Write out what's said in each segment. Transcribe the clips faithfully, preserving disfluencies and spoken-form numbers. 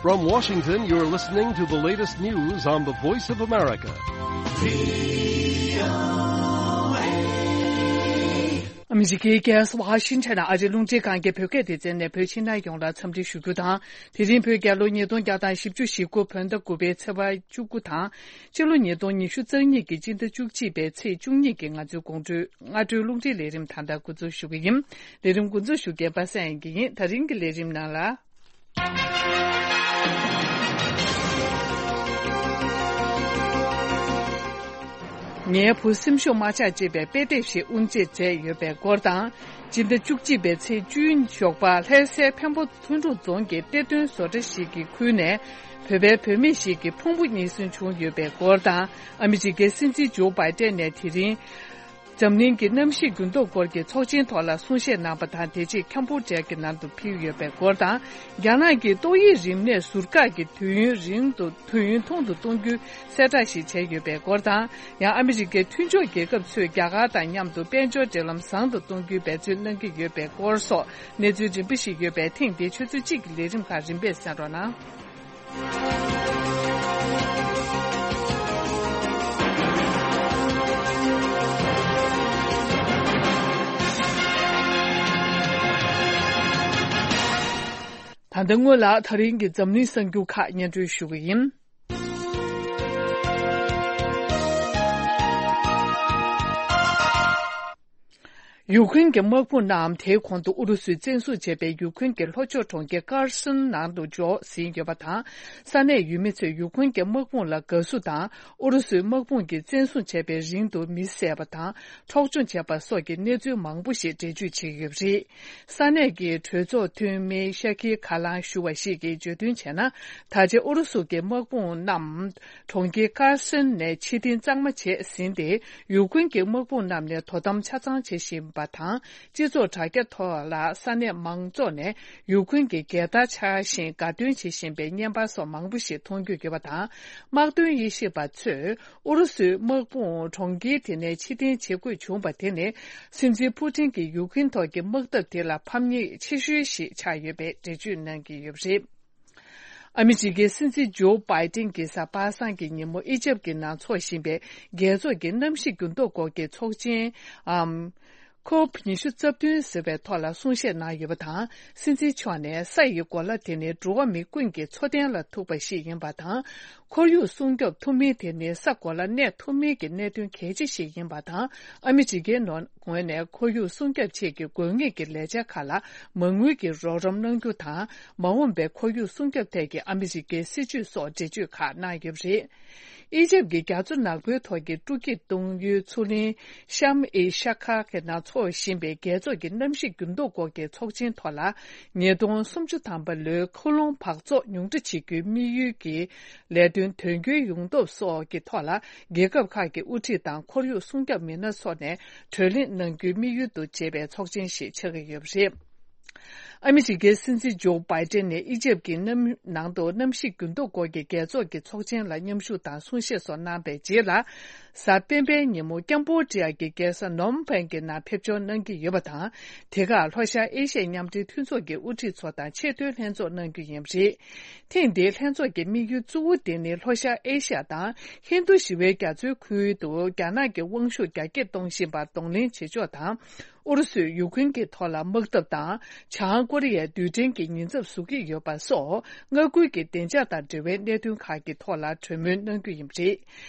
From Washington, you're listening to the latest news on the Voice of America. ཨ་མི་རི་ཀའི་རྒྱལ་ས་ཝ་ཤིང་ཊོན་ཨ་རིའི་རླུང་འཕྲིན་ཁང་གི་བོད་སྐད་སྡེ་ཚན་ནས་བོད་ཕྱི་ནང་ཡོངས་ལ་འཚམས་འདྲི་ཞུ་རྒྱུ་དང་། དེ་རིང་བོད་རྒྱལ་ལོ་ཉིས་སྟོང་བརྒྱ་དང་བཞི་བཅུ་ཞེ་དགུ་བོད་ཟླ་དགུ་པའི་ཚེས་པ་བཅུ་དགུ་དང་། ཕྱི་ལོ་ཉིས་སྟོང་ཉི་ཤུ་རྩ་གཉིས་ཀྱི་སྤྱི་ཟླ་བཅུ་གཅིག་པའི་ཚེས་བཅུ་གཉིས་ཀྱི་ང་ཚོའི་དགོང་དྲོའི་སྔ་དྲོའི་རླུང་འཕྲིན་ལས་རིམ་ད་ལྟ་འགོ་འཛུགས་ཞུ་གི་ཡིན། ལས་རིམ་འགོ་འཛུགས་ཞུ་མཁན་པ་སངས་དབྱངས་སྐྱིད་ཡིན། ད་རིང་གི་ལས་རིམ་ནང་ལ། ངའི་བུ་སེམས་ཤུགས་མ་ཆག་ཅེས་པའི་དཔེ་དེབ་ཞིག་དབུ་འབྱེད་མཛད་ཡོད་པའི་སྐོར་དང་། སྤྱི་ཟླ་བཅུ་གཅིག་པའི་ཚེས་བཅུ་ཞོགས་པ་ལྷ་སའི་འཕན་པོ་ལྷུན་གྲུབ་རྫོང་གི་གཏེར་སྟོན་བཟོ་གྲྭ་ཞིག་གི་ཁུལ་ནས་བོད་པའི་བུད་མེད་ཞིག་གི་ཕུང་པོ་རྙེད་སོན་བྱུང་ཡོད་པའི་སྐོར་དང་། ཨ་མི་རི་ཀའི་སྲིད་འཛིན་ཇོ་བྷའི་ཏན་ནས་དེ་རིང་། འཛམ་གླིང་གི་གནམ་གཤིས་འགྱུར་ལྡོག་སྐོར་གྱི་ཚོགས་ཆེན་ཐོག་ལ་གསུང་བཤད་གནང་བ་དང་། དེ་རྗེས་ཁམ་བྷོ་ཌི་ཡ་གི་ནང་དུ་ཕེབས་ཡོད་པའི་སྐོར་དང་། རྒྱ་ནག་གི་ཏོག་དབྱིབས་རིམས་ནད་ཟུར་བཀག་གི་དུས་ཡུན་རིང་དུ་དུས་ཡུན་ཐུང་དུ་གཏོང་རྒྱུའི་གསལ་བསྒྲགས་ཤིག་བྱས་ཡོད་པའི་སྐོར་དང་། ཡང་ཨ་མི་རི་ཀའི་མཐུན་ཕྱོགས་རྒྱལ་ཁབ་ཚོས་རྒྱ་གར་དང་མཉམ་དུ་དཔལ་འབྱོར་འབྲེལ་ལམ་བཟང་དུ་གཏོང་རྒྱུའི་འབད་བརྩོན་གནང་གི་ཡོད་པའི་སྐོར་སོགས་གནས་ཚུལ་རིམ་པ་ཞིག་ཡོད་པས། ཐེངས་འདིའི་ཆུ་ཚོད་གཅིག་གི་ལས་རིམ་ཁག་རིམ་པས་གསན་རོགས་གནང་། ད་ལྟ་སྔོན་ལ་ད་རིང་གི་འཛམ་གླིང་གསར་འགྱུར་ཁག་སྙན་སྒྲོན་ཞུ་གི་ཡིན། ཡུཀ་རེན་གྱི་དམག་དཔུང་རྣམས་དེའི་གོང་དུ་ཨུ་རུ་སུས་བཙན་བཟུང་བྱས་པའི་ཡུཀ་རེན་གྱི་ལྷོ་ཕྱོགས་གྲོང་ཁྱེར་ཀར་སོན་ནང་དུ་འབྱོར་ཟིན་ཡོད་པ་དང་། ས་གནས་ཡུལ་མི་ཚོས་ཡུཀ་རེན་གྱི་དམག་དཔུང་ལ་དགའ་བསུ་དང་། ཨུ་རུ་སུའི་དམག་དཔུང་གིས་བཙན་བཟུང་བྱས་པའི་རིང་དུ་མི་བསད་པ་དང་། འཕྲོག་བཅོམ་བྱས་པ་སོགས་ཀྱི་གནས་ཚུལ་མང་པོ་ཞིག་འགྲེལ་བརྗོད་བྱས་ཡོད་པ་རེད། ས་གནས་ཀྱི་གྲོས་ཚོགས་འཐུས་མི་ཤ་ཁི་ཁ་ལང་ཞུ་བ་ཞིག་གིས་བརྗོད་དོན་བྱས་ན། ད་ཆ་ཨུ་རུ་སུ་གྱི་དམག་དཔུང་རྣམས་གྲོང་ཁྱེར་ཀར་སོན་ནས་ཕྱིར་འཐེན་གཙང་མ་བྱས་ཟིན་ཏེ། ཡུཀ་རེན་གྱི་དམག་དཔུང་རྣམས་ནས་དོ་དམ་ཆ་ཚང་བྱེད་བཞིན་པ་དང་། སྤྱི་ཚོགས་དྲ་རྒྱ་ཐོག་ལ་ས་གནས་མང་ཚོགས་ནས་ཡུཀ་རེན་གྱི་རྒྱལ་དར་འཕྱར་བཞིན་དགའ་སྟོན་བྱེད་བཞིན་པའི་བརྙན་པར་སོགས་མང་པོ་ཞིག་མཐོང་རྒྱུ་ཡོད་པ་དང་། དམག་དོན་དབྱེ་ཞིབ་པ་ཚོས། ཨུ་རུ་སུའི་དམག་དཔུང་གྲོང་ཁྱེར་དེ་ནས་ཕྱིར་འཐེན་བྱེད་དགོས་བྱུང་བ་དེ་ནི། སྲིད་འཛིན་ཕུ་ཏིན་གྱི་ཡུཀ་རེན་ཐོག་གི་དམག་འཐབ་དེ་ལ་ཕམ་ཉེས་ཆེ་ཤོས་ཤིག་ཆགས་ཡོད་པའི་འགྲེལ་བརྗོད་གནང་གི་ཡོད་པ་རེད། ཨ་མི་རི་ཀའི་སྲིད་འཛིན་ཇོ་བྷའི་ཏིན་གྱིས་གཟའ་པ་སངས་ཀྱི་ཉིན་མོ་ཨི་ཇེབ་ཀྱི་ནང་འཚོགས་བཞིན་པའི་རྒྱལ་ཚོགས་ཀྱི་གནམ་གཤིས་འགྱུར་ལྡོག་སྐོར་གྱི་ཚོགས་ཆེན་འམ། ཁོབ་ཉི་ཤུ་རྩ་བདུན་ཟེར་བའི་ཐོག་ལ་གསུང་བཤད་གནང་ཡོད་པ་དང་། སྲིད་འཛིན་མཆོག་ནས་ས་ཡི་གོ་ལ་དེ་ནི་འགྲོ་བ་མི་ཀུན་གྱི་འཚོ་རྟེན་ལ་ཐུག་པ་ཞིག་ཡིན་པ་དང་། ཁོར་ཡུག་སྲུང་སྐྱོབ་ཐུབ་མིན་དེ་ནི་ས་གོ་ལ་གནས་ཐུབ་མིན་གྱི་གནད་དོན་གལ་ཆེ་ཞིག་ཡིན་པ་དང་། ཨ་མི་རི་ཀའི་ནང་ངོས་ནས་ཁོར་ཡུག་སྲུང་སྐྱོབ་ཆེད་ཀྱི་དགོས་ངེས་ཀྱི་ལས་འཆར་ཁག་ལ་མ་དངུལ་གྱི་རོགས་རམ་གནང་རྒྱུ་དང་། མ་འོངས་པའི་ཁོར་ཡུག་སྲུང་སྐྱོབ་ཐད་ཀྱི་ཨ་མི་རི་ཀའི་སྲིད་ཇུས་སོགས་འགྲེལ་བརྗོད་ཁག་གནང་ཡོད་པ་རེད། ཨི་ཇེབ་ཀྱི་རྒྱ་མཚོ་ནག་པོའི་ཐོག་གི་སྤྲོ་སྐྱིད་གཏོང་ཡུལ་མཚོ་གླིང་ཤམ་ཨི་ཤ་ཁ་གི་ནང་འཚོགས་བཞིན་པའི་རྒྱལ་ཚོགས་ཀྱི་གནམ་གཤིས་འགྱུར་ལྡོག་སྐོར་གྱི་ཚོགས་ཆེན་ཐོག་ལ། ཉིས་སྟོང་སུམ་ཅུ་ཐམ་པ་ལོའི་ཁུ་ལུང་འབག་བཙོག་ཉུང་འཕྲི་བྱེད་རྒྱུའི་དམིགས་ཡུལ་གྱི་ལས་དོན་དོན་འཁྱོལ་ཡོང་ཐབས་སོགས་ཀྱི་ཐོག་ལ། རྒྱལ་ཁབ་ཁག་གི་དབུ་ཁྲིད་དང་ཁོར་ཡུག་སྲུང་སྐྱོབ་མི་སྣ་སོགས་ནས་གྲོས་གླེང་གནང་རྒྱུའི་དམིགས་ཡུལ་དུ་བྱས་པའི་ཚོགས་ཆེན་ཞིག་ཆགས་ཀྱི་ཡོད་པ་རེད། ཨ་མི་རི་ཀའི་སྲིད་འཛིན་ཇོ་བྷའི་ཏན་ནས་ཨི་ཇེབ་ཀྱི་གནམ་ནང་དུ་གནམ་གཤིས་འགྱུར་ལྡོག་སྐོར་གྱི་རྒྱལ་ཚོགས་ཀྱི་ཚོགས་ཆེན་ལ་མཉམ་ཞུགས་དང་གསུང་བཤད་སོགས་གནང་པའི་རྗེས་ལ། གཟའ་སྤེན་པའི་ཉིན་མོ་ཀམ་བྷོ་ཌི་ཡ་གྱི་རྒྱལ་ས་ནོམ་ཕེན་གྱི་ནང་ཕེབས་འབྱོར་གནང་གི་ཡོད་པ་དང་། དེ་གར་ལྷོ་ཤར་ཨེ་ཤི་ཡའི་མཉམ་འབྲེལ་མཐུན་ཚོགས་ཀྱི་དབུ་ཁྲིད་ཚོ་དང་ཆེས་མཐོའི་ལྷན་ཚོགས་གནང་རྒྱུ་ཡིན་པ་རེད། ཐེངས་འདིའི་ལྷན་ཚོགས་ཀྱི་དམིགས་ཡུལ་གཙོ་བོ་དེ་ནི་ལྷོ་ཤར་ཨེ་ཤི་ཡ་དང་ཧིན་རྡུ་ཞི་བའི་རྒྱ་མཚོའི་ཁུལ་དུ་རྒྱ་ནག་གི་དབང་ཤུགས་རྒྱ་སྐྱེད་གཏོང་བཞིན་པར་གདོང་ལེན་བྱེད་ཕྱོགས་དང་། ཨུ་རུ་སུས་ཡུཀ་རེན་གྱི་ཐོག་ལ་དམག་འཐབ་དང་། བྱང་ཀོ་རི་ཡའི་རྡུལ་ཕྲན་གྱི་ཉེན་ཚབས་བཟོ་གི་ཡོད་པ་སོགས། མངའ་ཁུལ་གྱི་བདེ་འཇགས་དང་འབྲེལ་བའི་གནད་དོན་ཁག་གི་ཐོག་ལ་གྲོས་མོལ་གནང་རྒྱུ་ཡིན་པ་རེད།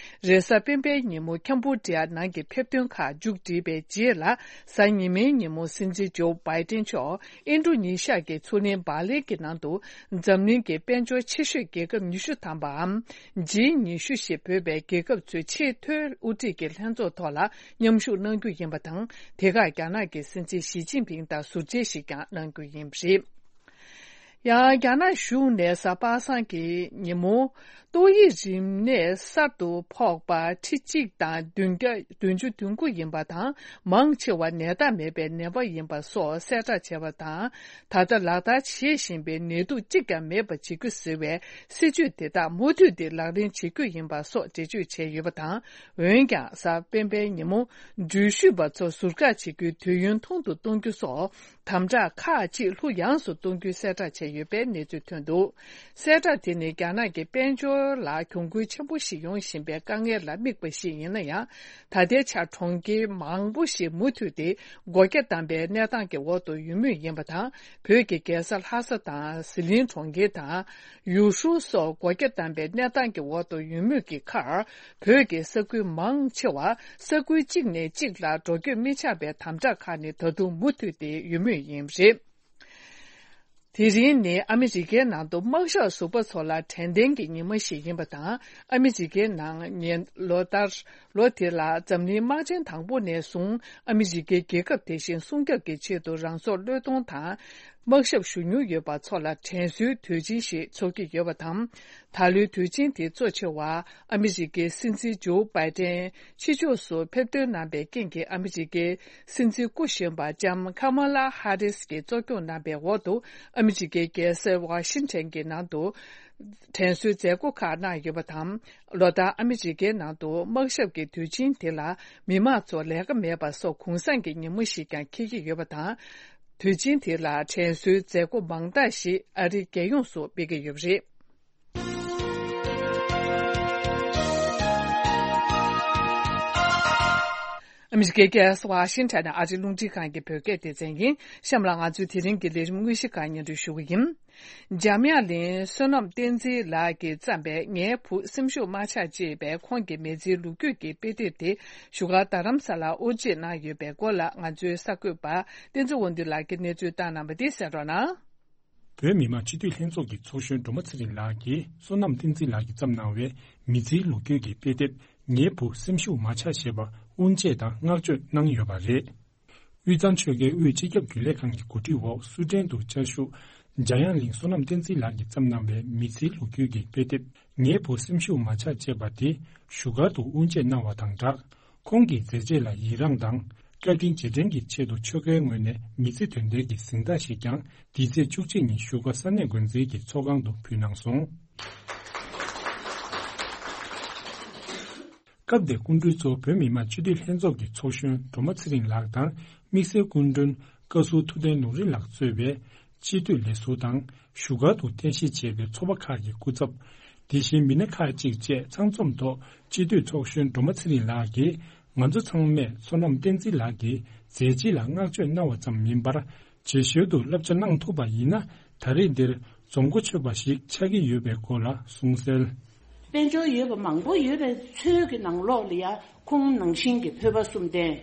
རེས་གཟའ་སྤེན་པའི་ཉིན་མོ་ཁམ་བྷོ་ཌི་ཡ་ནང་གི་ཕེབས་ཐོན་ཁག་མཇུག་བསྒྲིལ་བའི་རྗེས་ལ། གཟའ་ཉི་མའི་ཉིན་མོ་སྲིད་འཛིན་ཇོ་བྷའི་ཏན་མཆོག་ཨིན་ཌོ་ནི་ཤ་གི་མཚོ་གླིང་བཱ་ལི་གི་ནང་དུ། འཛམ་གླིང་གི་དཔལ་འབྱོར་ཆེ་ཤོས་རྒྱལ་ཁབ་ཉི་ཤུ་ཐམ་པའམ། ཇི་ཉི་ཤུ་ཞེས་འབོད་པའི་རྒྱལ་ཁབ་ཚོའི་ཆེས་མཐོའི་དབུ་ཁྲིད་ཀྱི་ལྷན་ཚོགས་ཐོག་ལ་མཉམ་ཞུགས་གནང་རྒྱུ་ཡིན་པ་དང་། དེ་གར་རྒྱ་ནག་གི་སྲིད་འཛིན་ཞི་ཅིན་ཕིང་དང་ཟུར་མཇལ་ཞིག་ཀྱང་གནང་རྒྱུ་ཡིན་པ་རེད། ཡང་རྒྱ་ནག་གཞུང་ནས་གཟའ་པ་སངས་ཀྱི་ཉིན་མོ། ཏོག་དབྱིབས་རིམས་ནད་གསར་དུ་ཕོག་པ་ཁྲི་གཅིག་དང་བདུན་བརྒྱ་བདུན་ཅུ་དོན་དགུ་ཡིན་པ་དང་། མང་ཆེ་བ་ནད་རྟགས་མེད་པའི་ནད་པ་ཡིན་པ་སོགས་གསལ་བསྒྲགས་བྱས་པ་དང་། ད་ལྟ་ལག་བསྟར་བྱེད་བཞིན་པའི་ནད་དུག་གཅིག་ཀྱང་མེད་པ་བྱེད་རྒྱུ་ཟེར་བའི་སྲིད་ཇུས་དེ་དག་མུ་མཐུད་དེ་ལག་ལེན་བྱེད་རྒྱུ་ཡིན་པ་སོགས་འགྲེལ་བརྗོད་བྱས་ཡོད་པ་དང་། འོན་ཀྱང་གཟའ་སྤེན་པའི་ཉིན་མོ་འགྲུལ་བཞུད་པ་ཚོ་ཟུར་བཀག་བྱེད་རྒྱུའི་དུས་ཡུན་ཐུང་དུ་གཏོང་རྒྱུ་སོགས། དམ་དྲག་ཁག་ཅིག་ལྷུ་ཡངས་སུ་གཏོང་རྒྱུའི་གསལ་བསྒྲགས་བྱས་ཡོད་པའི་གནས་ཚུལ་ཐོན་འདུག་གསལ་བསྒྲགས་དེ་ནི་རྒྱ་ནག་གི་དཔལ་འབྱོར་ལ་གྱོང་གུན་ཆེན་པོ་ཞིག་ཡོང་བཞིན་པའི་དཀའ་ངལ་ལ་དམིགས་པ་ཞིག་ཡིན་ན་ཡང་། ད་ལྟའི་ཆར་གྲོང་ཁྱེར་མང་པོ་ཞིག་མུ་མཐུད་དེ་སྒོ་རྒྱ་བསྡམས་པའི་གནས་སྟངས་ཀྱི་འོག་ཏུ་ཡོད་མུས་ཡིན་པ་དང་། བོད་ཀྱི་རྒྱལ་ས་ལྷ་ས་དང་ཟི་ལིང་གྲོང་ཁྱེར་དང་། ཡུས་ཧྲུའུ་སོགས་སྒོ་རྒྱ་བསྡམས་པའི་གནས་སྟངས་ཀྱི་འོག་ཏུ་ཡོད་མུས་ཀྱི་ཁར། བོད་ཀྱི་ས་ཁུལ་མང་ཆེ་བར་ས་ཁུལ་གཅིག་ནས་གཅིག་ལ་འགྲོ་སྐྱོད་མི་ཆགས་པའི་དམ་དྲག་ཁག་ནི་ད་དུང་མུ་མཐུད་དེ་ཡོད་མུས་ཡིན་པ་རེད། དེ་རིང་ནི་ཨ་མི་རི་ཀའི་ནང་དུ་དམག་ཞབས་ཟུར་པ་ཚོ་ལ་དྲན་རྟེན་གྱི་ཉིན་མོ་ཞིག་ཡིན་པ་དང་། ཨ་མི་རི་ཀའི་ནང་ཉིན་ལོ་ལྟར་ལོ་དེ་ལ་འཛམ་གླིང་དམག་ཆེན་དང་པོ་ནས་བཟུང་ཨ་མི་རི་ཀའི་རྒྱལ་ཁབ་དེ་བཞིན་སྲུང་སྐྱོབ་ཀྱི་ཆེད་དུ་རང་སྲོག་བློས་གཏོང་དང་། དམག་ཞབས་ཞུ་མྱོང་ཡོད་པ་ཚོ་ལ་དྲན་གསོའི་དུས་ཆེན་ཞིག་འཚོགས་ཀྱི་ཡོད་པ་དང་། ད་ལོའི་དུས་ཆེན་དེ་གཙོ་ཆེ་བ་ཨ་མི་རི་ཀའི་སྲིད་འཛིན་ཇོ་བྷའི་ཏན་ཕྱི་ཕྱོགས་སུ་ཕེབས་ཐོན་གནང་པའི་རྐྱེན་གྱིས། ཨ་མི་རི་ཀའི་སྲིད་འཛིན་སྐུ་གཞོན་པ་ལྕམ་ཁ་མ་ལ་ཧ་རིས་ཀྱིས་གཙོ་སྐྱོང་གནང་པའི་འོག་ཏུ། ཨ་མི་རི་ཀའི་རྒྱལ་ས་ཝ་ཤིང་ཊོན་གྱི་ནང་དུ་དྲན་གསོའི་མཛད་སྒོ་ཁག་གནང་ཡོད་པ་དང་། ལོ་ལྟར་ཨ་མི་རི་ཀའི་ནང་དུ་དམག་ཞབས་ཀྱི་དུས་ཆེན་དེ་ལ་མི་མང་ཚོ་ལས་ཀ་མེད་པ་སོགས་གུང་སེང་གི་ཉིན་མོ་ཞིག་ཀྱང་འཁེལ་གྱི་ཡོད་པ་དང་། དུས་ཆེན་དེ་ལ་དྲན་གསོའི་མཛད་སྒོ་མང་དག་ཞིག་ཨ་རིའི་རྒྱལ་ཡོངས་སུ་སྤེལ་གྱི་ཡོད་པ་རེད། ཨ་མི་རི་ཀའི་རྒྱལ་ས་ཝ་ཤིང་ཊོན་ནས་ཨ་རིའི་རླུང་འཕྲིན་ཁང་གི་བོད་སྐད་སྡེ་ཚན་ཡིན། གཤམ་ལ་ང་ཚོའི་དེ་རིང་གི་ལས་རིམ་དངོས་གཞི་ཁག་སྙན་སྒྲོན་ཞུ་གི་ཡིན། འཇམ་དབྱངས་གླིང་བསོད་ནམས་བསྟན་འཛིན་ལགས་ཀྱིས་བརྩམས་པའི་ངའི་བུ་སེམས་ཤུགས་མ་ཆག་ཅེས་པའི་ཁོང་གི་མི་ཚེའི་ལོ་རྒྱུས་ཀྱི་དཔེ་དེབ་དེ་བཞུགས་སྒར་རྡ་རམ་ས་ལར་དབུ་འབྱེད་གནང་ཡོད་པའི་སྐོར་ལ་ང་ཚོའི་གསར་འགོད་པ་བསྟན་འཛིན་དབང་འདུས་ལགས་ཀྱིས་གནས་ཚུལ་བཏང་གནང་བ་འདི་གསན་རོགས་གནང་། བོད་མི་མང་སྤྱི་འཐུས་ལྷན་ཚོགས་ཀྱི་ཚོགས་གཞོན་སྒྲོལ་མ་ཚེ་རིང་ལགས་ཀྱིས་བསོད་ནམས་བསྟན་འཛིན་ལགས་ཀྱིས་བརྩམས་གནང་བའི་མི་ཚེའི་ལོ་རྒྱུས་ཀྱི་དཔེ་དེབ་ངའི་བུ་སེམས་ཤུགས་མ་ཆག་ཅེས་པ་དབུ་འབྱེད་དང་བསྔགས་བརྗོད་གནང་ཡོད་པ་རེད། དབུས་གཙང་ཆོལ་ཁའི་དབུས་སྤྱི་ཁྱབ་རྒྱུན་ལས་ཁང་གི་གོ་སྒྲིག་འོག་སུ་ཊན་དུ་བཅའ་བཞུགས་འཇམ་དབྱངས་གླིང་བསོད་ནམས་བསྟན་འཛིན་ལགས་ཀྱིས་བརྩམས་གནང་བའི་མི་ཚེའི་ལོ་རྒྱུས་ཀྱི་དཔེ་དེབ་ངའི་བུ་སེམས་ཤུགས་མ་ཆག་ཅེས་པ་དེ་བཞུགས་སྒར་དུ་དབུ་འབྱེད་གནང་བ་དང་སྦྲགས། ཁོང་གི་མཛད་རྗེས་ལ་ཡི་རངས་དང་། བཀའ་དྲིན་རྗེས་དྲན་གྱི་ཆེད་དུ་ཆོལ་ཁའི་ངོས་ནས་མི་ཚེ་དོན་ལྡན་གྱི་གཟེངས་རྟགས་ཤིག་ཀྱང་འདི་ཚེས་བཅུ་གཅིག་ཉིན་བཞུགས་སྒར་ས་གནས་འགོ་འཛིན་གྱི་ཚོགས་ཁང་དུ་ཕུལ་གནང་སོང་། སྐབས་དེར་སྐུ་མགྲོན་གཙོ་བོད་མི་མང་སྤྱི་འཐུས་ལྷན་ཚོགས་ཀྱི་ཚོགས་གཞོན་སྒྲོལ་མ་ཚེ་རིང་ལགས་དང་། དམིགས་བསལ་སྐུ་མགྲོན་བཀའ་ཟུར་ཐུབ་བསྟན་ལུང་རིགས་ལགས་གཙོས་པའི་སྤྱི་འཐུས་ལས་ཟུར་དང་། བཞུགས་སྒར་དུ་རྟེན་གཞི་བྱས་པའི་ཚོགས་པ་ཁག་གི་སྐུ་ཚབ། དེ་བཞིན་མི་སྣ་ཁག་ཅིག་བཅས་ཚང་འཛོམས་ཐོག་སྤྱི་འཐུས་ཚོགས་གཞོན་སྒྲོལ་མ་ཚེ་རིང་ལགས་ཀྱིས། ང་ཚོ་ཚང་མས་བསོད་ནམས་བསྟན་འཛིན་ལགས་ཀྱི་མཛད་རྗེས་ལ་བསྔགས་བརྗོད་གནང་བ་ཙམ་མིན་པར། རྗེས་ཤུལ་དུ་བསླབ་བྱ་གནང་ཐུབ་པ་ཡིན་ན། ད་རེས་འདིར་རྫོང་སྒོ་ཆོད་པ་ཞིག་ཆགས་ཀྱི་ཡོད་པའི་སྐོར་ལ་གསུངས་གསལ། དཔལ་འབྱོར་ཡོད་པ་མང་པོ་ཡོད་པའི་ཚོད་ཀྱི་ནང་ལོགས་ལ་ཡ། ཁོང་ནང་བཞིན་གྱི་བོད་པ་གསུམ་ལྡན།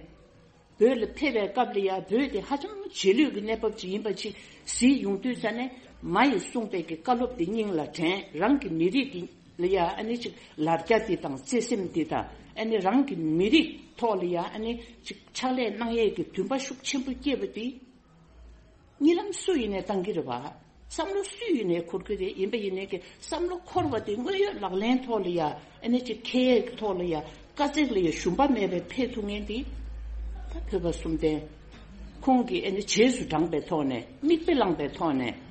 བོད་ལ་ཕེབས་པའི་སྐབས་ལ་ཡ། བོད་དེ་ཧ་ཅང་རྗེས་ལུས་ཀྱི་གནས་བབ་ཅིག་ཡིན་པ་ཅིག་གཟིགས་ཡོང་དུས་ཙ་ནས། མ་ཡིས་གསུངས་པའི་གི་བཀའ་སློབ་དེ་སྙིང་ལ་དྲན། རང་གི་མི་རིགས་ཀྱི་ལ་ཡ་ཨ་ནི་ཅིག་ལར་རྒྱ་དེ་དང་བརྩེ་སེམས་དེ་དང་། ཨ་ནི་རང་གི་མི་རིགས་ཐོག་ལ་ཡ་ཨ་ནི་ཅིག་ཕྱག་ལས་གནང་ཡས་ཀྱི་འདུན་པ་ཤུགས་ཆེན་པོ་སྐྱེས་པ་དེ། གཉིད་ལམ་སུ་ཡིན་ནའི་བཏང་གི་རེད་བ། བསམ་བློ་སུ་ཡིན་ནའི་འཁོར་གི་རེད། ཡིན་པ་ཡིན་ནའི་གི་བསམ་བློ་འཁོར་བ་དེ་དངོས་ཡོད་ལག་ལེན་ཐོག་ལ་ཡ། ཨ་ནི་ཅིག་ཁེ་ཡས་ཀྱི་ཐོག་ལ་ཡ། དཀའ་ཚེགས་ལ་ཡ་ཞུམ་པ་མེད་པའི་ཕེབས་ཐུབ་མཁན་དེ། ད་བོད་པ་གསུམ་ལྡན། ཁོང་གིས་ཨ་ནི་རྗེས་སུ་འབྲངས་པའི་ཐོག་ནས། མིག་དཔེ་བླངས་པའི་ཐོག་ནས།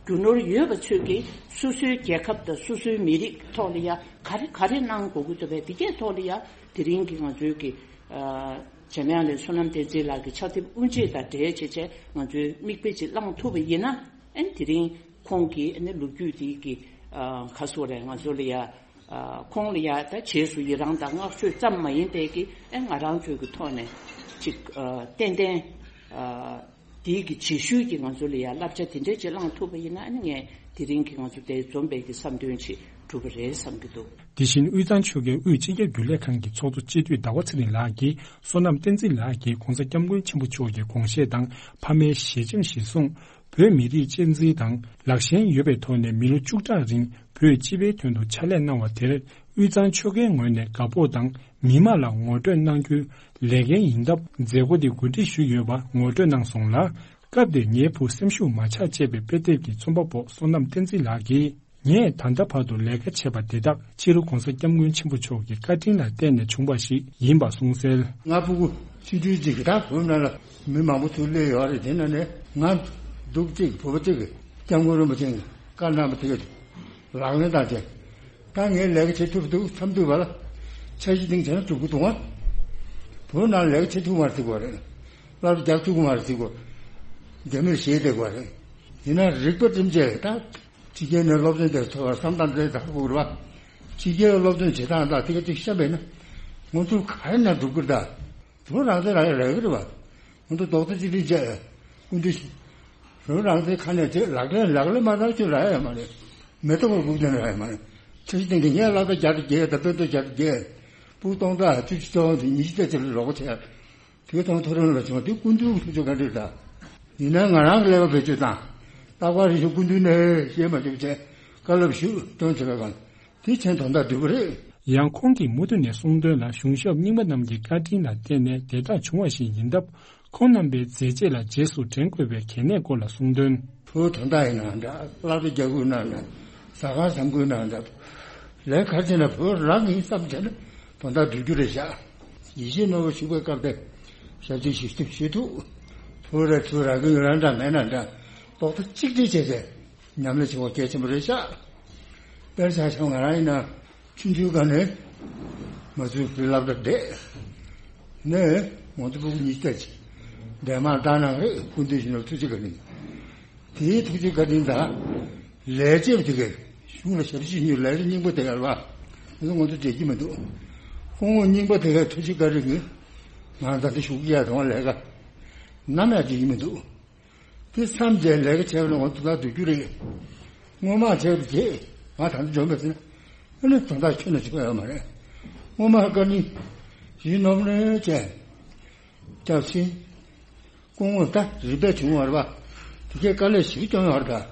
རྒྱུ་ནོར་ཡོད་པ་ཚོས་ཀྱིས་སོ་སོའི་རྒྱལ་ཁབ་དང་སོ་སོའི་མི་རིགས་ཐོག་ལ་ཡ་ག་རེ་ག་རེ་གནང་དགོས་ཀྱི་འདུག་པས། དེ་གའི་ཐོག་ལ་ཡ་དེ་རིང་གི་ང་ཚོའི་གི་ཨ། འཇམ་དབྱངས་གླིང་བསོད་ནམས་བསྟན་འཛིན་ལགས་ཀྱི་ཕྱག་དེབ་དབུ་འབྱེད་དང་འབྲེལ་བྱས་བྱས། ང་ཚོའི་མིག་དཔེ་ཅིག་བླངས་ཐུབ་པ་ཡིན་ན། ཨ་ནི་དེ་རིང་ཁོང་གི་ཨ་ནི་ལོ་རྒྱུས་དེ་གི་ཨ། ག་ཟེར་དགོས་རེད། ང་ཚོ་ལ་ཡ། ཨ། ཁོང་ལ་ཡ་ད་རྗེས་སུ་ཡི་རངས་དང་བསྔགས་བརྗོད་ཙམ་མ་ཡིན་པའི་གི། ཨ། ང་རང་ཚོའི་གི་ཐོག་ནས་ཅིག་ཨ། ཏན་ཏན་ཨ། དེའི་གི་རྗེས་ཤུལ་གྱི་ང་ཚོ་ལ་ཡ་བསླབ་བྱ་དེ་འདྲ་ཅིག་བླངས་ཐུབ་པ་ཡིན་ན། ཨ་ནི་ངས་དེ་རིང་གི་ང་ཚོ་དེ་འཛོམས་པའི་གི་བསམ་དོན་ཅིག་གྲུབ་པ་རེད་བསམ་གྱི་འདུག། དེ་བཞིན་དབུས་གཙང་ཆོལ་ཁའི་དབུས་སྤྱི་ཁྱབ་རྒྱུན་ལས་ཁང་གི་ཚོགས་གཙོ་སྤྱི་འཐུས་ཟླ་བ་ཚེ་རིང་ལགས་ཀྱིས། བསོད་ནམས་བསྟན་འཛིན་ལགས་ཀྱིས་༧གོང་ས་༧སྐྱབས་མགོན་ཆེན་པོ་མཆོག་གི་དགོངས་བཞེད་དང་ཕ་མའི་ཞལ་ཆེམས་གཞིར་བཟུང་། བོད་མི་རིགས་གཅེས་འཛིན་དང་ལག་ཞེན་ཡོད་པའི་ཐོག་ནས་མི་ལོ་བཅུ་ཕྲག་རིང་བོད་སྤྱི་པའི་དོན་དུ་ཕྱག་ལས་གནང་བ་དེར། དབུས་གཙང་ཆོལ་ཁའི་ངོས་ནས་དགའ་སྤོབས་དང་མི་དམངས་ལ་ངོ་སྤྲོད་གནང་རྒྱུའི་ལས་འགན་ཡིན་སྟབས། མཛད་སྒོ་འདི་གོ་སྒྲིག་ཞུས་ཡོད་པ་ངོ་སྤྲོད་གནང་སོང་ལ། སྐབས་དེར་ངའི་བུ་སེམས་ཤུགས་མ་ཆག་ཅེས་པའི་དཔེ་དེབ་ཀྱི་རྩོམ་པ་པོ་བསོད་ནམས་བསྟན་འཛིན་ལགས་ཀྱིས། ངས་ད་ལྟ་བར་དུ་ལས་ཀ་བྱས་པ་དེ་དག་སྤྱི་ནོར་༧གོང་ས་༧སྐྱབས་མགོན་ཆེན་པོ་མཆོག་གི་བཀའ་དྲིན་ལ་བརྟེན་ནས་བྱུང་བ་ཞིག་ཡིན་པ་གསུངས་གསལ། ང་ཕྲུ་གུ་ཆུང་ཆུང་ཅིག་གི་ད་བོད་ནང་ལ་མི་མང་པོ་ཚུར་སླེབས་ཡོད་རེད། དེ་ནང་ནས་ང་འབྲུག་གཅིག་བོད་པ་གཅིག་གི་སྐྱབས་མགོན་རིན་པོ་ཆེ་གི་བཀའ་གནང་བ་དེ་ག་ལག་ལེན་བསྟར་བྱས། ད་ངས་ལས་ཀ་བྱེད་ཐུབ་འདུག་མཚམས་ཐུག་པ་ལ་འཆར་གཞི་སྟེང་བྱས་ན་འགྲུབ་ཀྱི་འདུག་ང་བོད་ནང་ལས་ཀ་བྱེད་ཐུབ་མ་རེད་ཟེར་གྱི་ཡོད་རེད། སློབ་གྲྭ་རྒྱག་ཐུབ་ཀྱི་མ་རེད་ཟེར་གྱི་ཡོད་རེད། རྒྱ་མིར་ཞེད་བསྡད་ཀྱི་ཡོད་རེད། ཡིན་ན་རིག་པ་བསྒྲིམས་བྱས་ད་ཕྱི་རྒྱལ་ནས་སློབ་ཚན་དེར་ཐོས་པར་བསམ་སྟངས་དེ་དག་དགོས་རེད་བ། ཕྱི་རྒྱལ་སློབ་ཚན་བྱེད་སྟངས་དང་དེ་ག་ཅིག་བཤད་པས་ན་ང་ཚོ་ག་རེ་ན་འགྲུབ་ཀྱི་རེད་ད། བོད་རང་བཙན་རང་ཡང་རག་གི་རེད་བ། ང་ཚོ་རྡོག་རྩ་གཅིག་སྒྲིལ་བྱས་སྐུ་མདུན་ཞིག་བོད་རང་བཙན་ཁ་ནས་དེ་ལག་ལེན་ལག་ལེན་མ་བསྟར་ཁྱོད་རག་ཡ་མ་རེད། མེ་ཏོག་ལ་སྒུག་བསྡད་ན་རག་ཡ་མ་རེད། ཁྲིམས་ཞིབ་སྟེང་གི་ངས་སློབ་གྲྭ་བརྒྱ་དང་བརྒྱད་དང་དཔེ་མཛོད་བརྒྱ་དང་བརྒྱད་སྤུ་སྟོང་ཕྲག་བཅུ་གཅིག་སྟོང་དེ་ཉི་ཤུ་རྩ་གཅིག་ལ་རོགས་པ་བྱས། དེ་དང་མཐོ་རིམ་ལ་བྱུང་བ་དེ་སྐུ་མདུན་ཐུགས་རྗེ་བཀའ་དྲིན་དང་། ཡིན་ན་ང་རང་གི་ཀླད་པ་བེད་སྤྱོད་དང་། རྟག་པར་རེ་ཞིག་སྐུ་མདུན་ནས་ཤེས་མ་བྱུང་བྱས་བཀའ་སློབ་ཞུ་དོན་བྱེད་པའི་སྒང་དེ་ཕྱིན་དོན་དག་བསྡུས་པ་རེད། ཡང་ཁོང་གིས་མུ་མཐུད་ནས་གསུངས་དོན་ལ་གཞུང་ཞབས་རྙིང་པ་རྣམས་ཀྱི་བཀའ་དྲིན་ལ་བརྟེན་ནས་དེ་དག་བྱུང་བ་ཞིག་ཡིན་སྟབས། ཁོང་རྣམ་པའི་མཛད་རྗེས་ལ་རྗེས་སུ་དྲན་དགོས་པའི་གལ་གནད་སྐོར་ལ་གསུངས་དོན། བོད་དོན་དག་ཡིན་ནའང་འདྲ། སློབ་གྲྭ་རྒྱག་དགོས་ནའང་འདྲ། ཟ་ཁང་བཟང་དགོས་ནའང་འདྲ། ལས་ག་རེ་བྱས་ན་བོད་རང་ཡིན་བསམ་བྱས་ན་དོན་དག་སྒྲུབ་རྒྱུ་རེད་ཤག་ཡིད་ཆེས་རྣོ་བོ་ཞུགས་པའི་སྐབས་དེ་ཞབས་ཕྱི་ཞུ་ཐུབ་ཞུ་ཐུབ། བོད་ར་ཚུར་རག་གི་ཡོད་ན་འདྲ་མེད་ན་འདྲ། རྡོག་རྩ་གཅིག་སྒྲིལ་བྱས་བྱས་ཉམས་ལེན་བྱེད་དགོས་གལ་ཆེན་པོ་རེད་ཤག་དཔེར་ཆ་བཞག་ང་རང་ཡིན་ན། ཆུང་ཆུང་སྒང་ནས་མ་ཚུར་བོད་སློབ་གྲྭ་བསྡད་ནས་ང་ཚོ་ཕྲུ་གུ་ཉིས་བརྒྱ་ཅིག་འདན་མར་བཏང་གནང་རེད། སྐུ་མདུན་ཞུ་ན་ཐུགས་རྗེ་བཀའ་དྲིན། དེའི་ཐུགས་རྗེ་བཀའ་དྲིན་དང་ལས་བྱེད་པ་དེ་གས་གཞུང་ལ་ཞབས་ཕྱི་ཞུ་ལས་རིགས་རྙིང་པ་དེ་གས་ལ་ང་ཚོ་ང་ཚོ་འབྲེལ་གྱི་མི་འདུག་ཁོང་རྙིང་པ་དེ་གས་ཐུགས་རྗེ་བཀའ་དྲིན་གྱིས་ང་ད་ལྟ་ཞུགས་ཀྱི་ཡ་དང་ལས་ཀ་ནམ་ཡང་འབྲེལ་གྱི་མི་འདུག་དེ་མཚམས་བཅད་ལས་ཀ་བྱས་པ་ན་ང་ཚོ་ད་སྡུག་རྒྱུ་རེད། སྔོན་མ་བྱས་པ་བྱས་ང་ད་ལྟ་འཇོན་པ་ཟེར་ན་ཨ་ནི་དོན་དག་ཁྱོན་ནས་བྱེད་པ་ཡོད་མ་རེད། སྔོན་མ་བཀའ་དྲིན་ཞུས་ནོར་ནས་བྱས་སྐྱབས་ཆེན་སྐུ་ངོ་ད་རིམ་པས་བྱུང་བ་རེད་པ། དེ་གའི་དཀའ་ལས་ཞིག་བསྐྱོན་ཡོད་རེད་ད།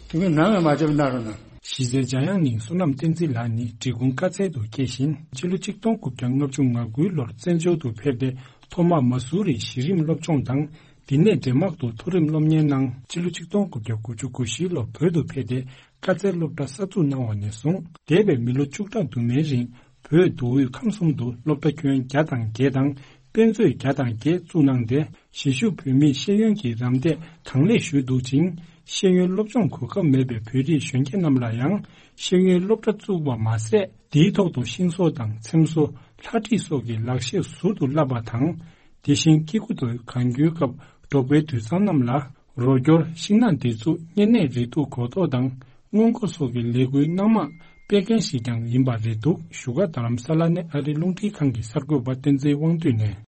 དེ་གའི་ནམ་ཡང་མ་བྱས་པ་གནང་རོགས་གནང་། གཞིས་རྩེ་འཇམ་དབྱངས་གླིང་བསོད་ནམས་བསྟན་འཛིན་ལགས་ནི་འབྲི་གུང་དཀའ་ཚལ་དུ་སྐྱེས་ཤིང་ཕྱི་ལོ་ཆིག་སྟོང་དགུ་བརྒྱ་ལྔ་བཅུ་ང་དགུའི་ལོར་བཙན་བྱོལ་དུ་ཕེབས་ཏེ་ཐོག་མར་མ་སུ་རིའི་གཞི་རིམ་སློབ་སྦྱོང་དང་། དེ་ནས་འབྲས་དམག་ཏུ་མཐོ་རིམ་སློབ་གཉེར་གནང་། ཕྱི་ལོ་ཆིག་སྟོང་དགུ་བརྒྱ་དགུ་བཅུ་གོ་བཞིའི་ལོར་བོད་དུ་ཕེབས་ཏེ་དཀའ་སྩལ་སློབ་གྲྭ་གསར་འཛུགས་གནང་བ་ནས་བཟུང་འདས་པའི་མི་ལོ་བཅུ་ཕྲག་དུ་མའི་རིང་བོད་མདོ་དབུས་ཁམས་གསུམ་དུ་སློབ་གྲྭ་ཁྱོན་བརྒྱ་དང་བརྒྱད་དང་དཔེ་མཛོད་བརྒྱ་དང་བརྒྱད་བཙུགས་གནང་སྟེ་གཞིས་བཞུགས་བོད་མིའི་ཤེས་ཡོན་གྱི་རམ་འདེགས་གང་ལེགས་ཞུས་འདུག་ཅིང་། ཤེས་ཡོན་སློབ་སྦྱོང་གོ་སྐབས་མེད་པའི་བོད་རིགས་གཞོན་སྐྱེས་རྣམས་ལ་ཡང་ཤེས་ཡོན་སློབ་གྲྭ་བཙུགས་པ་མ་ཟད། དེའི་ཐོག་ཏུ་ཤིང་བཟོ་དང་ཚེམ་བཟོ། ལྷ་བྲིས་སོགས་ཀྱི་ལག་ཤེས་ཟུར་དུ་བསླབ་པ་དང་། དེ་བཞིན་སྐྱེ་དགུ་དང་གང་རྒྱུའི་སྐབས་འབྲོག་པའི་དུད་ཚང་རྣམས་ལ་རོགས་སྐྱོར། ཤིང་ནགས་འདེབས་འཛུགས། བསྙེན་གནས་རིགས་གཏུག་གོ་རྟོགས་དང་སྔོན་འགོག་སོགས་ཀྱི་ལས་འགུལ་གནང་མ་སྤེལ་མཁན་ཞིག་ཀྱང་ཡིན་པ་རེད་འདུག་བཞུགས་སྒར་རྡ་རམ་ས་ལ་ནས་ཨ་རིའི་རླུང་འཕྲིན་ཁང་གི་གསར་འགོད་པ་བསྟན་འཛིན་དབང་འདུས་ནས།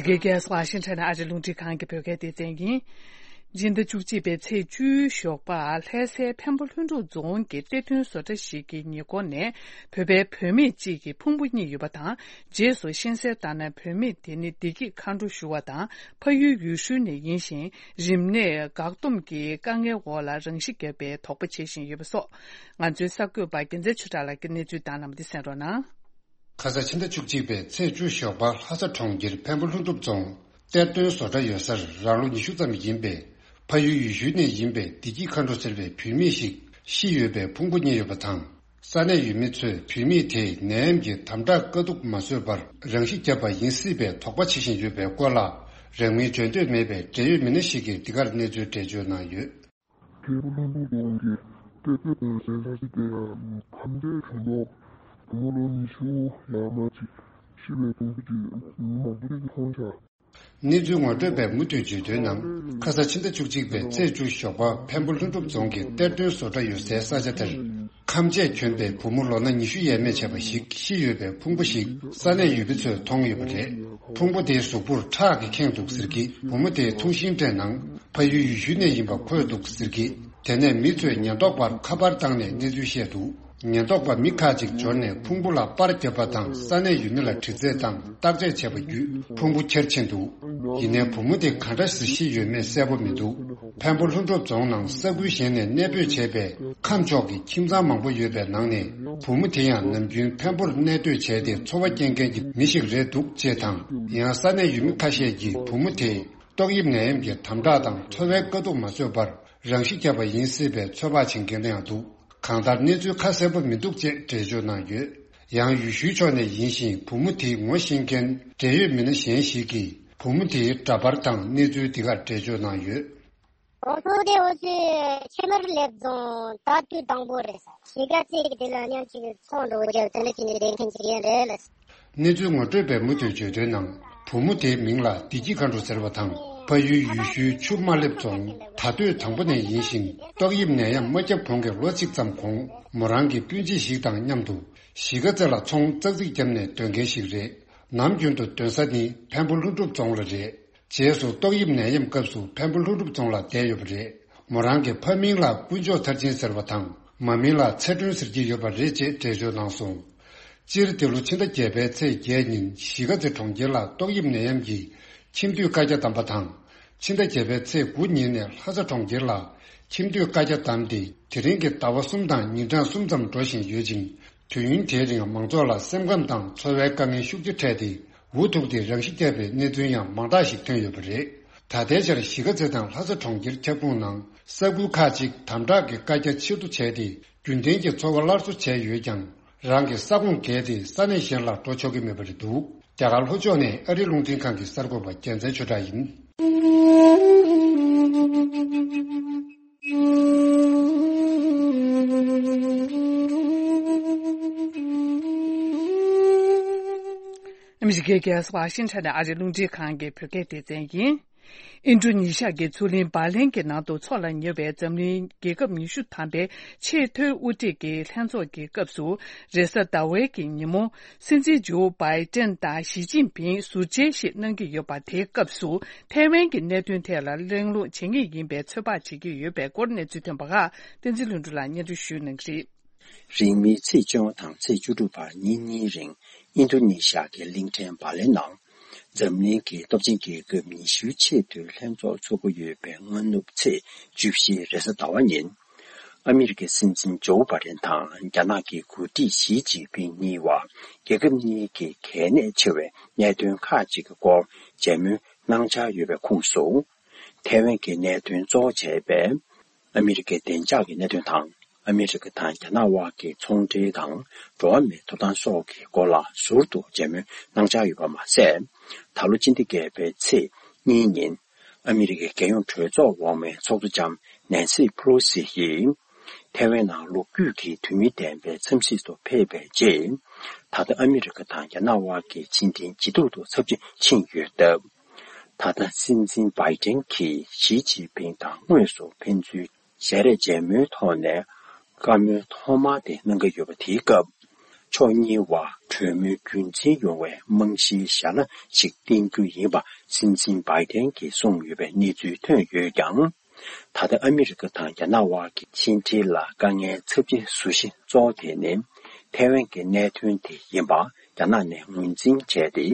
འཇིགས་སྐལ་ཝ་ཤིང་ཊོན་ཨ་རི་རླུང་འཕྲིན་ཁང་གི་བོད་སྐད་སྡེ་ཚན་ཡིན། སྤྱི་ཟླ་བཅུ་གཅིག་པའི་ཚེས་བཅུའི་ཞོགས་པར་ལྷ་སའི་འཕན་པོ་ལྷུན་གྲུབ་རྫོང་གི་གཏེར་སྟོན་བཟོ་གྲྭ་ཞིག་གི་ཉེ་འཁོར་ནས་བོད་པའི་བུད་མེད་ཅིག་གི་ཕུང་པོ་རྙེད་ཡོད་པ་དང་། རྗེས་སུ་ཤེས་གསལ་ལྟར་ན། བུད་མེད་དེ་ནི་བདེ་སྐྱིད་མཁའ་འགྲོ་ཞུ་བ་དང་ཕ་ཡུལ་ཡུལ་ཤུལ་ནས་ཡིན་ཞིང་། རིམས་ནད་འགག་སྡོམ་གྱི་དཀའ་ངལ་འོག་ལ་རང་ཤི་བརྒྱབ་པའི་དོགས་པ་བྱེད་བཞིན་ཡོད་པ་སོགས། ང་ཚོའི་གསར་འགོད་པ་རྒྱལ་མཚན་ཆོས་གྲགས་ལགས་ཀྱིས་གནས་ཚུལ་བཏང་གནང་བ་འདི་གསན་རོགས་གནང་། ཁ་ས་ཕྱི་ཟླ་བཅུ་གཅིག་པའི་ཚེས་བཅུ་ཞོགས་པ་ལྷ་ས་གྲོང་ཁྱེར་འཕན་པོ་ལྷུན་གྲུབ་རྫོང་གཏེར་སྟོན་བཟོ་གྲྭ་ཡོད་སར་རང་ལོ་ཉི་ཤུ་ཙམ་ཡིན་པའི་ཕ་ཡུལ་ཡུལ་ཤུལ་ནས་ཡིན་པའི་བདེ་སྐྱིད་མཁའ་འགྲོ་ཟེར་བའི་བུད་མེད་ཞིག་ཤི་ཡོད་པའི་ཕུང་པོ་རྙེད་ཡོད་པ་དང་། ས་གནས་ཡུལ་མི་ཚོས་བུད་མེད་དེས་ནད་ཡམས་ཀྱི་དམ་དྲག་དཀའ་སྡུག་མ་བཟོད་པར་རང་ཤི་བརྒྱབ་པ་ཡིན་སྲིད་པའི་དོགས་པ་བྱེད་བཞིན་ཡོད་པའི་སྐོར་ལ། རང་མིང་བརྗོད་འདོད་མེད་པའི་འབྲེལ་ཡོད་མི་སྣ་ཞིག་གིས་འདི་གར་གནས་ཚུལ་འགྲེལ་བརྗོད་གནང་ཡོད། ཁེ་པོ་ལྷུན་པོ་དགོན་གྱི་གཏེར་སྟོན་ཟེར་ས་ཞིག་དེ་ལ་ཁམས་བདེ་ཆུང་ལོ་བུ་མོ་ལོ་ཉི་ཤུ་ཡར་མར་ཅིག་ཤི་བའི་དུམ་བུ་ཅིག་མི་མང་པོ་ཅིག་གིས་མཐོང་ཤག་གནས་ཚུལ་ངོ་སྤྲོད་པས་མུ་མཐུད་བརྗོད་དོན་ནང་། ཁ་ས་ཕྱི་ཟླ་བཅུ་གཅིག་པའི་ཚེས་བཅུ་ཞོགས་པ་འཕན་པོ་ལྷུན་གྲུབ་རྫོང་གི་གཏེར་སྟོན་བཟོ་གྲྭ་ཡོད་སའི་ས་ཆ་དེར། ཁམས་ཆས་གྱོན་པའི་བུ་མོ་ལོ་ན་ཉི་ཤུ་ཡས་མས་བྱས་པ་ཞིག་ཤི་ཡོད་པའི་ཕུང་པོ་ཞིག་ས་གནས་ཡུལ་མི་ཚོས་མཐོང་ཡོད་པ་རེད། ཕུང་པོ་དེའི་གཟུགས་པོར་ཁྲག་གིས་ཁེངས་འདུག་ཟེར་གྱིས། བུ་མོ་དེའི་ཐུང་ཤིང་སྤྲད་ནང་ཕ་ཡུལ་ཡུལ་ཤུལ་ནས་ཡིན་པ་འཁོད་འདུག་ཟེར་གྱིས། དེ་ནས་མི་ཚོས་ཉེན་རྟོག་པར་ཁ་པར་བཏང་ནས་གནས་ཚུལ་བཤད་འདུག་ཉེན་རྟོག་པ་མི་ཁག་ཅིག་འབྱོར་ནས་ཕུང་པོ་ལ་པར་བརྒྱབ་པ་དང་ས་གནས་ཡུལ་མི་ལ་དྲི་རྩད་དང་བརྟག་དཔྱད་བྱས་པ་བརྒྱུད་ཕུང་པོ་ཁྱེར་ཕྱིན་འདུག་ཡིན་ནའི་བུ་མོ་དེ་ག་འདྲ་ཞིག་ཤི་ཡོད་མེད་གསལ་པོ་མི་འདུག་འཕན་པོ་ལྷུན་གྲུབ་རྫོང་ནང་ས་ཁུལ་གཞན་ནས་གནས་སྤོས་བྱས་པའི་ཁམས་ཕྱོགས་ཀྱི་ཁྱིམ་ཚང་མང་པོ་ཡོད་པའི་ནང་ནས་བུ་མོ་དེ་ཡང་ནམ་རྒྱུན་འཕན་པོར་གནས་སྡོད་བྱས་ཏེ་འཚོ་བ་སྐྱེལ་མཁན་གྱི་མི་ཞིག་རེད་འདུག་ཅེས་དང་། ཡང་ས་གནས་ཡུལ་མི་ཁ་ཤས་ཀྱིས་བུ་མོ་དེས་ཏོག་དབྱིབས་ནད་ཡམས་ཀྱི་དམ་དྲག་དང་འཚོ་བའི་དཀའ་སྡུག་མ་བཟོད་པར་རང་ཤི་བརྒྱབ་པ་ཡིན་སྲིད་པའི་ཚོད་དཔག་བྱེད་མཁན་ཡང་འདུག་གང་ལྟར་གནས་ཚུལ་ཁ་གསལ་པོ་མི་འདུག་ཅེས་འགྲེལ་བརྗོད་གནང་ཡོད། ཡང་ཡུལ་ཤུལ་ཕྱོགས་ནས་ཡིན་ཞིང་བུ་མོ་དེའི་ངོ་ཤེས་མཁན་འབྲེལ་ཡོད་མི་སྣ་གཞན་ཞིག་གིས་བུ་མོ་དེའི་འདྲ་པར་དང་གནས་ཚུལ་འདི་གར་འགྲེལ་བརྗོད་གནང་ཡོད། གོང་ཚོགས་དེ་འོ་ཚོས་ཆེ་མར་སླེབས་རྫོང་ད་དུས་དང་པོ་རེད་ས། གཞིས་ཀ་རྩེ་གི་དེ་ལ་མཉམ་གཅིག་ཚོང་འགྲོ་རྒྱབ་དེ་འདྲ་བྱས་ནས་བསྡད་མཁན་ཅིག་ཡིན་རེད་ལ། གནས་ཚུལ་ངོ་སྤྲོད་པས་མུ་མཐུད་བརྗོད་དོན་ནང་བུ་མོ་དེའི་མིང་ལ་བདེ་སྐྱིད་མཁའ་འགྲོ་ཟེར་བ་དང་ཕ་ཡུལ་ཡུལ་ཤུལ་ཆུ་དམར་ལེབ་རྫོང་ད་སྟོད་དང་པོ་ནས་ཡིན་ཞིང་ཏོག་དབྱིབས་ནད་ཡམས་མ་བརྒྱབ་གོང་གི་ལོ་གཅིག་ཙམ་གོང་མོ་རང་གི་སྤུན་མཆེད་ཞིག་དང་མཉམ་དུ་གཞིས་ཀ་རྩེ་ལ་ཚོང་ཙག་ཙིག་བརྒྱབ་ནས་སྡོད་མཁན་ཞིག་རེད། ནམ་རྒྱུན་དུ་སྡོད་ས་ནི་འཕན་པོ་ལྷུན་གྲུབ་རྫོང་ལ་རེད། རྗེས་སུ་ཏོག་དབྱིབས་ནད་ཡམས་སྐབས་སུ་འཕན་པོ་ལྷུན་གྲུབ་རྫོང་ལ་བསྡད་ཡོད་པ་རེད། མོ་རང་གི་ཕ་མིང་ལ་དཀོན་མཆོག་མཐར་ཕྱིན་ཟེར་བ་དང་མ་མིང་ལ་ཚེ་སྒྲོན་ཟེར་གྱི་ཡོད་པ་རེད་ཅེས་འགྲེལ་བརྗོད་གནང་སོང་། སྤྱིར་འདི་ལོ་ཕྱི་ཟླ་བརྒྱད་པའི་ཚེས་བརྒྱད་ཉིན་གཞིས་ཀ་རྩེ་གྲོང་ཁྱེར་ལ་ཏོག་དབྱིབས་ནད་ཡམས་ཀྱིས་ཁྱིམ་སྡོད་བཀའ་རྒྱ་བསྡམས་པ་དང་། ཕྱི་ཟླ་བརྒྱད་པའི་ཚེས་དགུ་ཉིན་ནས་ལྷ་ས་གྲོང་ཁྱེར་ལ་ཁྱིམ་སྡོད་བཀའ་རྒྱ་བསྡམས་ཏེ་དེ་རིང་གི་ཟླ་བ་གསུམ་དང་ཉིན་གྲངས་གསུམ་ཙམ་འགྲོ་བཞིན་ཡོད་ཅིང་། དུས་ཡུན་དེའི་རིང་མང་ཚོགས་ལ་སེམས་ཁམས་དང་འཚོ་བའི་དཀའ་ངལ་ཤུགས་ཆེ་འཕྲད་དེ་འུ་ཐུག་སྟེ་རང་ཤི་བརྒྱབ་པའི་གནས་ཚུལ་ཡང་མང་དག་ཞིག་ཐོན་ཡོད་པ་རེད། ད་ལྟའི་ཆར་གཞིས་ཀ་རྩེ་དང་ལྷ་ས་གྲོང་ཁྱེར་ཁྱབ་ཁོངས་ནང་ས་ཁུལ་ཁག་ཅིག་དམ་དྲག་གི་བཀའ་རྒྱ་ཕྱིར་བསྡུ་བྱས་ཏེ་རྒྱུན་ལྡན་གྱི་འཚོ་བ་སླར་གསོ་བྱས་ཡོད་ཀྱང་རང་གི་ས་ཁོངས་བརྒལ་ཏེ་ས་གནས་གཞན་ལ་འགྲོ་ཆོག་གི་མེད་པ་རེད་འདུག་རྒྱ་གར་ལྷོ་ཕྱོགས་ནས་ཨ་རིའི་རླུང་འཕྲིན་ཁང་གི་གསར་འགོད་པ་རྒྱལ་མཚན་ཆོས་གྲགས་ཡིན། ཨ་མི་རི་ཀའི་རྒྱལ་ས་ཝ་ཤིང་ཊོན་ནས་ཨ་རིའི་རླུང་འཕྲིན་ཁང་གི་བོད་སྐད་སྡེ་ཚན་ཡིན། ཨིན་ཌོ་ནེ་ཤི་ཡ་གི་མཚོ་གླིང་བྷ་ལན་གྱི་ནང་དུ་འཚོགས་ལ་ཉེ་བའི་འཛམ་གླིང་རྒྱལ་ཁབ་ཉི་ཤུ་ཐམ་པའི་ཆེས་མཐོའི་དབུ་ཁྲིད་ཀྱི་ལྷན་ཚོགས་ཀྱི་སྐབས་སུ། རེས་གཟའ་ཟླ་བའི་གི་ཉིན་མོ། སྲིད་འཛིན་ཇོ་བྷའི་ཏན་དང་ཞི་ཅིན་ཕིང་ཟུར་མཇལ་ཞིག་གནང་གི་ཡོད་པ། དེའི་སྐབས་སུ་ཐའེ་ཝན་གྱི་གནད་དོན་ཐད་ལ་གླེང་སློང་བྱེད་ངེས་ཡིན་པའི་ཚོད་དཔག་བྱེད་ཀྱི་ཡོད་པའི་སྐོར་གནས་ཚུལ་ཐོན་པ་ཁག་བསྟན་འཛིན་ལྷུན་གྲུབ་ལགས་སྙན་སྒྲོན་ཞུ་གནང་གི་རེད། རིང་མིན་ཚེས་བཅོ་ལྔ་དང་ཚེས་བཅུ་དྲུག་བར་ཉིན་གཉིས་རིང་ཨིན་རྡུ་ནེ་ཤི་ཡ་གི་གླིང་ཕྲན་བྷ་ལེ་ནང་འཛམ་གླིང་གི་སྟོབས་ཆེན་རྒྱལ་ཁབ་ཉི་ཤུའི་ཆེས་མཐོའི་ལྷན་ཚོགས་འཚོགས་ཀྱི་ཡོད་པའི་སྔ་ནུབ་ཚེས་བཅུ་བཞི་རེས་གཟའ་ཟླ་བ་ཉིན། ཨ་མི་རི་ཀའི་སྲིད་འཛིན་ཇོ་བྷ་ཌེན་དང་རྒྱ་ནག་གི་འགོ་ཁྲིད་ཞི་ཅིན་ཕིང་གཉིས་བར་རྒྱལ་ཁབ་གཉིས་ཀྱི་གལ་གནད་ཆེ་བའི་གནད་དོན་ཁག་ཅིག་གི་སྐོར་མཇལ་མོལ་གནང་འཆར་ཡོད་པའི་ཁོངས་སུ། ཐའེ་ཝན་གྱི་གནད་དོན་གཙོ་བོ་བྱས་པའི་ཨ་མི་རི་ཀའི་བདེ་འཇགས་ཀྱི་གནད་དོན་དང་། ཨ་མི་རི་ཀ་དང་རྒྱ་ནག་དབར་གྱི་ཚོང་འབྲེལ་དང་འགྲོ་བ་མིའི་ཐོབ་ཐང་སོགས་ཀྱི་སྐོར་ལ་ཟུར་དུ་མཇལ་མོལ་གནང་འཆར་ཡོད་པ་མ་ཟད། ད་ལོ་སྤྱི་ཟླ་བརྒྱད་པའི་ཚེས་གཉིས་ཉིན། ཨ་མི་རི་ཀའི་རྒྱལ་ཡོངས་གྲོས་ཚོགས་འོག་མའི་ཚོགས་གཙོ་ལྕམ་ནན་སི་ཕེ་ལོ་སི་ཡིས། ཐའེ་ཝན་ནང་ལོ་རྒྱུས་ཀྱི་དོན་སྙིང་ལྡན་པའི་འཚམས་གཟིགས་སུ་ཕེབས་པའི་རྗེས། ད་ལྟ་ཨ་མི་རི་ཀ་དང་རྒྱ་ནག་དབར་གྱི་ཕྱི་འབྲེལ་ཇེ་སྡུག་ཏུ་ཚབས་ཆེན་ཕྱིན་ཡོད་སྟབས། ད་ལྟ་སྲིད་འཛིན་བྷའི་ཏན་གྱིས་ཞི་ཅིན་ཕིང་དང་དངོས་སུ་ཕན་ཚུན་ཞལ་རས་མཇལ་མོལ་ཐོག་ནས་བཀའ་མོལ་ཐོག་མ་དེ་གནང་གི་ཡོད་པ་དེའི་སྐབས། ཕྱོགས་གཉིས་བར་གྲོས་མོལ་རྒྱུན་འཛིན་ཡོང་བའི་རྨང་གཞིའི་ཞལ་ལག་ཞིག་བསྟན་རྒྱུ་ཡིན་པ་སྲིད་འཛིན་བྷའི་ཏན་གྱིས་གསུངས་ཡོད་པའི་གནས་ཚུལ་ཐོན་ཡོད་ཀྱང་། ད་ལྟ་ཨ་མི་རི་ཀ་དང་རྒྱ་ནག་དབར་གྱི་ཕྱི་འབྲེལ་ལ་དཀའ་ངལ་ཚབས་ཆེན་བཟོ་གཞི་གཙོ་བོ་དེ་ནི་ཐའེ་ཝན་གྱི་གནད་དོན་དེ་ཡིན་པ་རྒྱ་ནག་ནས་ངོས་འཛིན་བྱས་ཏེ།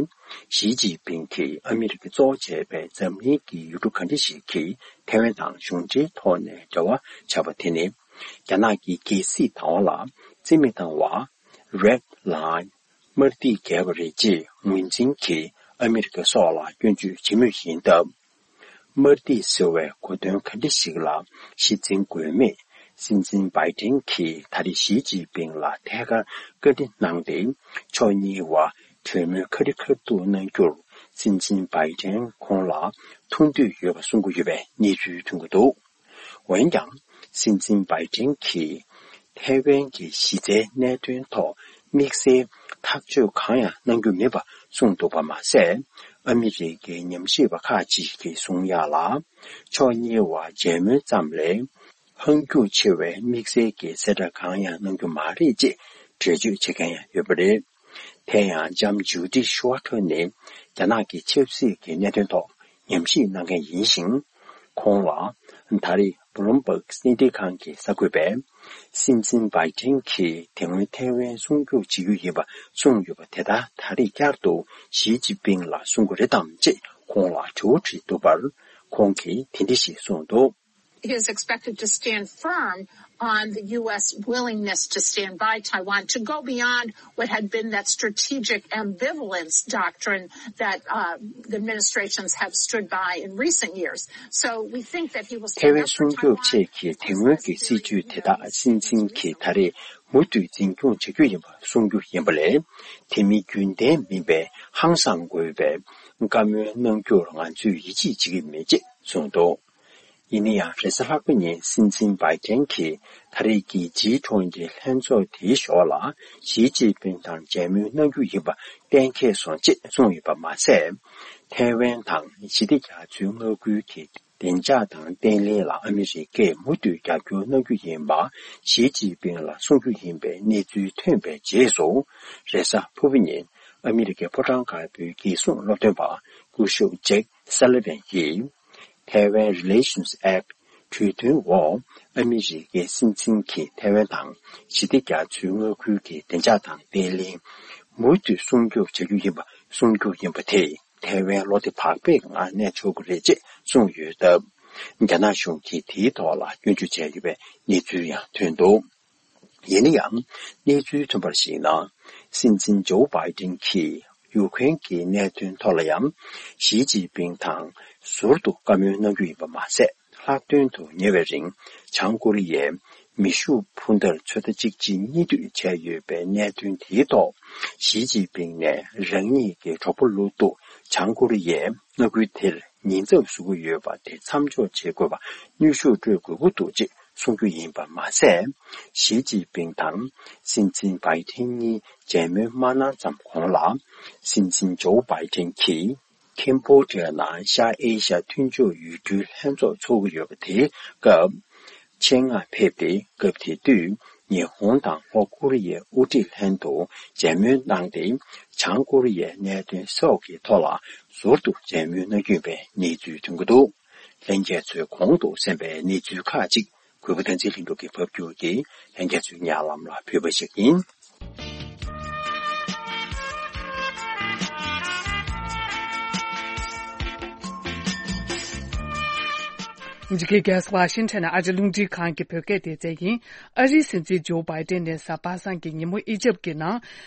ཞི་ཅིན་ཕིང་གིས་ཨ་མི་རི་ཀ་གཙོ་བོ་བྱས་པའི་འཛམ་གླིང་གི་ཡུལ་གྲུ་ག་འདྲ་ཞིག་གིས་ཐའེ་ཝན་དང་གཞུང་འབྲེལ་ཐོག་ནས་འབྲེལ་བ་བྱས་པ་དེ་ནི། རྒྱ་ནག་གི་རྒྱལ་སྲིད་བདག་དབང་ལ་རྩིས་མེད་བཏང་བ། Red Line། དམར་ཐིག་བརྒལ་བ་རེད་ཅེས་ངོས་འཛིན་གྱིས་ཨ་མི་རི་ཀ་སོགས་ལ་སྐྱོན་བརྗོད་བྱེད་མུས་ཡིན་སྟབས། དམར་ཐིག་ཟེར་བའི་གོ་དོན་ག་འདྲ་ཞིག་ལ་གཞི་འཛིན་དགོས་མེད། སྲིད་འཛིན་བྷའི་ཏན་གྱིས་ད་རེས་ཞི་ཅིན་ཕིང་ལ་ཐད་ཀར་བཀའ་འདྲི་གནང་སྟེ། ཕྱོགས་གཉིས་བར་གྲོས་མོལ་ཁ་རི་ཁ་ཐུག་གནང་རྒྱུར། སྲིད་འཛིན་བྷའི་ཏན་ཁོང་ལ་ཐུགས་འདོད་ཡོད་པ་གསུང་གི་ཡོད་པའི་གནས་ཚུལ་ཐོན་གྱི་འདུག་འོན་ཀྱང་། སྲིད་འཛིན་བྷའི་ཏན་གྱིས་ཐའེ་ཝན་གྱི་གཞི་རྩའི་གནད་དོན་ཐོག་དམིགས་བསལ་ཐག་གཅོད་གང་ཡང་གནང་རྒྱུ་མེད་པ་གསུངས་འདུག་པ་མ་ཟད། ཨ་མི་རི་ཀའི་ཉམས་ཞིབ་པ་ཁག་ཅིག་གིས་གསུང་ཡག་ལ། ཕྱོགས་གཉིས་བར་མཇལ་མོལ་ཙམ་ལས། ཧང་སྐྱུག་ཆེ་བའི་དམིགས་བསལ་གྱི་གསལ་བསྒྲགས་གང་ཡང་གནང་རྒྱུ་མ་རེད་ཅེས་འགྲེལ་བརྗོད་བྱེད་མཁན་ཡང་ཡོད་པ་རེད། དེ་ཡང་ལྕམ་ཇུ་ཌི་ཤུ་ཝ་ཊར་ནི་རྒྱ་ནག་གི་ཆབ་སྲིད་ཀྱི་གནད་དོན་ཐོག་ཉམས་ཞིབ་གནང་མཁན་ཡིན་ཞིང་། ཁོང་ལ་ ད་རེས་Bloomberg་གསར་འགྱུར་ཁང་གི་གསར་འགོད་པས། སྲིད་འཛིན་བྷའི་ཏིན་གྱིས་དེ་སྔོན་ཐའེ་ཝན་སྲུང་སྐྱོབ་བྱེད་རྒྱུ་ཡིན་པ་གསུངས་ཡོད་པ་དེ་དག་ད་རེས་བསྐྱར་དུ་ཞི་ཅིན་ཕིང་ལ་གསུང་གི་རེད་དམ་ཅེས་ཁོང་ལ་དྲི་བ་དྲིས་འདུག་པར། ཁོང་གིས་དེ་འདྲ་ཞིག་གསུངས་འདུག། He is expected to stand firm on the U S willingness to stand by Taiwan, to go beyond what had been that strategic ambivalence doctrine that uh, the administrations have stood by in recent years. So we think that he will stand up for Taiwan. ཐའེ་ཝན་སྲུང་སྐྱོབ་ཆེད་ཀྱི་དེ་སྔོན་གྱི་སྲིད་བྱུས་དེ་དག་སྲིད་འཛིན་གྱིས་ད་རེས་མུ་མཐུད་འཛིན་སྐྱོང་བྱ་རྒྱུ་ཡིན་པ་གསུང་རྒྱུ་ཡིན་པ་ལས། དེ་མིན་རྒྱུན་ལྡན་མིན་པའི་ཧང་སང་དགོས་པའི་བཀའ་མོལ་གནང་རྒྱུར་ང་ཚོས་ཡིད་ཆེས་བྱེད་ཀྱི་མེད་ཅེས་གསུངས་འདུག། ཡིན་ན་ཡང་། རེས་གཟའ་ལྷག་པ་ཉིན་སྲིད་འཛིན་བྷའི་ཏན་གྱིས་ད་རེས་ཀྱི་ཇི་ཊུ་ཝེན་ཊི་ལྷན་ཚོགས་དེའི་ཞོར་ལ་ཞི་ཅིན་ཕིང་དང་མཇལ་མོལ་གནང་རྒྱུ་ཡིན་པ་གཏན་འཁེལ་སོང་ཅེས་གསུངས་ཡོད་པ་མ་ཟད། ཐའེ་ཝན་དང་ཞི་བདེ་རྒྱ་མཚོའི་མངའ་ཁུལ་གྱི་བདེ་འཇགས་དང་བརྟན་ལྷིང་ལ་ཨ་མི་རི་ཀས་མུ་མཐུད་རྒྱབ་སྐྱོར་གནང་རྒྱུ་ཡིན་པ་ཞི་ཅིན་ཕིང་ལ་གསུང་རྒྱུ་ཡིན་པའི་གནས་ཚུལ་ཐོན་པའི་རྗེས་སུ། རེས་གཟའ་ཕུར་བུ་ཉིན་ཨ་མི་རི་ཀའི་ཕོ་བྲང་དཀར་པོའི་རྒྱལ་སྲུང་སློབ་སྟོན་པ་སྐུ་ཞབས་ཇེག་སཱ་ལི་ཝན་གྱིས། Taiwan Relations Act གྲོས་མཐུན་འོག་ཨ་མི་རི་ཀའི་སྲིད་འཛིན་གྱིས་ཐའེ་ཝན་དང་ཞི་བདེ་རྒྱ་མཚོའི་མངའ་ཁུལ་གྱི་བདེ་འཇགས་དང་བརྟན་ལྷིང་མུ་མཐུད་སྲུང་སྐྱོབ་བྱ་རྒྱུ་ཡིན་པ་གསུང་རྒྱུ་ཡིན་པ་དེས་ཐའེ་ཝན་བློ་བདེ་བག་ཕེབས་ངང་གནས་ཆོག་གི་རེད་ཅེས་གསུངས་ཡོད་སྟབས། རྒྱ་ནག་གཞུང་གིས་དེའི་ཐོག་ལ་སྐྱོན་བརྗོད་བྱས་ཡོད་པའི་གནས་ཚུལ་ཡང་ཐོན་འདུག། ཡིན་ན་ཡང་། གནས་ཚུལ་ཐོན་པར་གཞིགས་ན། སྲིད་འཛིན་ཇོ་བྷའི་ཏིན་གྱིས་ཡུ་ཁུ་རེན་གྱི་གནད་དོན་ཐོག་ལ་ཡང་། ཞི་ཅིན་ཕིང་དང་ཟུར་དུ་བཀའ་མོལ་གནང་རྒྱུ་ཡིན་པ་མ་ཟད། ལྷག་དོན་དུ་ཉེ་བའི་རིང་བྱང་ཀོ་རི་ཡས་མེ་ཤུགས་འཕུར་མདའ་ཚོད་ལྟ་གཅིག་གཅིག་གཉིས་གཏོད་བྱས་ཡོད་པའི་གནད་དོན་དེའི་ཐོག། ཞི་ཅིན་ཕིང་ནས་རང་ཉིད་ཀྱི་གྲོགས་པོ་ལོ་ཏོག་བྱང་ཀོ་རི་ཡས་མངའ་ཁུལ་དེར་ཉེན་ཚབས་བཟོ་གི་ཡོད་པ་དེ་མཚམས་འཇོག་བྱེད་དགོས་པ་ནུས་ཤུགས་སྤྲོད་དགོས་ཀྱི་འདུག་ཅེས་གསུང་རྒྱུ་ཡིན་པ་མ་ཟད། ཞི་ཅིན་ཕིང་དང་སྲིད་འཛིན་བྷའི་ཏིན་གཉིས་མཇལ་མོལ་མ་གནང་ཙམ་གོང་ལ། སྲིད་འཛིན་ཇོ་བྷའི་ཏིན་གྱིས་ཁེམ་བྷོ་ཌི་ཡ་ནང་ཤར་ཨེ་ཤ་མཐུན་ཕྱོགས་ཡུལ་གྲུའི་ལྷན་ཚོགས་འཚོགས་ཀྱི་ཡོད་པ་དེའི་སྐབས། ཆེད་མངགས་ཕེབས་ཏེ། སྐབས་དེ་དུས་ཉི་ཧོང་དང་ལྷོ་ཀོ་རི་ཡའི་དབུ་ཁྲིད་ལྷན་དུ་མཇལ་མོལ་གནང་སྟེ། བྱང་ཀོ་རི་ཡའི་གནད་དོན་སོགས་ཀྱི་ཐོག་ལ་ཟུར་དུ་མཇལ་མོལ་གནང་རྒྱུ་ཡིན་པའི་གནས་ཚུལ་ཐོན་གྱི་འདུག། ལྷན་རྒྱས་ཚོས་གོང་དུ་གསན་པའི་གནས་ཚུལ་ཁག་ཅིག་གུས་པ་བསྟན་འཛིན་ལྷུན་གྲུབ་ཀྱིས་ཕབ་སྒྱུར་གྱིས་ལྷན་རྒྱས་ཚོའི་སྙན་ལམ་ལ་ཕུལ་བ་ཞིག་ཡིན། འཇིགས་སྐུལ་རྒྱལ་ས་ཝ་ཤིང་ཊོན་ནས་ཨ་རི་རླུང་འཕྲིན་ཁང་གི་བོད་སྐད་སྡེ་ཚན་ཡིན། ཨ་རིའི་སྲིད་འཛིན་ཇོ་བྷའི་ཏན་ནས་གཟའ་པ་སངས་ཀྱི་ཉིན་མོ་ཨི་ཇེབ་ཀྱི་ནང་།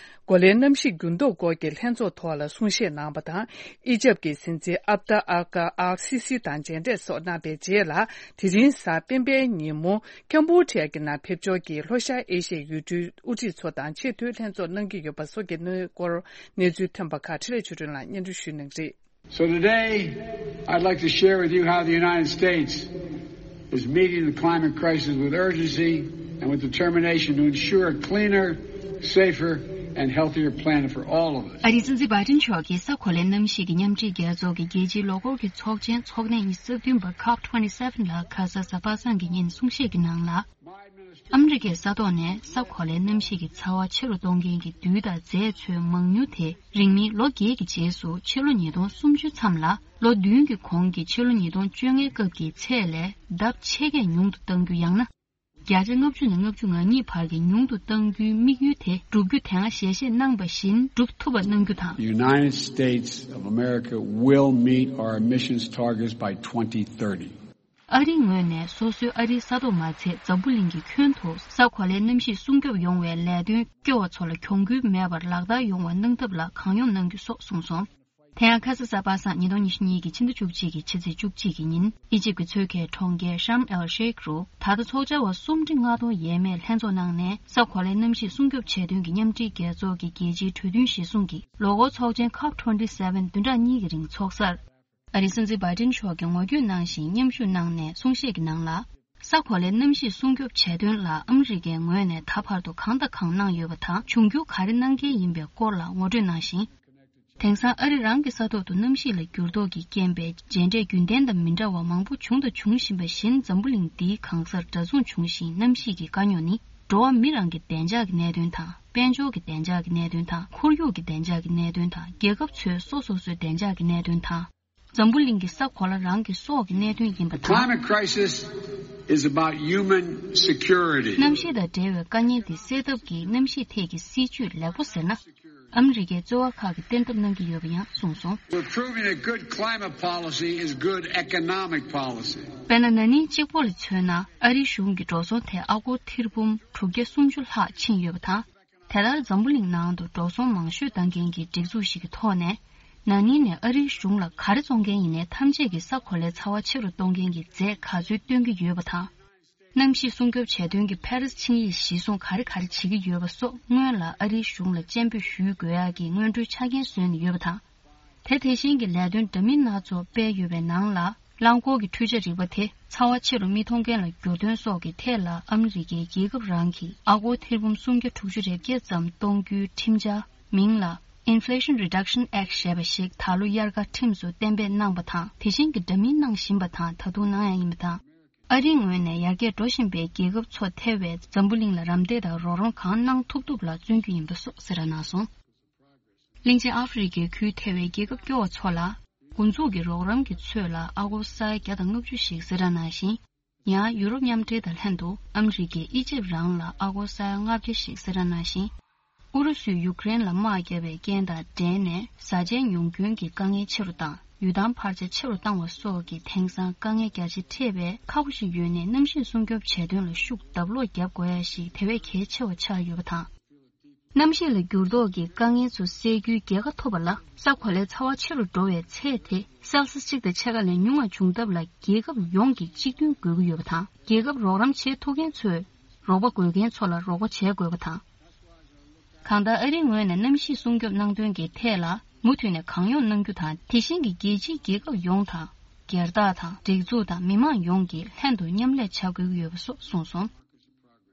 གོ་ལའི་གནམ་གཤིས་འགྱུར་ལྡོག་སྐོར་གྱི་ལྷན་ཚོགས་ཐོག་ལ་གསུང་བཤད་གནང་བ་དང་། ཨི་ཇེབ་ཀྱི་སྲིད་འཛིན་ཨབ་ཏ་ཨལ་ཀ་ཨལ་སི་སི་དང་མཇལ་འཕྲད་སོགས་གནང་བའི་རྗེས་ལ། དེ་རིང་གཟའ་སྤེན་པའི་ཉིན་མོ་ཀམ་བྷོ་ཌི་ཡ་གི་ནང་ཕེབས་འབྱོར་གྱིས་ལྷོ་ཤར་ཨེ་ཤི་ཡའི་ཡུལ་གྲུའི་དབུ་ཁྲིད་ཚོ་དང་ཆེས་མཐོའི་ལྷན་ཚོགས་གནང་གི་ཡོད་པ་སོགས་ཀྱི་གནས་སྐོར་གནས་ཚུལ་ཐོན་པ་ཁག་འཕྲིན་ལས་ཆོས་སྒྲོན་ལགས་སྙན་སྒྲོན་ཞུ་གནང་གི་རེད། So today, I'd like to share with you how the United States is meeting the climate crisis with urgency and with determination to ensure a cleaner, safer, and healthier planet for all of us. ཨ་རིའི་སྲིད་འཛིན་བྷའི་ཏིན་མཆོག་གིས་གཟའ་གོ་ལའི་གནམ་གཤིས་ཀྱི་མཉམ་འབྲེལ་རྒྱལ་ཚོགས་ཀྱི་རྒྱལ་སྤྱིའི་ལོ་འཁོར་གྱི་ཚོགས་ཆེན་ཚོགས་ཐེངས་ཉི་ཤུ་རྩ་བདུན་པ་ཁོབ་ཊུ་ཝེན་ཊི་སེ་ཝེན་ལ་ཁ་ས་གཟའ་པ་སངས་ཀྱི་ཉིན་གསུང་བཤད་ཀྱི་ནང་ལ། ཨ་མི་རི་ཀས་ས་ཐོག་ནས་གཟའ་གོ་ལའི་གནམ་གཤིས་ཀྱི་ཚ་བ་ཆེ་རུ་གཏོང་མཁན་གྱི་རྡུལ་དང་རྫས་ཚོའི་མང་ཉུང་དེ་རིང་མིན་ལོ་བརྒྱད་ཀྱི་རྗེས་སུ་ཕྱི་ལོ་ཉིས་སྟོང་སུམ་ཅུ་མཚམས་ལ་ལོ་བདུན་གྱི་གོང་གི་ཕྱི་ལོ་ཉིས་སྟོང་བཅོ་ལྔའི་སྐབས་ཀྱི་ཚད་ལས་ལྡབ་ཕྱེད་བརྒྱ་ཉུང་དུ་གཏང་རྒྱུ། ཡང་ན་བརྒྱ་ཆ་ལྔ་བཅུ་ནས་ལྔ་བཅུ་ང་གཉིས་བར་གྱི་ཉུང་དུ་གཏང་རྒྱུའི་དམིགས་ཡུལ་དེ་བསྒྲུབ་རྒྱུ། དེ་སྔ་ཞལ་བཞེས་གནང་བ་བཞིན་བསྒྲུབ་ཐུབ་པ་གནང་རྒྱུ་དང་། The United States of America will meet our emissions targets by twenty thirty. ཨ་རིའི་ངོས་ནས་སོ་སོའི་ཨ་རིའི་ས་ཐོག་མ་ཚད་འཛམ་བུ་གླིང་གི་ཁྱོན་དུ་གཟའ་གོ་ལའི་གནམ་གཤིས་སྲུང་སྐྱོབ་ཡོང་བའི་ལས་དོན་སྐྱོ་བ་ཚོ་ལ་གྱོང་གུན་མེད་པར་ལག་བསྟར་ཡོང་བ་གནང་ཐབས་ལ་གང་ཡོང་གནང་རྒྱུ་སོགས་གསུངས་སོང་། དེ་ཡང་ཁ་ས་གཟའ་པ་སངས་ཉིས་སྟོང་ཉི་ཤུ་གཉིས་ཀྱི་ཕྱི་ཟླ་བཅུ་གཅིག་གི་ཕྱི་ཚེས་བཅུ་གཅིག་གི་ཉིན་ཨི་ཇིབ་ཀྱི་མཚོ་ཁའི་གྲོང་ཁྱེར་ཤརམ་ཨེལ་ཤེག་རུ་ད་ལྟ་ཚོགས་བཅར་བ་སུམ་ཁྲི་ལྔ་སྟོང་ཡས་མས་ལྷན་ཚོགས་གནང་ནས་གཟའ་གོ་ལའི་གནམ་གཤིས་སྲུང་སྐྱོབ་ཆེད་དོན་གྱི་མཉམ་འབྲེལ་རྒྱལ་ཚོགས་ཀྱི་རྒྱལ་སྤྱིའི་གྲོས་མཐུན་གཞིར་བཟུང་གི་ལོ་འཁོར་ཚོགས་ཆེན་ཁོབ་ཊུ་ཝེན་ཊི་སེ་ཝེན་བདུན་ཕྲག་གཉིས་ཀྱི་རིང་འཚོགས་སར། ཨ་རིའི་སྲིད་འཛིན་བྷའི་ཏིན་མཆོག་གིས་ངོ་བསྐྱོད་གནང་ཞིང་མཉམ་ཞུགས་གནང་ནས་གསུང་བཤད་ཀྱི་ནང་ལ། གཟའ་གོ་ལའི་གནམ་གཤིས་སྲུང་སྐྱོབ་བྱས་དོན་ལ་ཨ་མི་རི་ཀའི་ངོས་ནས་ད་བར་དུ་གང་དང་གང་གནང་ཡོད་པ་དང་། འབྱུང་འགྱུར་ག་རེ་གནང་གལ་ཡིན་པའི་སྐོར་ལ་ངོ་སྤྲོད་གནང་ཞིང་། དེང་སང་ཨ་རི་རང་གི་ས་ཐོག་ཏུ་གནམ་གཤིས་ལ་འགྱུར་ལྡོག་གི་རྐྱེན་པས་མཇལ་འཕྲད་རྒྱུན་ལྡན་དང་མི་འདྲ་བ་མང་པོ་བྱུང་དང་འབྱུང་བཞིན་པ་བཞིན། འཛམ་བུ་གླིང་འདིའི་གང་སར་གྲྭ་བཙུན་བྱུང་ཞིང་། གནམ་གཤིས་ཀྱི་དཀའ་རྙོག་ནི་འགྲོ་བ་མི་རང་གི་བདེ་འཇགས་ཀྱི་གནད་དོན་དང་། དཔལ་འབྱོར་གྱི་བདེ་འཇགས་ཀྱི་གནད་དོན་དང་། ཁོར་ཡུག་གི་བདེ་འཇགས་ཀྱི་གནད་དོན་དང་། རྒྱལ་ཁབ་ཚོའི་སོ་སོ་སོའི་བདེ་འཇགས་ཀྱི་གནད་དོན་དང་། འཛམ་བུ་གླིང་གི་ས་གོ་ལ་རང་གི་སྲོག་གི་གནད་དོན་ཡིན་པ་དང་། Climate crisis is about human security. གནམ་གཤིས་དང་འབྲེལ་བའི་དཀའ་ངལ་དེ་སེལ་ཐབས་ཀྱི་གནམ་གཤིས་ཐད་ཀྱི་སྲིད་ཇུས་ལེགས་པོ་ཟེར་ན། ཨ་མི་རི་ཀའི་རྩོལ་བ་ཁག་གིས་གཏན་ཐབས་གནང་གི་ཡོད་པ་ཡང་གསུངས་སོང་། We're proving that good climate policy is good economic policy. དཔེར་ན། ན་ནིང་གཅིག་པོ་ལ་མཚོན་ན། ཨ་རིའི་གཞུང་གིས་འགྲོ་སོང་ཐེར་ཨ་སྒོར་ཐེར་འབུམ་དྲུག་བརྒྱ་སུམ་ཅུ་ལྷག་ཕྱིན་ཡོད་པ་དང་། དེ་ལྟར་འཛམ་བུ་གླིང་ནང་དུ་འགྲོ་སོང་མང་ཤོས་གཏོང་མཁན་གྱི་སྒྲིག་འཛུགས་ཤིག་གི་ཐོག་ནས། ན་ནིང་ནས་ཨ་རིའི་གཞུང་ལ་ག་རེ་བཙོང་མཁན་ཡིན་ནའི་ཐམས་ཅད་ཀྱི་ས་གོ་ལའི་ཚ་བ་ཆེ་རུ་གཏོང་མཁན་གྱི་རྫས་ག་ཚོད་བཏོན་གྱི་ཡོད་པ་དང་། གནམ་གཤིས་སྲུང་སྐྱོབ་བྱས་དོན་གྱི་ཕ་རི་སི་ཆིངས་ཡིག་གཞིར་བཟུང་ག་རེ་ག་རེ་བྱེད་ཀྱི་ཡོད་པ་སོགས། སྔོན་ལ་ཨ་རིའི་གཞུང་ལ་སྤྱན་འབུལ་ཞུ་དགོས་ཡག་གི་སྔོན་འགྲོའི་ཆ་རྐྱེན་བཟོས་ནས་ཡོད་པ་དང་། དེ་དེ་བཞིན་གྱི་ལས་དོན་འདྲ་མིན་སྣ་ཚོགས་སྤེལ་ཡོད་པའི་ནང་ལ། རླངས་འཁོར་གྱི་འཕྲུལ་ཆ་རིག་པ་དེ་ཚ་བ་ཆེ་རུ་མི་གཏོང་མཁན་ལ་འགྱུར་དོན་སོགས་ཀྱི་ཐད་ལ། ཨ་མི་རི་ཀས་རྒྱལ་ཁབ་རང་གིས་ཨ་སྒོར་ཐེར་འབུམ་སུམ་བརྒྱ་དྲུག་ཅུ་རེ་བརྒྱད་ཙམ་གཏོང་རྒྱུའི་ཁྲིམས་འཆར། མིང་ལ་Inflation Reduction Act ཞེས་པ་ཞིག་ད་ལོ་དབྱར་ཁར་ཁྲིམས་སུ་གཏན་འབེབས་གནང་པ་དང་། དེ་བཞིན་གྱི་འདྲ་མིན་གནང་བཞིན་པ་དང་། ད་དུང་གནང་ཡ་ཡིན་པ་དང་། ཨ་རིའི་ངོས་ནས་ཡར་རྒྱས་འགྲོ་བཞིན་པའི་རྒྱལ་ཁབ་ཚོ་ཐེ་བའི་འཛམ་བུ་གླིང་ལ་རམ་འདེགས་དང་རོགས་རམ་གང་གནང་ཐུབ་ཐུབ་ལ་བརྩོན་རྒྱུ་ཡིན་པ་སོགས་གསལ་བསྒྲགས་གནང་སོང་། གླིང་ཆེན་ཨ་ཧྥེ་རི་ཁའི་ཁུལ་ཐེ་བའི་རྒྱལ་ཁབ་སྐྱོ་བ་ཚོ་ལ། འགོ་འཛུགས་ཀྱི་རོགས་རམ་གྱི་ཚད་ལ་ཨ་སྒོར་ས་ཡ་བརྒྱ་དང་ལྔ་བཅུ་ཞིག་གསལ་བསྒྲགས་གནང་ཞིང་། ཡང་ཡུ་རོབ་མཉམ་འབྲེལ་དང་ལྷན་དུ་ཨ་མི་རི་ཀས་ཨི་ཇིབ་རང་ལ་ཨ་སྒོར་ས་ཡ་ལྔ་བརྒྱ་ཞིག་གསལ་བསྒྲགས་གནང་ཞིང་། ཨུ་རུ་སུས་ཡུཀ་རེན་ལ་དམག་བརྒྱབ་པའི་རྐྱེན་དང་འབྲེལ་ནས་བཟའ་བཅའི་ཉུང་སྐྱོན་གྱི་དཀའ་ངལ་ཆེ་རུ་བཏང་། ཡུལ་ཐང་འཕར་ཆ་ཆེ་རུ་བཏང་བ་སོགས་ཀྱི་དེང་སང་དཀའ་ངལ་རྒྱ་ཆེ་འཕྲད་པས། ཁག་པོ་ཞིག་ཡོད་ནའི་གནམ་གཤིས་སྲུང་སྐྱོབ་བྱས་དོན་ལ་ཤུགས་ལྡབ་ལོག་བརྒྱབ་དགོས་ཡ་ཞིག་དེ་བས་གལ་ཆེ་བ་ཆགས་ཡོད་པ་དང་། གནམ་གཤིས་ལ་འགྱུར་ལྡོག་གི་དཀའ་ངལ་ཚོ་སེལ་རྒྱུའི་རྒྱལ་ཁ་ཐོབ་པ་ལ། ས་གོ་ལའི་ཚ་བ་ཆེ་རུ་འགྲོ་བའི་ཚད་དེ་སེལ་སི་གཅིག་དང་ཕྱེད་ཀ་ལས་ཉུང་བ་བྱུང་ཐབས་ལ་རྒྱལ་ཁབ་ཡོངས་ཀྱི་གཅིག་མཐུན་དགོས་ཀྱི་ཡོད་པ་དང་། རྒྱལ་ཁབ་རོགས་རམ་བྱེད་ཐུབ་མཁན་ཚོས་རོགས་པ་དགོས་མཁན་ཚོ་ལ་རོགས་པ་བྱེད་དགོས་པ་དང་། གང་ལྟར། ཨ་རིའི་ངོས་ནས་གནམ་གཤིས་སྲུང་སྐྱོབ་གནང་དོན་གྱི་ཐད་ལ་མུ་མཐུད་ནས་གང་ཡོང་གནང་རྒྱུ་དང་། དེ་བཞིན་གྱི་རྒྱལ་སྤྱིའི་རྒྱལ་ཁབ་ཡོངས་དང་། སྒེར་བདག་དང་། སྒྲིག་འཛུགས་དང་མི་མང་ཡོངས་ཀྱིས་ལྷན་དུ་མཉམ་ལས་བྱ་དགོས་ཀྱི་ཡོད་པ་སོགས་གསུངས་སོང་།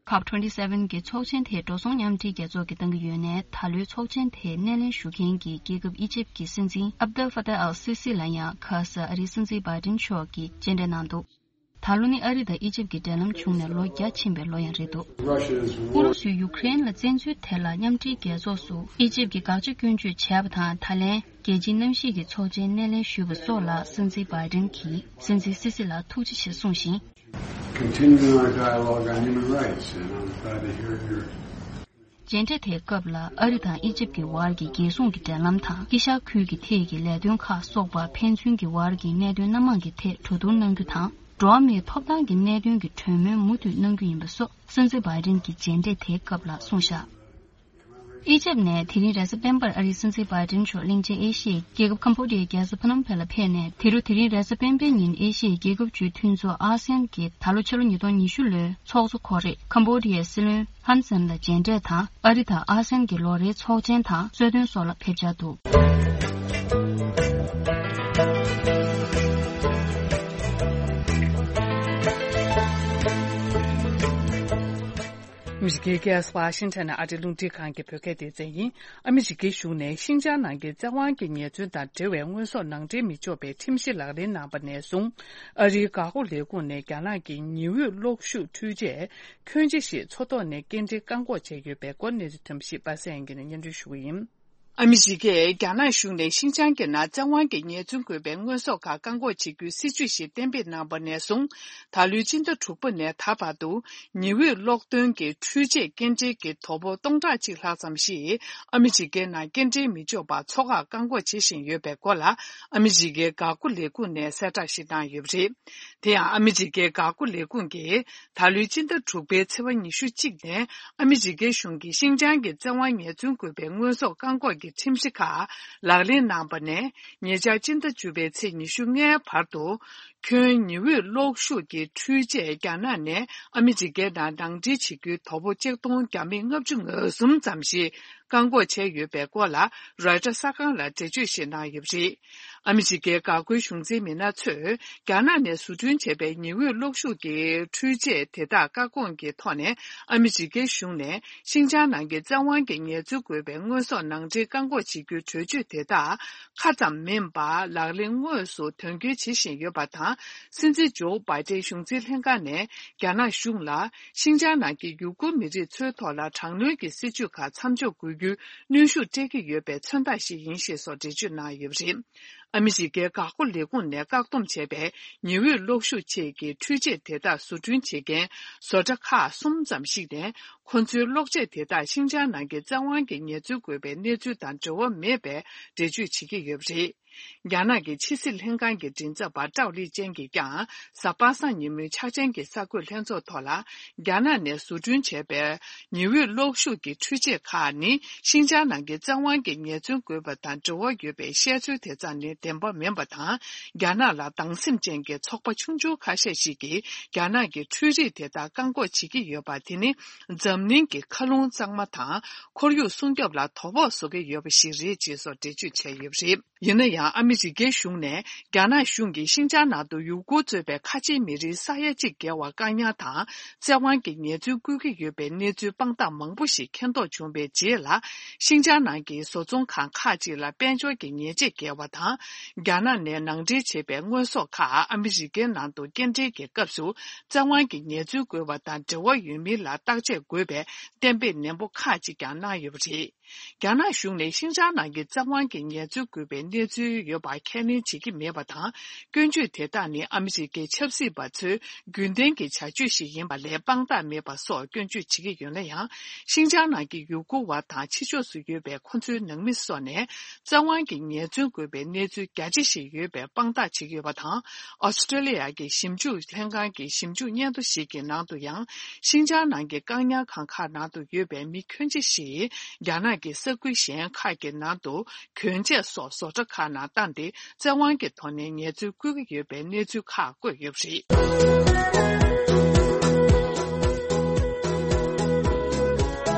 ཀོབ་ཊུ་ཝེན་ཊི་སེ་ཝེན་གྱི་ཚོགས་ཆེན་དེ་འགྲོ་སོང་མཉམ་འབྲེལ་རྒྱལ་ཚོགས་ཀྱིས་གཏང་གི་ཡོད་ནས། ད་ལོའི་ཚོགས་ཆེན་དེའི་སྣེ་ལེན་ཞུ་མཁན་གྱི་རྒྱལ་ཁབ་ཨི་ཇིབ་ཀྱི་སྲིད་འཛིན་ཨབ་དལ་ཧྥ་ཏཱ་ཨལ་སི་སི་ལ་ཡང་ཁ་ས་ཨ་རིའི་སྲིད་འཛིན་བྷའི་ཏིན་མཆོག་གིས་མཇལ་འཕྲད་གནང་འདུག། ད་ལོ་ནི་ཨ་རི་དང་ཨི་ཇིབ་ཀྱི་འབྲེལ་ལམ་བྱུང་ནས་ལོ་བརྒྱ་ཕྱིན་པའི་ལོ་ཡང་རེད་འདུག། ཨུ་རུ་སུས་ཡུཀ་རེན་ལ་བཙན་འཛུལ་དེ་ལ་མཉམ་འབྲེལ་རྒྱལ་ཚོགས་སུ་ཨི་ཇིབ་ཀྱིས་དགག་བྱ་སྐྱོན་བརྗོད་བྱས་པ་དང་། ད་ལན་རྒྱལ་སྤྱིའི་གནམ་གཤིས་ཀྱི་ཚོགས་ཆེན་སྣེ་ལེན་ཞུས་པ་སོགས་ལ་སྲིད་འཛིན་བྷའི་ཏིན་གྱིས་སྲིད་འཛིན་སི་སི་ལ་ཐུགས་རྗེ་ཆེ་གསུངས་ཤིང་། Continuing our dialogue on human rights, and I'm glad to hear your January དེའི་སྐབས་ལ། ཨ་རི་དང་ཨི་ཇིབ་ཀྱི་བར་གྱི་རྒྱལ་སྲུང་གི་འབྲེལ་ལམ་དང་། དཀྱིལ་ཤར་ཁུལ་གྱི་ཐད་ཀྱི་ལས་དོན་ཁག་སོགས་པ་ཕན་ཚུན་གྱི་བར་གྱི་གནད་དོན་སྣ་མང་གི་ཐད་གྲོས་བསྡུར་གནང་རྒྱུ་དང་། འགྲོ་བ་མིའི་ཐོབ་ཐང་གི་གནད་དོན་གྱི་གྲོས་མོལ་མུ་མཐུད་གནང་རྒྱུ་ཡིན་པ་སོགས་སྲིད་འཛིན་བྷའི་ཏིན་གྱིས་མཇལ་འཕྲད་དེའི་སྐབས་ལ་གསུངས་བཞག། ཨི་ཇིབ་ནས་དེ་རིང་རེས་གཟའ་སྤེན་པར་ཨ་རིའི་སྲིད་འཛིན་བྷའི་ཏིན་མཆོག་གླིང་ཆེན་ཨེ་ཤི་ཡའི་རྒྱལ་ཁབ་ཁམ་བྷོ་ཌི་ཡའི་རྒྱལ་ས་ཕ་ནོམ་ཕེ་ལ་ཕེབས་ནས། དེ་རུ་དེ་རིང་རེས་གཟའ་སྤེན་པའི་ཉིན་ཨེ་ཤི་ཡའི་རྒྱལ་ཁབ་བཅུའི་མཐུན་ཚོགས་ཨ་སེ་ཡན་གྱི་ད་ལོ་ཕྱི་ལོ་ཉིས་སྟོང་ཉི་ཤུ་ལོའི་ཚོགས་གཙོ་ཁོ་རེ་ཁམ་བྷོ་ཌི་ཡའི་སྲིད་བློན་ཧན་སན་ལ་མཇལ་འཕྲད་དང་། ཨ་རི་དང་ཨ་སེ་ཡན་གྱི་ལོ་རེའི་ཚོགས་ཆེན་དང་གསོལ་སྟོན་སོགས་ལ་ཕེབས་འཆར་འདུག། ཨ་མི་རི་ཀའི་རྒྱལ་ས་ཝ་ཤིང་ཊོན་ནས་ཨ་རིའི་རླུང་འཕྲིན་ཁང་གི་བོད་སྐད་སྡེ་ཚན་ཡིན། ཨ་མི་རི་ཀའི་གཞུང་ནས་ཤིན་ཅང་ནང་གི་བཙན་དབང་གི་ཉེས་འཛུགས་དང་འབྲེལ་བའི་དངོས་ཟོག་ནང་འདྲེན་མི་ཆོག་པའི་ཁྲིམས་གཞི་ལག་ལེན་གནང་པ་ནས་བཟུང་། ཨ་རིའི་འགག་སྒོ་ལས་ཁུངས་ནས་རྒྱ་ནག་གི་ཉི་འོད་གློག་ཤུགས་འཕྲུལ་ཆས་ཁྱོན་ཆེ་ཞིག་མཚོ་ཐོག་ནས་སྐྱེལ་འདྲེན་བཀག་འགོག་བྱས་ཡོད་པའི་སྐོར། གནས་ཚུལ་ཐོན་པ་ཞིག་པ་སངས་ཡང་གིས་སྙན་སྒྲོན་ཞུ་གི་ཡིན། ཨ་མི་རི་ཀས་རྒྱ་ནག་གཞུང་ནས་ཤིན་ཅང་གི་ནང་བཙན་དབང་གིས་ཉེས་འཛུགས་དགོས་པའི་དངོས་ཟོག་ཁག་བཀག་འགོག་བྱེད་རྒྱུའི་སྲིད་ཇུས་ཤིག་གཏན་འབེབས་གནང་པ་ནས་བཟུང་། ད་ལོའི་སྤྱི་ཟླ་དྲུག་པ་ནས་ད་བར་དུ། ཉི་འོད་གློག་ཐོན་གྱི་འཕྲུལ་ཆས་སྐྱེལ་འདྲེན་གྱི་དོ་པོ་སྟོང་ཕྲག་གཅིག་ལྷག་ཙམ་ཞིག་ཨ་མི་རི་ཀའི་ནང་སྐྱེལ་འདྲེན་མི་ཆོག་པར་མཚོ་ཁར་བཀག་འགོག་བྱེད་བཞིན་ཡོད་པའི་སྐོར་ལ། ཨ་མི་རི་ཀའི་འགག་སྒོ་ལས་ཁུངས་ནས་གསལ་བསྒྲགས་ཤིག་གནང་ཡོད་པ་རེད། དེ་ཡང་ཨ་མི་རི་ཀའི་འགག་སྒོ་ལས་ཁུངས་ཀྱིས། ད་ལོའི་སྤྱི་ཟླ་དྲུག་པའི་ཚེས་པ་ཉི་ཤུ་གཅིག་ནས་ཨ་མི་རི་ཀའི་གཞུང་གིས་ཤིན་ཅང་གི་བཙན་དབང་ཉེས་འཛུགས་དགོས་པའི་དངོས་ཟོག་བཀག་འགོག་གི་ཁྲིམས་གཞི་ཁག་ལག་ལེན་གནང་པ་ནས། ཉེ་ཆར་སྤྱི་ཟླ་བཅུ་པའི་ཚེས་ཉི་ཤུ་ལྔའི་བར་དུ། ཁྱོན་ཉི་འོད་གློག་ཤུགས་ཀྱི་འཕྲུལ་ཆས་རྒྱ་ནག་ནས་ཨ་མི་རི་ཀའི་ནང་ནང་འདྲེན་བྱེད་རྒྱུའི་དོ་པོ་ཆིག་སྟོང་བརྒྱ་མེད་ལྔ་བཅུ་ང་གསུམ་ཙམ་ཞིག་བཀག་འགོག་བྱས་ཡོད་པའི་སྐོར་ལ། རོའི་ཊར་གསར་ཁང་ལ་འགྲེལ་བརྗོད་ཞིག་གནང་ཡོད་པ་རེད། ཨ་མི་རི་ཀའི་འགག་སྒོའི་གཞུང་འཛིན་མི་སྣ་ཚོས། རྒྱ་ནག་ནས་བཟོ་སྐྲུན་བྱས་པའི་ཉི་འོད་གློག་ཤུགས་ཀྱི་འཕྲུལ་ཆས་དེ་དག་བཀག་སྐོང་གི་ཐོག་ནས། ཨ་མི་རི་ཀའི་གཞུང་ནས་ཤིན་ཅང་ནང་གི་བཙན་དབང་གི་ཉེས་འཛུགས་དགོས་པའི་དངོས་ཟོག་ནང་འདྲེན་བཀག་འགོག་བྱེད་རྒྱུའི་གྲོས་ཆོད་དེ་དག་ཁ་ཙམ་མིན་པར་ལག་ལེན་དངོས་སུ་དོན་འཁྱོལ་བྱེད་བཞིན་ཡོད་པ་དང་། སྲིད་འཛིན་ཇོ་བྷའི་ཏན་གཞུང་འཛིན་ལྷན་ཁང་ནས་རྒྱ་ནག་གཞུང་ལ། ཤིན་ཅང་ནང་གི་ཡུ་གུར་མི་རིགས་ཚོའི་ཐོག་ལ་དྲག་གནོན་གྱི་སྲིད་བྱུས་ཁག་མཚམས་འཇོག་དགོས་རྒྱུའི་གནོན་ཤུགས་སྤྲད་ཀྱི་ཡོད་པའི་མཚོན་རྟགས་ཤིག་ཡིན་ཞེས་སོགས་འགྲེལ་བརྗོད་གནང་ཡོད་པ་རེད། ཨ་མི་རི་ཀའི་འགག་སྒོ་ལས་ཁུངས་ནས་བཀག་སྡོམ་བྱས་པའི་ཉི་འོད་གློག་ཤུགས་ཆེད་ཀྱི་འཕྲུལ་ཆས་དེ་དག་བཟོ་སྐྲུན་བྱེད་མཁན་བཟོ་གྲྭ་ཁག་གསུམ་ཙམ་ཞིག་ནས། ཁོ་ཚོའི་གློག་ཆས་དེ་དག་ཤིན་ཅང་ནང་གི་བཙན་དབང་གིས་ཉེས་འཛུགས་དགོས་པའི་གནས་ཚུལ་དང་འབྲེལ་བ་མེད་པའི་འགྲེལ་བརྗོད་བྱེད་ཀྱི་ཡོད་པ་རེད། རྒྱ་ནག་གི་ཕྱི་སྲིད་ལྷན་ཁང་གི་མགྲིན་ཚབ་པ་ཀྲའོ་ལི་ཅན་གྱིས་ཀྱང་། གཟའ་པ་སངས་ཉིན་མོའི་འཆར་ཅན་གྱི་གསར་འགོད་ལྷན་ཚོགས་ཐོག་ལ། རྒྱ་ནག་ནས་བཟོ་སྐྲུན་བྱས་པའི་ཉི་འོད་གློག་ཤུགས་ཀྱི་འཕྲུལ་ཆས་ཁག་ནི། ཤིན་ཅང་ནང་གི་བཙན་དབང་གིས་ཉེས་འཛུགས་དགོས་པ་དང་འབྲེལ་བ་ཡོད་པའི་བཤད་ཚུལ་དེ་ཙམ་ནི་བདེན་པ་མིན་པ་དང་། རྒྱ་ནག་ལ་སྡང་སེམས་ཅན་གྱི་ཚོགས་པ་ཆུང་ཆུང་ཁ་ཤས་ཤིག་གིས་རྒྱ་ནག་གི་འཕྲུལ་རིག་དེ་དག་བཀག་འགོག་བྱེད་ཀྱི་ཡོད་པ་དེ་ནི། འཛམ་གླིང་གི་མཁའ་རླུང་གཙང་མ་དང་། ཁོར་ཡུག་སྲུང་སྐྱོབ་ལ་དོ་ཕོག་བཟོ་གི་ཡོད་པ་ཞིག་རེད་ཅེས་སོགས་འགྲེལ་བརྗོད་བྱས་ཡོད་པ་རེད། ཡིན་ན་ཡང་། ཨ་མི་རི་ཀའི་གཞུང་ནས་རྒྱ་ནག་གཞུང་གིས་ཤིན་ཅང་ནང་དུ་ཡུ་གུར་གཙོས་པའི་ཁ་ཆེའི་མི་རིགས་ས་ཡ་གཅིག་བརྒལ་བར་བཀག་ཉར་དང་། བཙན་དབང་གིས་ཉེས་འཛུགས་བཀོད་ཀྱི་ཡོད་པའི་གནས་ཚུལ་དཔང་རྟགས་མང་པོ་ཞིག་མཁྱེན་རྟོགས་བྱུང་བའི་རྗེས་ལ། ཤིན་ཅང་ནང་གི་བཟོ་ཚོང་ཁང་ཁག་ཅིག་ལ་དཔལ་འབྱོར་གྱི་ཉེས་ཆད་བཀལ་བ་དང་། རྒྱ་ནག་ནས་ནང་འདྲེན་བྱས་པའི་དངོས་ཟོག་ཁག་ཨ་མི་རི་ཀའི་ནང་དུ་སྐྱེལ་འདྲེན་གྱི་སྐབས་སུ། བཙན་དབང་གིས་ཉེས་འཛུགས་དགོས་པ་དང་འབྲེལ་བ་ཡོད་མིན་ལ་བརྟག་དཔྱད་དགོས་པའི་གཏན་འབེབས་ནན་པོ་ཁག་ཅིག་ཀྱང་གནང་ཡོད་པ་རེད། རྒྱ་ནག་གཞུང་ནས་ཤིན་ཅང་ནང་གི་བཙན་དབང་གིས་ཉེས་འཛུགས་དགོས་པའི་གནས་ཚུལ་ཡོད་པ་ཁས་ལེན་བྱེད་ཀྱི་མེད་པ་དང་། སྐྱོན་བརྗོད་དེ་དག་ནི་ཨ་མི་རི་ཀའི་ཆབ་སྲིད་པ་ཚོའི་རྒྱུན་ལྡན་གྱི་བྱ་སྤྱོད་ཞིག་ཡིན་པ་ལས་དཔང་རྟགས་མེད་པ་སོགས་སྐྱོན་བརྗོད་བྱེད་ཀྱི་ཡོད་ན་ཡང་། ཤིན་ཅང་ནང་གི་ཡུ་གུར་བ་དང་ཕྱི་ཕྱོགས་སུ་ཡོད་པའི་ཁོ་ཚོའི་ནང་མི་སོགས་ནས་བཙན་དབང་གིས་ཉེས་འཛུགས་དགོས་པའི་གནས་ཚུལ་རྒྱ་ཆེ་ཞིག་ཡོད་པའི་དཔང་རྟགས་བྱེད་ཀྱི་ཡོད་པ་དང་། ཨོ་སི་ཀྲོ་ལི་ཡ་གི་ཞིབ་འཇུག་ལྷན་ཁང་གི་ཞིབ་འཇུག་སྙན་ཐོ་ཞིག་གི་ནང་དུ་ཡང་། ཤིན་ཅང་ནང་གི་བཀག་ཉར་ཁང་ཁག་ནང་དུ་ཡོད་པའི་མི་ཁྱོན་ཆེ་ཞིག་རྒྱ་ནག་གི་ས་ཁུལ་གཞན་ཁག་གི་ནང་དུ་གྱོན་ཆས་སོགས་བཟོ་གྲྭ་ཁག་ནང་བཏང་སྟེ། བཙན་དབང་གི་ཐོག་ནས་ཉེས་འཛུགས་བཀོད་ཀྱི་ཡོད་པའི་གནས་ཚུལ་ཁག་བཀོད་ཡོད་པ་རེད།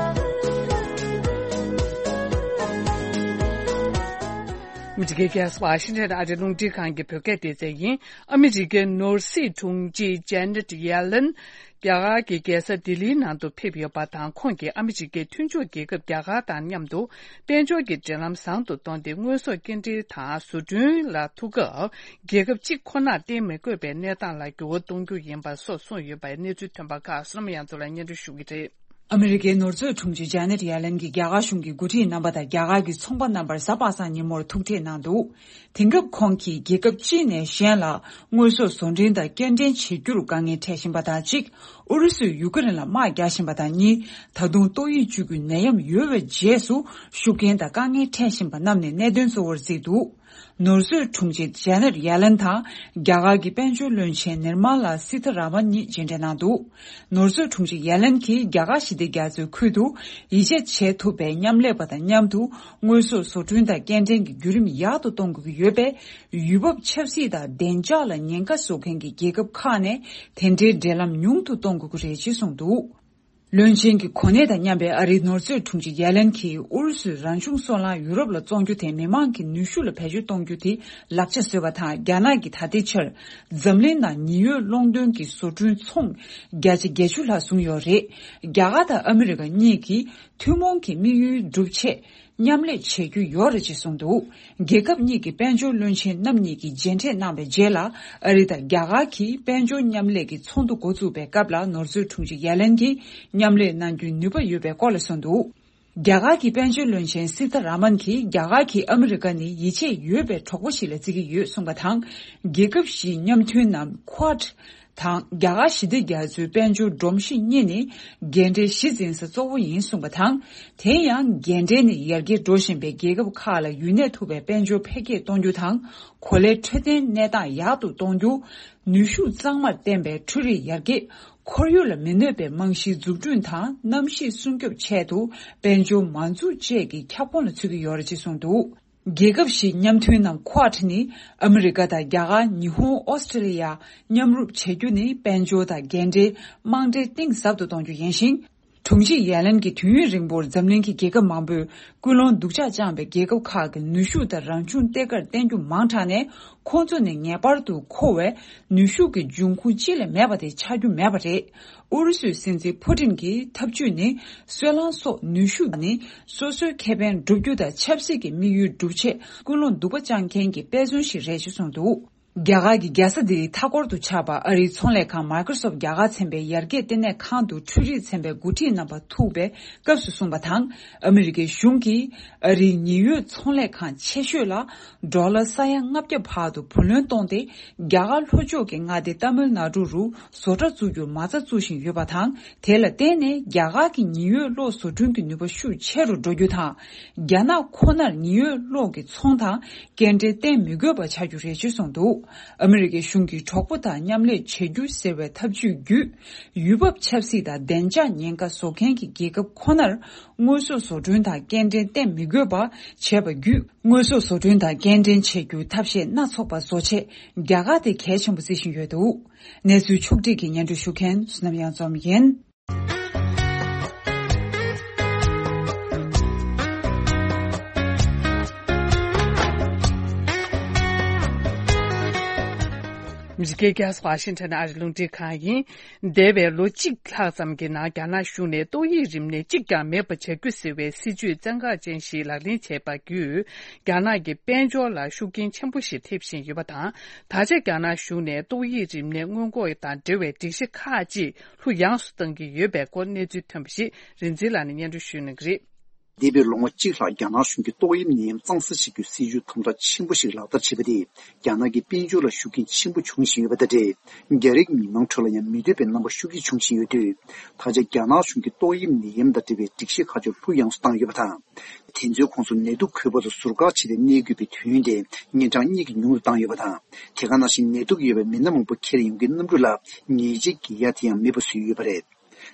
མི་ཊི་ཀའི་རྒྱལ་ས་ཝ་ཤིང་ཊོན་ཨ་རིའི་རླུང་འཕྲིན་ཁང་གི་བོད་སྐད་སྡེ་ཚན་ཡིན། ཨ་མི་རི་ཀའི་ནོར་སྲིད་དྲུང་ཆེ་ཇེ་ནེ་ཊི་ཡེ་ལེན། རྒྱ་གར་གྱི་རྒྱལ་ས་ལྡི་ལིའི་ནང་དུ་ཕེབས་ཡོད་པ་དང་། ཁོང་གིས་ཨ་མི་རི་ཀའི་མཐུན་ཕྱོགས་རྒྱལ་ཁབ་རྒྱ་གར་དང་མཉམ་དུ། དཔལ་འབྱོར་གྱི་འབྲེལ་ལམ་བཟང་དུ་གཏོང་སྟེ། དངོས་ཟོག་སྐྱེལ་འདྲེན་དང་བཟོ་སྐྲུན་ལ་ཐུག་སྐབས། རྒྱལ་ཁབ་གཅིག་ཁོ་ནར་བརྟེན་མི་དགོས་པའི་གནས་སྟངས་ལ་འགྱུར་བ་གཏོང་རྒྱུ་ཡིན་པ་སོགས་གསུངས་ཡོད་པའི་གནས་ཚུལ་ཐོན་པ་ཁག་བསོད་ནམས་དབྱངས་མཚོ་ལགས་སྙན་སྒྲོན་ཞུ་གི་རེད། ཨ་མི་རི་ཀའི་ནོར་མཛོད་དྲུང་ཆེ་ཇེ་ནེ་ཊི་ཡེ་ལེན་གྱིས་རྒྱ་གར་གཞུང་གི་འགོ་ཁྲིད་རྣམ་པ་དང་རྒྱ་གར་གྱི་ཚོང་པ་རྣམ་པར་གཟའ་པ་སངས་ཉིན་མོར་ཐུག་འཕྲད་གནང་འདུག། དེང་སྐབས་ཁོང་གིས་རྒྱལ་ཁབ་གཅིག་ནས་གཞན་ལ་དངོས་ཟོག་བཟོ་སྐྲུན་དང་སྐྱེལ་འདྲེན་བྱེད་རྒྱུར་དཀའ་ངལ་འཕྲད་བཞིན་པ་དང་གཅིག། ཨུ་རུ་སུས་ཡུ་ཀེ་རེན་ལ་དམག་རྒྱག་བཞིན་པ་དང་གཉིས། ད་དུང་ཏོག་དབྱིབས་བཅུ་དགུའི་ནད་ཡམས་ཡོལ་བའི་རྗེས་སུ་ཤུགས་རྐྱེན་དང་དཀའ་ངལ་འཕྲད་བཞིན་པ་རྣམས་ནི་གནད་དོན་གཙོ་བོར་བརྩིས་འདུག། ནོར་མཛོད་དྲུང་ཆེ་ཇེ་ནེ་ཊི་ཡེ་ལེན་དང་རྒྱ་གར་གྱི་དཔལ་འབྱོར་བློན་ཆེན་ནིར་མ་ལ་སི་ཐ་ར་མན་གཉིས་མཇལ་འཕྲད་གནང་འདུག། ནོར་མཛོད་དྲུང་ཆེ་ཡེ་ལེན་གྱིས་རྒྱ་གར་ཞི་བདེ་རྒྱ་མཚོའི་ཁུལ་དུ་ཡིད་ཆེས་བྱེད་ཐུབ་པའི་མཉམ་ལས་པ་དང་མཉམ་དུ་དངོས་ཟོག་བཟོ་སྐྲུན་དང་སྐྱེལ་འདྲེན་གྱི་བརྒྱུད་རིམ་ཡག་ཏུ་གཏོང་དགོས་ཀྱི་ཡོད་པས། ཡུལ་བབ་ཆབ་སྲིད་དང་བདེ་འཇགས་ལ་ཉེན་ཁ་བཟོ་མཁན་གྱི་རྒྱལ་ཁབ་ཁག་ནས་དེ་འབྲེལ་འབྲེལ་ལམ་ཉུང་དུ་གཏོང་དགོས་ཀྱི་རེད་ཅེས་གསུངས་འདུག། བློན་ཆེན་གྱི་གོ་གནས་དང་མཉམ་པའི་ཨ་རིའི་ནོར་མཛོད་དྲུང་ཆེ་ཡ་ལན་གྱིས་ཨུ་རུ་སུའི་རང་བྱུང་སོལ་རླངས་ཡུ་རོབ་ལ་བཙོང་རྒྱུ་དེ་མི་མང་གི་ནུས་ཤུགས་ལ་བེད་སྤྱོད་གཏོང་རྒྱུ་དེ་ལག་ཆ་བཟོས་པ་དང་། རྒྱ་ནག་གིས་ད་ལྟའི་ཆར་འཛམ་གླིང་ནང་ཉི་འོད་རླུང་འདོན་གྱི་བཟོ་སྐྲུན་ཚོང་བརྒྱ་ཆ་བརྒྱད་ཅུ་ལྷག་བཟུང་ཡོད་རེད། རྒྱ་གར་དང་ཨ་མི་རི་ཀ་གཉིས་ཀྱིས་ཐུན་མོང་གི་དམིགས་ཡུལ་འགྲུབ་ཆེད། མཉམ་ལས་བྱེད་རྒྱུ་ཡོད་རེད་ཅེས་གསུངས་འདུག། རྒྱལ་ཁབ་གཉིས་ཀྱི་དཔལ་འབྱོར་བློན་ཆེན་རྣམ་གཉིས་ཀྱིས་མཇལ་འཕྲད་གནང་བའི་རྗེས་ལ། ཨ་རི་དང་རྒྱ་གར་གྱིས་དཔལ་འབྱོར་མཉམ་ལས་ཀྱི་ཚོགས་འདུ་འགོ་བཙུགས་པའི་སྐབས་ལ། ནོར་མཛོད་དྲུང་ཆེ་ཡ་ལན་གྱིས་མཉམ་ལས་གནང་རྒྱུའི་ནུས་པ་ཡོད་པའི་སྐོར་ལ་གསུངས་འདུག། རྒྱ་གར་གྱི་དཔལ་འབྱོར་བློན་ཆེན་སི་ཐ་ར་མན་གྱིས། རྒྱ་གར་གྱིས་ཨ་མི་རི་ཀ་ནི་ཡིད་ཆེས་ཡོད་པའི་གྲོགས་པོ་ཞིག་ལ་བརྩི་གི་ཡོད་གསུངས་པ་དང་། རྒྱལ་ཁབ་བཞིའི་མཉམ་མཐུན་ནམ་Quad དང་། རྒྱ་གར་ཞི་བདེ་རྒྱ་མཚོའི་དཔལ་འབྱོར་སྒྲོམ་གཞི་གཉིས་ནི་འགན་འཁྲིའི་གཞི་འཛིན་ས་གཙོ་བོ་ཡིན་གསུངས་པ་དང་། དེ་ཡང་འགན་འཁྲི་ནི་ཡར་རྒྱས་འགྲོ་བཞིན་པའི་རྒྱལ་ཁབ་ཁག་ལ་ཡུན་གནས་ཐུབ་པའི་དཔལ་འབྱོར་འཕེལ་རྒྱས་གཏོང་རྒྱུ་དང་། གོ་ལའི་འཕྲོད་བསྟེན་གནས་སྟངས་ཡག་ཏུ་གཏོང་རྒྱུ། ནུས་ཤུགས་གཙང་མར་བརྟེན་པའི་འཕྲུལ་རིག་ཡར་རྒྱས། ཁོར་ཡུག་ལ་མི་གནོད་པའི་རྨང་གཞིའི་འཛུགས་སྐྲུན་དང་། གནམ་གཤིས་སྲུང་སྐྱོབ་ཆེད་དུ་དཔལ་འབྱོར་མ་འཛུགས་བཅས་ཀྱི་ཁྱབ་ཁོངས་ལ་ཚུད་ཀྱི་ཡོད་རེད་ཅེས་གསུངས་འདུག། རྒྱལ་ཁབ་བཞིའི་མཉམ་མཐུན་ནམ་Quad ནི་ཨ་མི་རི་ཀ་དང་རྒྱ་གར། ཉི་ཧོང་། ཨོ་སི་ཀྲི་ལི་ཡ་མཉམ་རུབ་བྱེད་རྒྱུ་ནི་དཔལ་འབྱོར་དང་འགན་འཁྲིའི་རྨང་འབྲེལ་གཏིང་ཟབ་ཏུ་གཏོང་རྒྱུ་ཡིན་ཞིང་། དྲུང་ཆེ་ཡ་ལན་གྱིས་དུས་ཡུན་རིང་པོར་འཛམ་གླིང་གི་རྒྱལ་ཁབ་མང་པོས་ཀུན་སློང་སྡུག་ཅག་བཅངས་པའི་རྒྱལ་ཁབ་ཁག་གི་ནུས་ཤུགས་དང་རང་བྱུང་ལྟེ་བཀར་བརྟེན་རྒྱུ་མང་དྲགས་ནས། ཁོང་ཚོ་ནི་ངེས་པར་དུ་མཁོ་བའི་ནུས་ཤུགས་ཀྱི་འབྱུང་ཁུངས་གཅིག་ལས་མེད་པ་དེ་ཆགས་རྒྱུ་མེད་པ་རེད། ཨུ་རུ་སུའི་སྲིད་འཛིན་ཕུ་ཏིན་གྱིས་འཐབ་ཇུས་ནི་སོལ་རླངས་སོགས་ནུས་ཤུགས་ནི་སོ་སོའི་ཁེ་ཕན་བསྒྲུབ་རྒྱུ་དང་ཆབ་སྲིད་ཀྱི་དམིགས་ཡུལ་བསྒྲུབ་ཆེད་ཀུན་སློང་སྡུག་པ་བཅངས་མཁན་གྱི་དཔེ་མཚོན་ཞིག་རེད་ཅེས་གསུངས་འདུག། རྒྱ་གར་གྱི་རྒྱལ་ས་ལྡི་ལིའི་མཐའ་འཁོར་དུ་ཆགས་པ་ཨ་རིའི་ཚོང་ལས་ཁང་Microsoft རྒྱ་གར་ཚན་པའི་ཡར་རྒྱས་ལྟེ་གནས་ཁང་དུ་འཕྲུལ་རིག་ཚན་པའི་འགོ་ཁྲིད་རྣམ་པ་ཐུག་པའི་སྐབས་སུ་གསུངས་པ་དང་། ཨ་མི་རི་ཀའི་གཞུང་གིས་ཨ་རིའི་ཉེན་གཡོལ་ཚོང་ལས་ཁང་ཆེ་ཤོས་ལ་ཌོ་ལར་ས་ཡ་ལྔ་བརྒྱ་བར་དུ་བུ་ལོན་གཏོང་སྟེ། རྒྱ་གར་ལྷོ་ཕྱོགས་ཀྱི་མངའ་སྡེ་ཏཱ་མིལ་ནཱ་ཌུ་རུ་བཟོ་གྲྭ་བཙུགས་རྒྱུར་མ་རྩ་བཙུགས་བཞིན་ཡོད་པ་དང་། དེ་ལ་བརྟེན་ནས་རྒྱ་གར་གྱི་ཉེན་གཡོལ་གློག་བཟོ་སྐྲུན་གྱི་ནུས་པ་ཤུགས་ཆེ་རུ་འགྲོ་རྒྱུ་དང་། རྒྱ་ནག་ཁོ་ནར་ཉེན་གཡོལ་གློག་གི་ཚོང་དང་སྐྱེལ་འདྲེན་བརྟེན་མི་དགོས་པ་ཆགས་རྒྱུ་རེད་ཅེས་གསུངས་འདུག་ཨ་མི་རི་ཀའི་གཞུང་གིས་གྲོགས་པོ་དང་མཉམ་ལས་བྱེད་རྒྱུ་ཟེར་བའི་ཐབས་ཇུས་བརྒྱུད། ཡུལ་བབ་ཆབ་སྲིད་དང་བདེ་འཇགས་ཉེན་ཁ་བཟོ་མཁན་གྱི་རྒྱལ་ཁབ་ཁོ་ནར་དངོས་ཟོག་བཟོ་སྐྲུན་དང་སྐྱེལ་འདྲེན་བརྟེན་མི་དགོས་པ་བྱས་པ་བརྒྱུད། དངོས་ཟོག་བཟོ་སྐྲུན་དང་སྐྱེལ་འདྲེན་བྱེད་རྒྱུའི་ཐབས་ཤེས་སྣ་ཚོགས་པ་བཟོ་ཆེད་རྒྱ་གར་དེ་གལ་ཆེན་པོ་བརྩི་བཞིན་ཡོད་འདུག་གནས་ཚུལ་ཕྱོགས་བསྒྲིགས་ཀྱིས་སྙན་སྒྲོན་ཞུ་མཁན་བསོད་ནམས་གཡང་འཛོམས་ཡིན། ཨ་མི་རི་ཀའི་རྒྱལ་ས་ཝ་ཤིང་ཊོན་ཨ་རིའི་རླུང་འཕྲིན་ཁང་ཡིན། འདས་པའི་ལོ་གཅིག་ལྷག་ཙམ་གྱི་ནང་རྒྱ་ནག་གཞུང་ནས་ཏོག་དབྱིབས་རིམས་ནད་གཅིག་ཀྱང་མེད་པ་བྱ་རྒྱུ་ཟེར་བའི་སྲིད་ཇུས་བཙན་འགག་ཅན་ཞིག་ལག་ལེན་བྱས་པ་བརྒྱུད། རྒྱ་ནག་གི་དཔལ་འབྱོར་ལ་ཤུགས་རྐྱེན་ཆེན་པོ་ཞིག་ཐེབས་བཞིན་ཡོད་པ་དང་། ད་ཆ་རྒྱ་ནག་གཞུང་ནས་ཏོག་དབྱིབས་རིམས་ནད་སྔོན་འགོག་དང་འབྲེལ་བའི་སྒྲིག་གཞི་ཁག་ཅིག་ལྷུག་ཡངས་སུ་གཏང་གི་ཡོད་པའི་སྐོར་གནས་ཚུལ་ཐོན་པ་ཞིག་རིག་འཛིན་ལགས་ནས་སྙན་སྒྲོན་ཞུ་གནང་གི་རེད། འདས་པའི་ལོ་ངོ་གཅིག་ལྷག་རྒྱ་ནག་གཞུང་གིས་ཏོག་དབྱིབས་ནད་ཡམས་གཙང་སེལ་བྱེད་རྒྱུའི་སྲིད་ཇུས་དམ་དྲག་ཆེན་པོ་ཞིག་ལག་བསྟར་བྱས་པ་དེས། རྒྱ་ནག་གི་དཔལ་འབྱོར་ལ་ཤུགས་རྐྱེན་ཆེན་པོ་འབྱུང་བཞིན་ཡོད་པ་དང་འབྲེལ། རྒྱ་རིགས་མི་མང་ཁྲོད་ལ་ཡང་མི་འདོད་པའི་རྣམ་པ་ཤུགས་ཆེ་འབྱུང་བཞིན་ཡོད་དུས། ད་ཆ་རྒྱ་ནག་གཞུང་གིས་ཏོག་དབྱིབས་ནད་ཡམས་དང་འབྲེལ་བའི་སྒྲིག་གཞི་ཁག་ཅིག་ལྷུག་ཡངས་སུ་བཏང་ཡོད་པ་དང་། དེ་ཚོའི་ཁོངས་སུ་ནད་དུག་འགོས་པ་དང་ཟུར་བཀག་བྱས་ཏེ་གནས་དགོས་པའི་དུས་ཡུན་དེ་ཉིན་གྲངས་གཉིས་ཀྱིས་ཉུང་དུ་བཏང་ཡོད་པ་དང་། དེ་ག་ནང་བཞིན་ནད་དུག་ཡོད་པའི་མི་སྣ་མང་པོ་འཁྱེར་ཡོང་རྒྱུའི་གནམ་གྲུ་ལ་ཉལ་ཆས་བཀལ་ཡ་དེ་ཡང་མེད་པ་བཟོས་ཡོད་པ་རེད།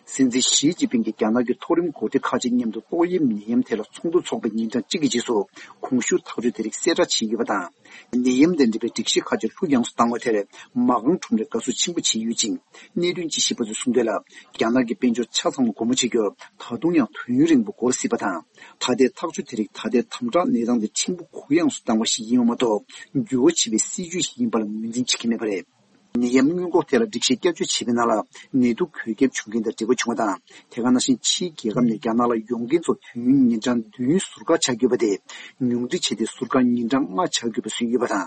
སྲིད་འཛིན་ཞི་ཅིན་ཕིང་གིས་རྒྱ་ནག་གི་མཐོ་རིམ་འགོ་ཁྲིད་ཁག་ཅིག་མཉམ་དུ་ཏོག་དབྱིབས་ནད་ཡམས་ཐད་ལ་ཚོགས་འདུ་འཚོགས་པའི་ཉིན་གྲངས་གཅིག་གི་རྗེས་སུ་གོང་ཞུས་ཐག་གཅོད་དེ་རིགས་གསལ་བསྒྲགས་བྱས་ཡོད་པ་དང་། ནད་ཡམས་དང་འབྲེལ་བའི་སྒྲིག་གཞི་ཁག་ཅིག་ལྷུག་ཡངས་སུ་བཏང་བ་དེར་མ་ཁང་ཁྲོམ་རས་དགའ་བསུ་ཆེན་པོ་བྱས་ཡོད་ཅིང་། གནད་དོན་ཅིག་ཤེས་པ་ཚོས་གསུངས་དོན་ལ། རྒྱ་ནག་གི་དཔལ་འབྱོར་ཆ་ཚང་ལ་སྒོ་མོ་ཕྱེ་རྒྱུར་ད་དུང་ཡང་དུས་ཡུན་རིང་པོ་འགོར་སྲིད་པ་དང་། ད་ལྟའི་ཐག་གཅོད་དེ་རིགས་ད་ལྟའི་དམ་དྲག་གནས་སྟངས་དེ་ཕྲན་བུ་གུ་ཡངས་སུ་བཏང་བ་ཞིག་ཡིན་པ་མ་གཏོགས། འགྱུར་བ་ཕྱིན་པའི་སྲིད་ཇུས་ཤིག་ཡིན་པ་ལ་ངོས་འཛིན་བྱེད་ཀྱི་མེད་པ་རེད། ནད་ཡམས་སྔོན་འགོག་ཐད་ལ་སྒྲིག་གཞི་བསྐྱར་བཅོས་བྱས་པའི་ནང་ལ། ནད་དུག་འགོས་ཁྱབ་བྱུང་རྐྱེན་དང་འབྲེལ་བ་བྱུང་བ་དང་། དེ་ག་ནང་བཞིན་ཕྱིའི་རྒྱལ་ཁབ་ནས་རྒྱ་ནག་ལ་ཡོང་མཁན་ཚོ་དུས་ཡུན་ཉིན་གྲངས་བདུན་ཟུར་བཀག་བྱ་དགོས་པ་དེ། ཉུང་འཕྲི་བྱས་ཏེ་ཟུར་བཀག་ཉིན་གྲངས་ལྔ་བྱ་དགོས་པ་བཟོས་ཡོད་པ་དང་།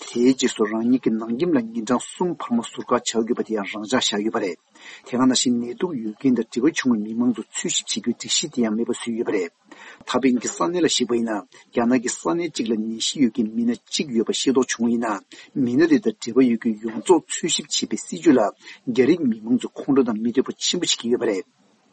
དེའི་རྗེས་སུ་རང་ཉིད་ཀྱི་ནང་ཁྱིམ་ལ་ཉིན་གྲངས་གསུམ་འཕར་མ་ཟུར་བཀག་བྱ་དགོས་པ་དེ་ཡང་རང་འཇགས་བཞག་ཡོད་པ་རེད། དེ་ག་ནང་བཞིན་ནད་དུག་ཡོད་མཁན་དང་འབྲེལ་བ་བྱུང་བའི་མི་མང་ཚོ་འཚོལ་ཞིབ་བྱེད་རྒྱུའི་སྒྲིག་གཞི་དེ་ཡང་མེད་པ་བཟོས་ཡོད་པ་རེད། ད་ཕན་གྱི་ས་གནས་ལ་གཞིགས་པ་ཡིན་ན། རྒྱ་ནག་གི་ས་གནས་གཅིག་ལ་ནད་གཞི་ཡོད་མཁན་མི་སྣ་གཅིག་ཡོད་པ་ཤེས་རྟོགས་བྱུང་བ་ཡིན་ན། མི་སྣ་དེ་དང་འབྲེལ་བ་ཡོད་མཁན་ཡོངས་རྫོགས་འཚོལ་ཞིབ་བྱེད་པའི་སྲིད་ཇུས་ལ། རྒྱ་རིགས་མི་མང་ཚོ་ཁོང་ཁྲོ་དང་མི་འདོད་པ་ཆེན་པོ་བྱེད་ཀྱི་ཡོད་པ་རེད།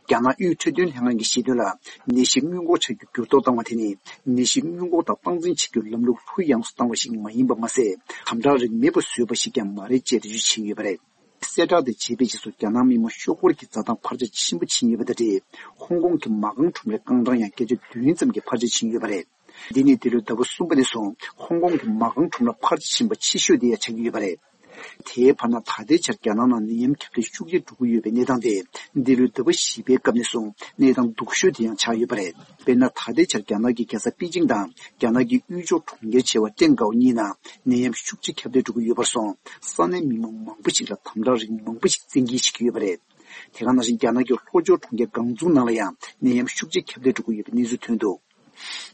རྒྱ་ནག་དབུས་འཕྲོད་བསྟེན་ལྷན་ཁང་གིས་བཤད་དོན་ལ། ནད་གཞི་སྔོན་འགོག་བྱ་རྒྱུ་འགྱུར་ལྡོག་བཏང་བ་དེ་ནི། ནད་གཞི་སྔོན་འགོག་དང་སྟངས་འཛིན་བྱེད་རྒྱུའི་ལམ་ལུགས་ལྷུག་ཡངས་སུ་བཏང་བ་ཞིག་མ་ཡིན་པ་མ་ཟད། དམ་དྲག་རིགས་མེད་པ་བཟོས་པ་ཞིག་ཀྱང་མ་རེད་ཅེས་འགྲེལ་བརྗོད་བྱས་ཡོད་པ་རེད། གསལ་བསྒྲགས་དེ་བྱས་པའི་རྗེས་སུ་རྒྱ་ནག་མི་མང་ཤོག་སྒོར་གྱི་འཛའ་ཐང་འཕར་ཆ་ཆེན་པོ་ཕྱིན་ཡོད་པ་དང་འབྲེལ། ཧོང་ཀོང་གི་མ་རྐང་ཁྲོམ་རའི་རྐང་གྲངས་ཡང་བརྒྱ་ཆ་བདུན་ཙམ་གྱིས་འཕར་ཆ་ཕྱིན་ཡོད་པ་རེད། འདི་ནི་འདི་ལོའི་ཟླ་བ་གསུམ་པ་ནས་བཟུང་ཧོང་ཀོང་གི་མ་རྐང་ཁྲོམ་ར་འཕར་ཆ་ཕྱིན་པ་ཆེ་ཤོས་དེ་ཡང་ཆགས་ཀྱི་ཡོད་པ་རེད། དེའི་བར་ན་ད་ལྟའི་ཆར་རྒྱ་ནག་ནང་ནད་ཡམས་ཁྱབ་གདལ་ཤུགས་ཆེ་འགྲོ་གི་ཡོད་པའི་གནས་སྟངས་དེ། འདི་ལོའི་ཟླ་བ་བཞི་པའི་སྐབས་ནས་བཟུང་གནས་སྟངས་སྡུག་ཤོས་དེ་ཡང་ཆགས་ཡོད་པ་རེད། དཔེར་ན། ད་ལྟའི་ཆར་རྒྱ་ནག་གི་རྒྱལ་ས་པེ་ཅིང་དང་རྒྱ་ནག་གི་དབུས་ཕྱོགས་གྲོང་ཁྱེར་ཆེ་བ་ཀྲེན་ཀའོ་གཉིས་ནང་ནད་ཡམས་ཤུགས་ཆེ་ཁྱབ་གདལ་འགྲོ་གི་ཡོད་པར་སོང་། ས་གནས་མི་མང་མང་པོ་ཞིག་ལ་དམ་དྲག་རིགས་མང་པོ་ཞིག་བཙན་འགེལ་བྱེད་ཀྱི་ཡོད་པ་རེད། དེ་ག་ནང་བཞིན་རྒྱ་ནག་གི་ལྷོ་ཕྱོགས་གྲོང་ཁྱེར་ཀང་ཙུའུ་ནང་ལ་ཡང་ནད་ཡམས་ཤུགས་ཆེ་ཁྱབ་གདལ་འགྲོ་གི་ཡོད་པའི་གནས་ཚུལ་ཐོན་འདུག་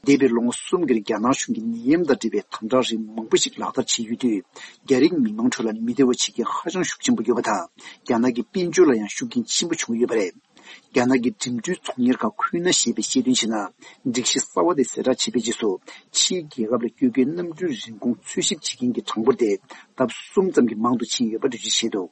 འདས་པའི་ལོ་ངོ་གསུམ་གྱི་རིང་རྒྱ་ནག་གཞུང་གིས་ནད་ཡམས་དང་འབྲེལ་བའི་དམ་དྲག་རིགས་མང་པོ་ཞིག་ལག་བསྟར་བྱས་ཡོད་དུས། རྒྱ་རིགས་མི་མང་ཁྲོད་ལ་མི་བདེ་བ་བྱེད་མཁན་ཧ་ཅང་ཤུགས་ཆེན་པོ་ཡོད་པ་དང་། རྒྱ་ནག་གི་དཔལ་འབྱོར་ལ་ཡང་ཤུགས་རྐྱེན་ཆེན་པོ་བྱུང་ཡོད་པ་རེད། རྒྱ་ནག་གི་འགྲིམ་འགྲུལ་ཚོང་གཉེར་ཁང་ཁུན་ན་ཞེས་པས་བཤད་དོན་བྱས་ན། སྒྲིག་གཞི་གསར་བ་དེ་གསལ་བསྒྲགས་བྱས་པའི་རྗེས་སུ། ཕྱིའི་རྒྱལ་ཁབ་ལ་སྐྱོད་མཁན་གནམ་གྲུའི་རིན་གོང་འཚོལ་ཞིབ་བྱེད་མཁན་གྱི་གྲངས་འབོར་དེ་ལྡབ་གསུམ་ཙམ་གྱིས་མང་དུ་ཕྱིན་ཡོད་པ་འགྲེལ་བརྗོད་བྱས་འདུག་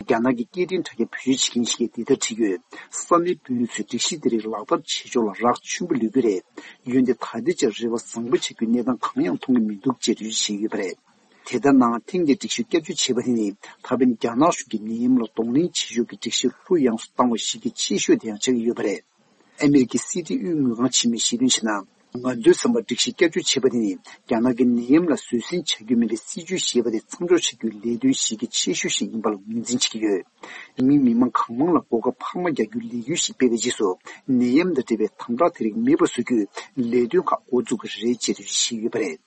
རྒྱ་ནག་གི་སྐད་འཕྲིན་དྲ་རྒྱ་བེད་སྤྱོད་བྱེད་མཁན་ཞིག་གིས་འདི་ལྟར་བྲིས་ཡོད། ས་གནས་དཔོན་རིགས་ཚོས་སྒྲིག་གཞི་དེ་རིགས་ལག་བསྟར་བྱེད་ཕྱོགས་ལ་རག་ཆེན་པོ་ལུས་ཀྱི་རེད། འོན་ཏེ་ད་ལྟའི་ཆར་རེ་བ་བཟང་པོ་བྱ་རྒྱུའི་གནས་སྟངས་གང་ཡང་མཐོང་གི་མི་འདུག་ཅེས་འགྲེལ་བརྗོད་བྱས་ཡོད་པ་རེད། དེ་ལྟར་ན་ཐེངས་འདིའི་སྒྲིག་གཞི་བསྐྱར་བཅོས་བྱས་པ་དེ་ནི་ད་ཕན་རྒྱ་ནག་གཞུང་གིས་ནད་ཡམས་ལ་གདོང་ལེན་བྱེད་ཕྱོགས་ཀྱི་སྒྲིག་གཞི་ལྷུག་ཡངས་སུ་བཏང་བ་ཞིག་གི་ཆེ་ཤོས་དེ་ཡང་ཆགས་ཀྱི་ཡོད་པ་རེད། ཨ་མི་རི་ཀའི་སྲིད་ཁྲིའི་དབུས་དངུལ་ཁང་ཆེན་མོས་བཤད་དོན་བྱས་ན། ང་ཚོའི་བསམ་པར་སྒྲིག་གཞི་བསྐྱར་བཅོས་བྱས་པ་དེ་ནི་རྒྱ་ནག་གིས་ནད་ཡམས་ལ་བཟོད་བསྲན་བྱ་རྒྱུ་མེད་པའི་སྲིད་ཇུས་བཞེས་པ་དེ་མཚམས་འཇོག་བྱ་རྒྱུའི་ལས་དོན་གཞི་རྒྱ་ཆེ་ཤོས་ཤིག་ཡིན་པ་ལ་ངོས་འཛིན་བྱེད་ཀྱི་ཡོད། མི་མི་མང་གང་མང་ལ་གོ་སྐབས་འཕར་མ་རྒྱག་རྒྱུའི་ལས་འགུལ་ཞིག་སྤེལ་བའི་རྗེས་སུ་ནད་ཡམས་དང་འབྲེལ་བའི་དམ་དྲག་དེ་རིགས་མེད་པ་བཟོ་རྒྱུའི་ལས་དོན་ཁག་འགོ་འཛུགས་ཀྱི་རེད་ཅེས་འགྲེལ་བརྗོད་བྱས་ཡོད་པ་རེད།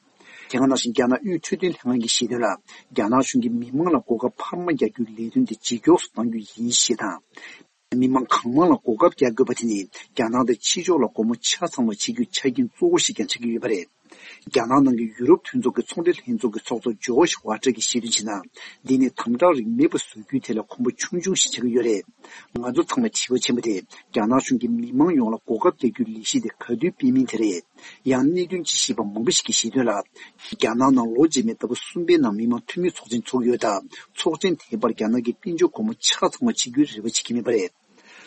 དེ་ག་ནང་བཞིན་རྒྱ་ནག་དབུས་འཕྲོད་བསྟེན་ལྷན་ཁང་གིས་བཤད་དོན་ལ། རྒྱ་ནག་གཞུང་གིས་མི་མང་ལ་གོ་སྐབས་འཕར་མ་རྒྱག་རྒྱུའི་ལས་དོན་དེ་ཇེ་མགྱོགས་སུ་གཏང་རྒྱུ་ཡིན་ཞེས་དང་། མི་མང་གང་མང་ལ་གོ་སྐབས་རྒྱག་དགོས་པ་དེ་ནི་རྒྱ་ནག་དང་ཕྱི་ཕྱོགས་ལ་སྒོ་མོ་ཆ་ཚང་བ་བྱེད་རྒྱུའི་ཆ་རྐྱེན་གཙོ་བོ་ཞིག་ཀྱང་ཆགས་ཀྱི་ཡོད་པ་རེད། རྒྱ་ནག་ནང་གི་ཡུ་རོབ་མཐུན་ཚོགས་ཀྱི་ཚོང་འབྲེལ་ལྷན་ཚོགས་ཀྱི་ཚོགས་གཙོ་ཇོ་ཤ་ཝ་ཏྲ་གིས་བཤད་དོན་བྱས་ན། འདི་ནི་དམ་དྲག་རིགས་མེད་པ་བཟོ་རྒྱུའི་ཐད་ལ་གོམ་པ་ཆུང་ཆུང་ཞིག་ཆགས་ཀྱི་ཡོད་རེད། ང་ཚོ་ཚང་མ་བྱིས་པ་ཆེན་པོ་དེ་རྒྱ་ནག་གཞུང་གིས་མི་མང་ཡོངས་ལ་གོ་སྐབས་རྒྱག་རྒྱུའི་ལས་གཞི་དེ་ག་དུས་སྤེལ་མིན་དེ་རེད། ཡང་གནད་དོན་ཅིག་ཤེས་པ་མང་པོ་ཞིག་གིས་བཤད་དོན་ལ། རྒྱ་ནག་ནང་ལོ་རྗེས་མའི་ཟླ་བ་གསུམ་པའི་ནང་མི་མང་འཐུས་མིའི་ཚོགས་ཆེན་ཚོགས་ཡོད་སྟབས། ཚོགས་ཆེན་དེའི་བར་རྒྱ་ནག་གིས་དཔལ་འབྱོར་སྒོ་མོ་ཆ་ཚང་བ་བྱེད་རྒྱུའི་རེ་བ་བྱེད་ཀྱི་མེད་པ་རེད།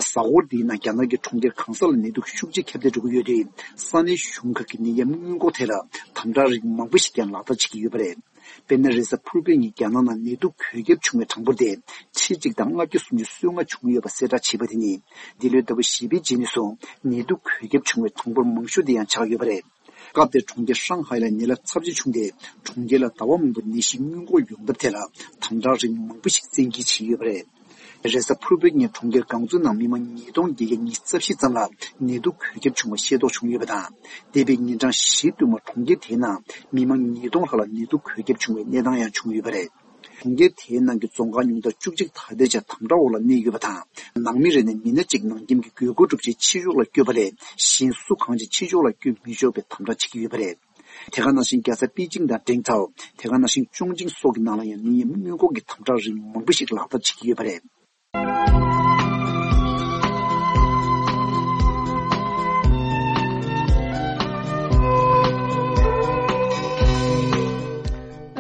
གཟའ་འཁོར་འདིའི་ནང་རྒྱ་ནག་གི་གྲོང་ཁྱེར་གང་ས་ལ་ནད་དུག་ཤུགས་ཆེ་ཁྱབ་གདལ་འགྲོ་གི་ཡོད་དུས། ས་གནས་གཞུང་ཁག་གིས་ནད་ཡམས་སྔོན་འགོག་ཐད་ལ་དམ་དྲག་རིགས་མང་པོ་ཞིག་ཀྱང་ལག་བསྟར་བྱེད་ཀྱི་ཡོད་པ་རེད། དཔེར་ན། རེས་གཟའ་ཕུར་བུའི་ཉིན་རྒྱ་ནག་ནང་ནད་དུག་འགོས་ཁྱབ་བྱུང་བའི་གྲངས་འབོར་དེ་ཁྲི་གཅིག་དང་ལྔ་བརྒྱ་སུམ་ཅུ་སོ་ལྔ་བྱུང་ཡོད་པ་གསལ་བསྒྲགས་བྱས་པ་དེ་ནི། འདི་ལོའི་ཟླ་བ་བཞི་པའི་རྗེས་ནས་བཟུང་ནད་དུག་འགོས་ཁྱབ་བྱུང་བའི་གྲངས་འབོར་མང་ཤོས་དེ་ཡང་ཆགས་ཡོད་པ་རེད། སྐབས་དེར་གྲོང་ཁྱེར་ཧྲང་ཧའེ་ལ་ནད་རླབས་ཚབས་ཆེ་བྱུང་སྟེ། གྲོང་ཁྱེར་ལ་ཟླ་བ་མང་པོར་ནད་གཞི་སྔོན་འགོག་ཡོང་ཐབས་ཐད་ལ་དམ་དྲག་རིགས་མང་པོ་ཞིག་བཙན་འགེལ་བྱས་ཡོད་པ་རེད། རེས་གཟའ་ཕུར་བུའི་ཉིན་གྲོང་ཁྱེར་ཀོང་ཙུའུ་ནང་མི་མང་ཉིས་སྟོང་བརྒྱད་བརྒྱ་ཉི་ཤུ་རྩ་བཞི་ཙམ་ལ་ནད་དུག་འགོས་ཁྱབ་བྱུང་བ་ཤེས་རྟོགས་བྱུང་ཡོད་པ་དང་། འདས་པའི་ཉིན་གྲངས་བཞི་བསྟུད་མར་གྲོང་ཁྱེར་དེའི་ནང་མི་མང་ཉིས་སྟོང་ལྷག་ལ་ནད་དུག་འགོས་ཁྱབ་བྱུང་བའི་གནས་སྟངས་ཡང་བྱུང་ཡོད་པ་རེད། གྲོང་ཁྱེར་དེའི་ནང་གི་རྫོང་ཁག་ཉུང་མཐར་བཅུ་གཅིག་ད་ལྟའི་ཆར་དམ་དྲག་འོག་ལ་གནས་ཡོད་པ་དང་། ནང་མི་རེ་ནས་མི་སྣ་གཅིག་ནང་ཁྱིམ་གྱི་སྒོས་སྒོ་སྒྲུབ་ཆེད་ཕྱི་ཕྱོགས་ལ་བསྐྱོད་པ་ལས་གཞན་སུ་གང་ཞིག་ཕྱི་ཕྱོགས་ལ་བསྐྱོད་མི་ཆོག་པའི་དམ་དྲག་བྱེད་ཀྱི་ཡོད་པ་རེད། དེ་ག་ནང་བཞིན་རྒྱལ་ས་པེ་ཅིང་དང་ཀྲེང་ཐའོ། དེ་ག་ནང་བཞིན་ཅོང་ཅིང་སོགས་ཀྱི་ནང་ལ་ཡང་ནད་ཡམས་སྔོན་འགོག་གི་དམ་དྲག་རིགས་མང་པོ་ཞིག་ལག་བསྟར་བྱེད་ཀྱི་ཡོད་པ་རེད།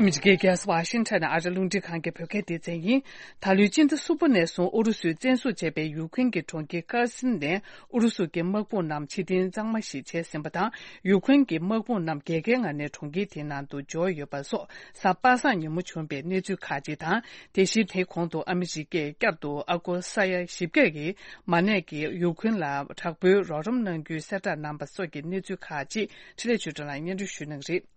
ཨ་མི་རི་ཀའི་རྒྱལ་ས་ཝ་ཤིང་ཊོན་ནས་ཨ་རི་རླུང་འཕྲིན་ཁང་གི་བོད་སྐད་སྡེ་ཚན་ཡིན། ད་ལོའི་སྤྱི་ཟླ་གསུམ་པ་ནས་བཟུང་ཨུ་རུ་སུས་བཙན་བཟུང་བྱས་པའི་ཡུ་ཁུ་རེན་གྱི་གྲོང་ཁྱེར་ཀར་སིན་ནས་ཨུ་རུ་སུ་གྱི་དམག་དཔུང་རྣམས་ཕྱིར་འཐེན་གཙང་མ་ཞིག་བྱས་ཟིན་པ་དང་། ཡུ་ཁུ་རེན་གྱི་དམག་དཔུང་རྣམས་རྒྱལ་ཁའི་ངང་ནས་གྲོང་ཁྱེར་དེའི་ནང་དུ་འབྱོར་ཡོད་པ་སོགས་གཟའ་པ་སངས་ཉིན་མོ་བྱུང་པའི་གནས་ཚུལ་ཁག་ཅིག་དང་། དེ་བཞིན་དེའི་གོང་དུ་ཨ་མི་རི་ཀས་བསྐྱར་དུ་ཨ་སྒོར་ས་ཡ་བཞི་བརྒྱ་གི་མ་གནས་ཀྱི་ཡུ་ཁུ་རེན་ལ་དྲག་པོའི་རོགས་རམ་གནང་རྒྱུའི་གསལ་བསྒྲགས་གནང་པ་སོགས་ཀྱི་གནས་ཚུལ་ཁག་ཅིག་འཕྲིན་ལས་ཆོས་སྒྲོན་ལགས་སྙན་སྒྲོན་ཞུ་གནང་གི་རེད།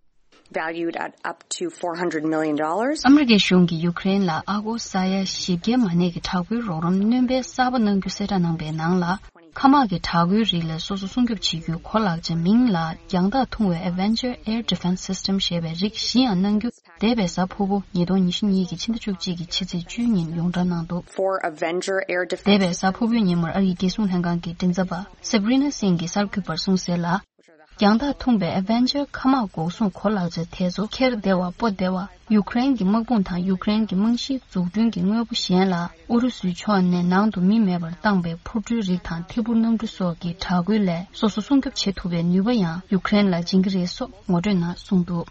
Valued at up to four hundred million dollars. ཨ་མི་རི་ཀའི་གཞུང་གིས་ཡུ་ཀེ་རེན་ལ་ཨ་སྒོར་ས་ཡ་བཞི་བརྒྱའི་མ་གནས་ཀྱི་དྲག་པོའི་རོགས་རམ་སྣོན་སྤེལ་གསར་པ་གནང་རྒྱུ་གསལ་བསྒྲགས་གནང་པའི་ནང་ལ། མཁའ་དམག་གི་དྲག་པོའི་རིགས་ལས་སོ་སོ་སྲུང་སྐྱོབ་བྱེད་རྒྱུའི་གོ་ལག་ཆ་མིང་ལ་རྒྱང་ཐག་ཐུང་བའི་Avenger Air Defense System ཞེས་པའི་རིགས་བཞི་ཡང་གནང་རྒྱུ། འདས་པའི་གཟའ་ཕུར་བུ་ཉིས་སྟོང་ཉི་ཤུ་གཉིས་ཀྱི་ཕྱི་ཟླ་བཅུ་གཅིག་གི་ཕྱི་ཚེས་བཅུའི་ཉིན་ཡོངས་གྲགས་གནང་འདུག Four Avenger air defense. འདས་པའི་གཟའ་ཕུར་བུའི་ཉིན་མོར་ཨ་རིའི་རྒྱལ་སྲུང་ལྷན་ཁང་གི་མགྲིན་ཚབ་པ་Sabrina Singh གིས་གསར་འགོད་པར་གསུངས་གསལ་ལ། རྒྱང་ཐག་ཐུང་པའི་Avenger མཁའ་དམག་འགོག་སྲུང་གོ་ལག་ཆ་དེ་ཚོ་འཁྱེར་བདེ་བ་སྤོ་བདེ་བ། ཡུ་ཀེ་རེན་གྱི་དམག་དཔུང་དང་ཡུ་ཀེ་རེན་གྱི་རྨང་གཞིའི་འཛུགས་སྐྲུན་གྱི་དངོས་པོ་གཞན་ལ་ཨུ་རུ་སུའི་ཕྱོགས་ནས་ནང་དུ་མི་མེད་པར་བཏང་པའི་འཕུར་གྲུའི་རིགས་དང་ཐད་འཕུར་གནམ་གྲུ་སོགས་ཀྱི་དྲག་རྒོལ་ལས་སོ་སོ་སྲུང་སྐྱོབ་བྱེད་ཐུབ་པའི་ནུས་པ་ཡང་ཡུ་ཀེ་རེན་ལ་སྦྱིན་གྱི་རེད་སོགས་ངོ་སྤྲོད་ནང་གསུངས་འདུག་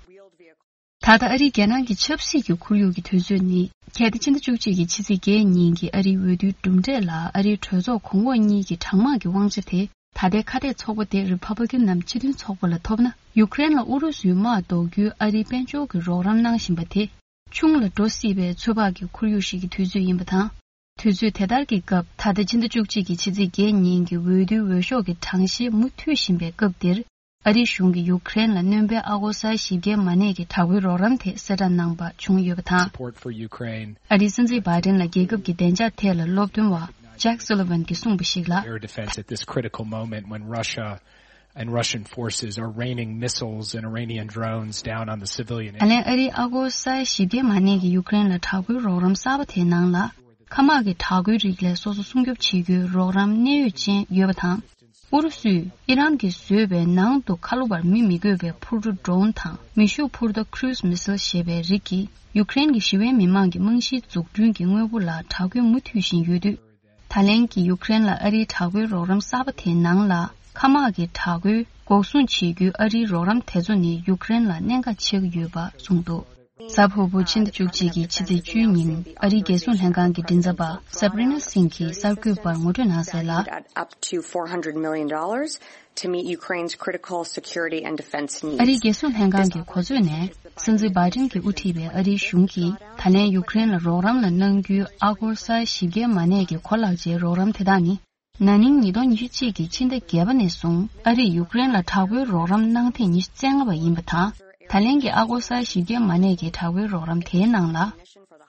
ད་ལྟ་ཨ་རིའི་རྒྱལ་ནང་གི་ཆབ་སྲིད་ཀྱི་ཁོར་ཡུག་གི་དུས་ཚོད་ནི། གལ་ཏེ་ཕྱི་ཟླ་བཅུ་གཅིག་གི་ཕྱི་ཚེས་བརྒྱད་ཉིན་གྱི་ཨ་རིའི་འོས་བསྡུའི་གྲུབ་འབྲས་ལ་ཨ་རིའི་གྲོས་ཚོགས་གོང་འོག་གཉིས་ཀྱི་གྲངས་མང་གི་དབང་ཆ་དེ། ད་ལྟའི་ཁ་གཏད་ཚོགས་པ་དེ་རི་པབ་ལི་ཀན་ནམ་སྤྱི་མཐུན་ཚོགས་པ་ལ་ཐོབ་ན། ཡུ་ཀེ་རེན་ལ་ཨུ་རུ་སུའི་དམག་ཟློག་རྒྱུའི་ཨ་རིའི་དཔལ་འབྱོར་གྱི་རོགས་རམ་གནང་བཞིན་པ་དེ། ཆུང་ལ་འགྲོ་སྲིད་པའི་ཚོད་དཔག་གི་ཁོར་ཡུག་ཞིག་གི་དུས་ཚོད་ཡིན་པ་དང་། དུས་ཚོད་དེ་ལྟར་གྱི་སྐབས། ད་ལྟ་ཕྱི་ཟླ་བཅུ་གཅིག་གི་ཕྱི་ཚེས་བརྒྱད་ཉིན་གྱི་འོས་བསྡུའི་འོས་ཤོག་གི་གྲངས་བཤེར་མུ་མཐུད་བཞིན་པའི་སྐབས་འདིར། ཨ་རིའི་གཞུང་གིས་ཡུ་ཀེ་རེན་ལ་སྣོན་པའི་ཨ་སྒོར་ས་བཞི་བརྒྱའི་མ་གནས་ཀྱི་དྲག་པོའི་རོགས་རམ་དེ་གསལ་བསྒྲགས་གནང་པ་བྱུང་ཡོད་པ་དང་། Support for Ukraine. ཨ་རིའི་སྲིད་འཛིན་བྷའི་ཏིན་ལ་རྒྱལ་ཁབ་ཀྱི་བདེ་འཇགས་ཐད་ལ་སློབ་སྟོན་པ་Jack Sullivan གྱིས་གསུངས་པ་ཞིག་ལ། Air defense at this critical moment when Russia and Russian forces are raining missiles and Iranian drones down on the civilian. ད་ལན་ཨ་རིའི་ཨ་སྒོར་ས་བཞི་བརྒྱའི་མ་གནས་ཀྱི་ཡུ་ཀེ་རེན་ལ་དྲག་པོའི་རོགས་རམ་གསར་པ་དེའི་ནང་ལ། མཁའ་དམག་གི་དྲག་རྒོལ་རིགས་ལས་སོ་སོ་སྲུང་སྐྱོབ་བྱེད་རྒྱུའི་རོགས་རམ་གནད་ཡོད་ཅན་ཡོད་པ་དང་། ཨུ་རུ་སུས་ཨི་རན་གྱིས་བཟོས་པའི་ནང་དུ་ཁ་ལོ་བར་མི་མི་འགོས་པའི་འཕུར་གྲུ་ཌོ་རོན་དང་མེ་ཤུགས་འཕུར་མདའ་ཀུ་རུ་ཛི་མི་སིལ་ཞེས་པའི་རིགས་ཀྱིས་ཡུ་ཀེ་རེན་གྱི་ཞི་བའི་མི་མང་གི་རྨང་གཞིའི་འཛུགས་སྐྲུན་གྱི་དངོས་པོ་ལ་དྲག་རྒོལ་མུ་མཐུད་བཞིན་ཡོད་དུས། ད་ལན་གྱི་ཡུ་ཀེ་རེན་ལ་ཨ་རིའི་དྲག་པོའི་རོགས་རམ་གསར་པ་དེའི་ནང་ལ་མཁའ་དམག་གི་དྲག་རྒོལ་འགོག་སྲུང་བྱེད་རྒྱུའི་ཨ་རིའི་རོགས་རམ་དེ་ཚོ་ནི་ཡུ་ཀེ་རེན་ལ་གནད་འགག་ཆེ་གི་ཡོད་པ་གསུངས་འདུག་གཟའ་ཕུར་བུ་ཕྱི་ཟླ་བཅུ་གཅིག་གི་ཕྱི་ཚེས་བཅུའི་ཉིན་ཨ་རིའི་རྒྱལ་སྲུང་ལྷན་ཁང་གི་མགྲིན་ཚབ་པ་Sabrina Singh གྱིས་གསར་འགོད་པར་ངོ་སྤྲོད་གནང་གསལ་ལ། At up to four hundred million dollars to meet Ukraine's critical security and defense needs. ཨ་རིའི་རྒྱལ་སྲུང་ལྷན་ཁང་གི་གོ་མཛོད་ནས། སྲིད་འཛིན་བྷའི་ཏིན་གྱིས་དབུ་ཁྲིད་པའི་ཨ་རིའི་གཞུང་གིས་ད་ལན་ཡུ་ཀེ་རེན་ལ་རོགས་རམ་ལ་གནང་རྒྱུའི་ཨ་སྒོར་ས་ཡ་བཞི་བརྒྱའི་མ་གནས་ཀྱི་གོ་ལག་ཆའི་རོགས་རམ་དེ་དག་ནི། ན་ནིང་ཉིས་སྟོང་ཉི་ཤུ་གཅིག་གི་ཕྱི་ཟླ་བརྒྱད་པ་ནས་བཟུང་ཨ་རིས་ཡུ་ཀེ་རེན་ལ་དྲག་པོའི་རོགས་རམ་གནང་ཐེངས་ཉི་ཤུ་རྩ་ལྔ་པ་ཡིན་པ་དང་། ད་ལན་གྱི་ཨ་སྒོར་ས་ཡ་བཞི་བརྒྱའི་མ་གནས་ཀྱི་དྲག་པོའི་རོགས་རམ་དེའི་ནང་ལ།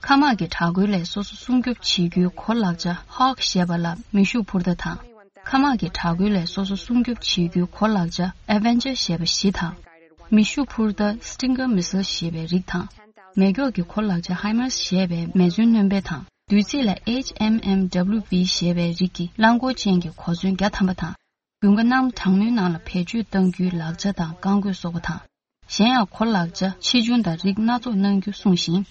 མཁའ་དམག་གི་དྲག་རྒོལ་ལས་སོ་སོ་སྲུང་སྐྱོབ་བྱེད་རྒྱུའི་གོ་ལག་ཆ་Hawk ཞེས་པ་ལ་མེ་ཤུགས་འཕུར་མདའ་དང་། མཁའ་དམག་གི་དྲག་རྒོལ་ལས་སོ་སོ་སྲུང་སྐྱོབ་བྱེད་རྒྱུའི་གོ་ལག་ཆ་Avenger ཞེས་པ་བཞི་དང་། མེ་ཤུགས་འཕུར་མདའ་Stinger missile ཞེས་པའི་རིགས་དང་། མེ་སྒྱོགས་ཀྱི་གོ་ལག་ཆ་ཧའི་མར་ཞེས་པའི་མེ་མཚོན་སྣོན་པ་དང་། བདུད་རྩི་ལ་H M M W B ཞེས་པའི་རིགས་ཀྱི་རླངས་འཁོར་ཅན་གྱི་གོ་མཚོན་བརྒྱ་ཐམ་པ་དང་། དགུན་ཁ་གནམ་གྲང་མོའི་ནང་ལ་བེད་སྤྱོད་གཏང་རྒྱུའི་ལག་ཆ་དང་རྐང་རྒོད་སོགས་པ་དང་། གཞན་ཡང་ཁོ་ལག་ཆ་ཆེ་ཆུང་དང་རིགས་སྣ་ཚོགས་གནང་རྒྱུ་གསུངས་ཤིང་།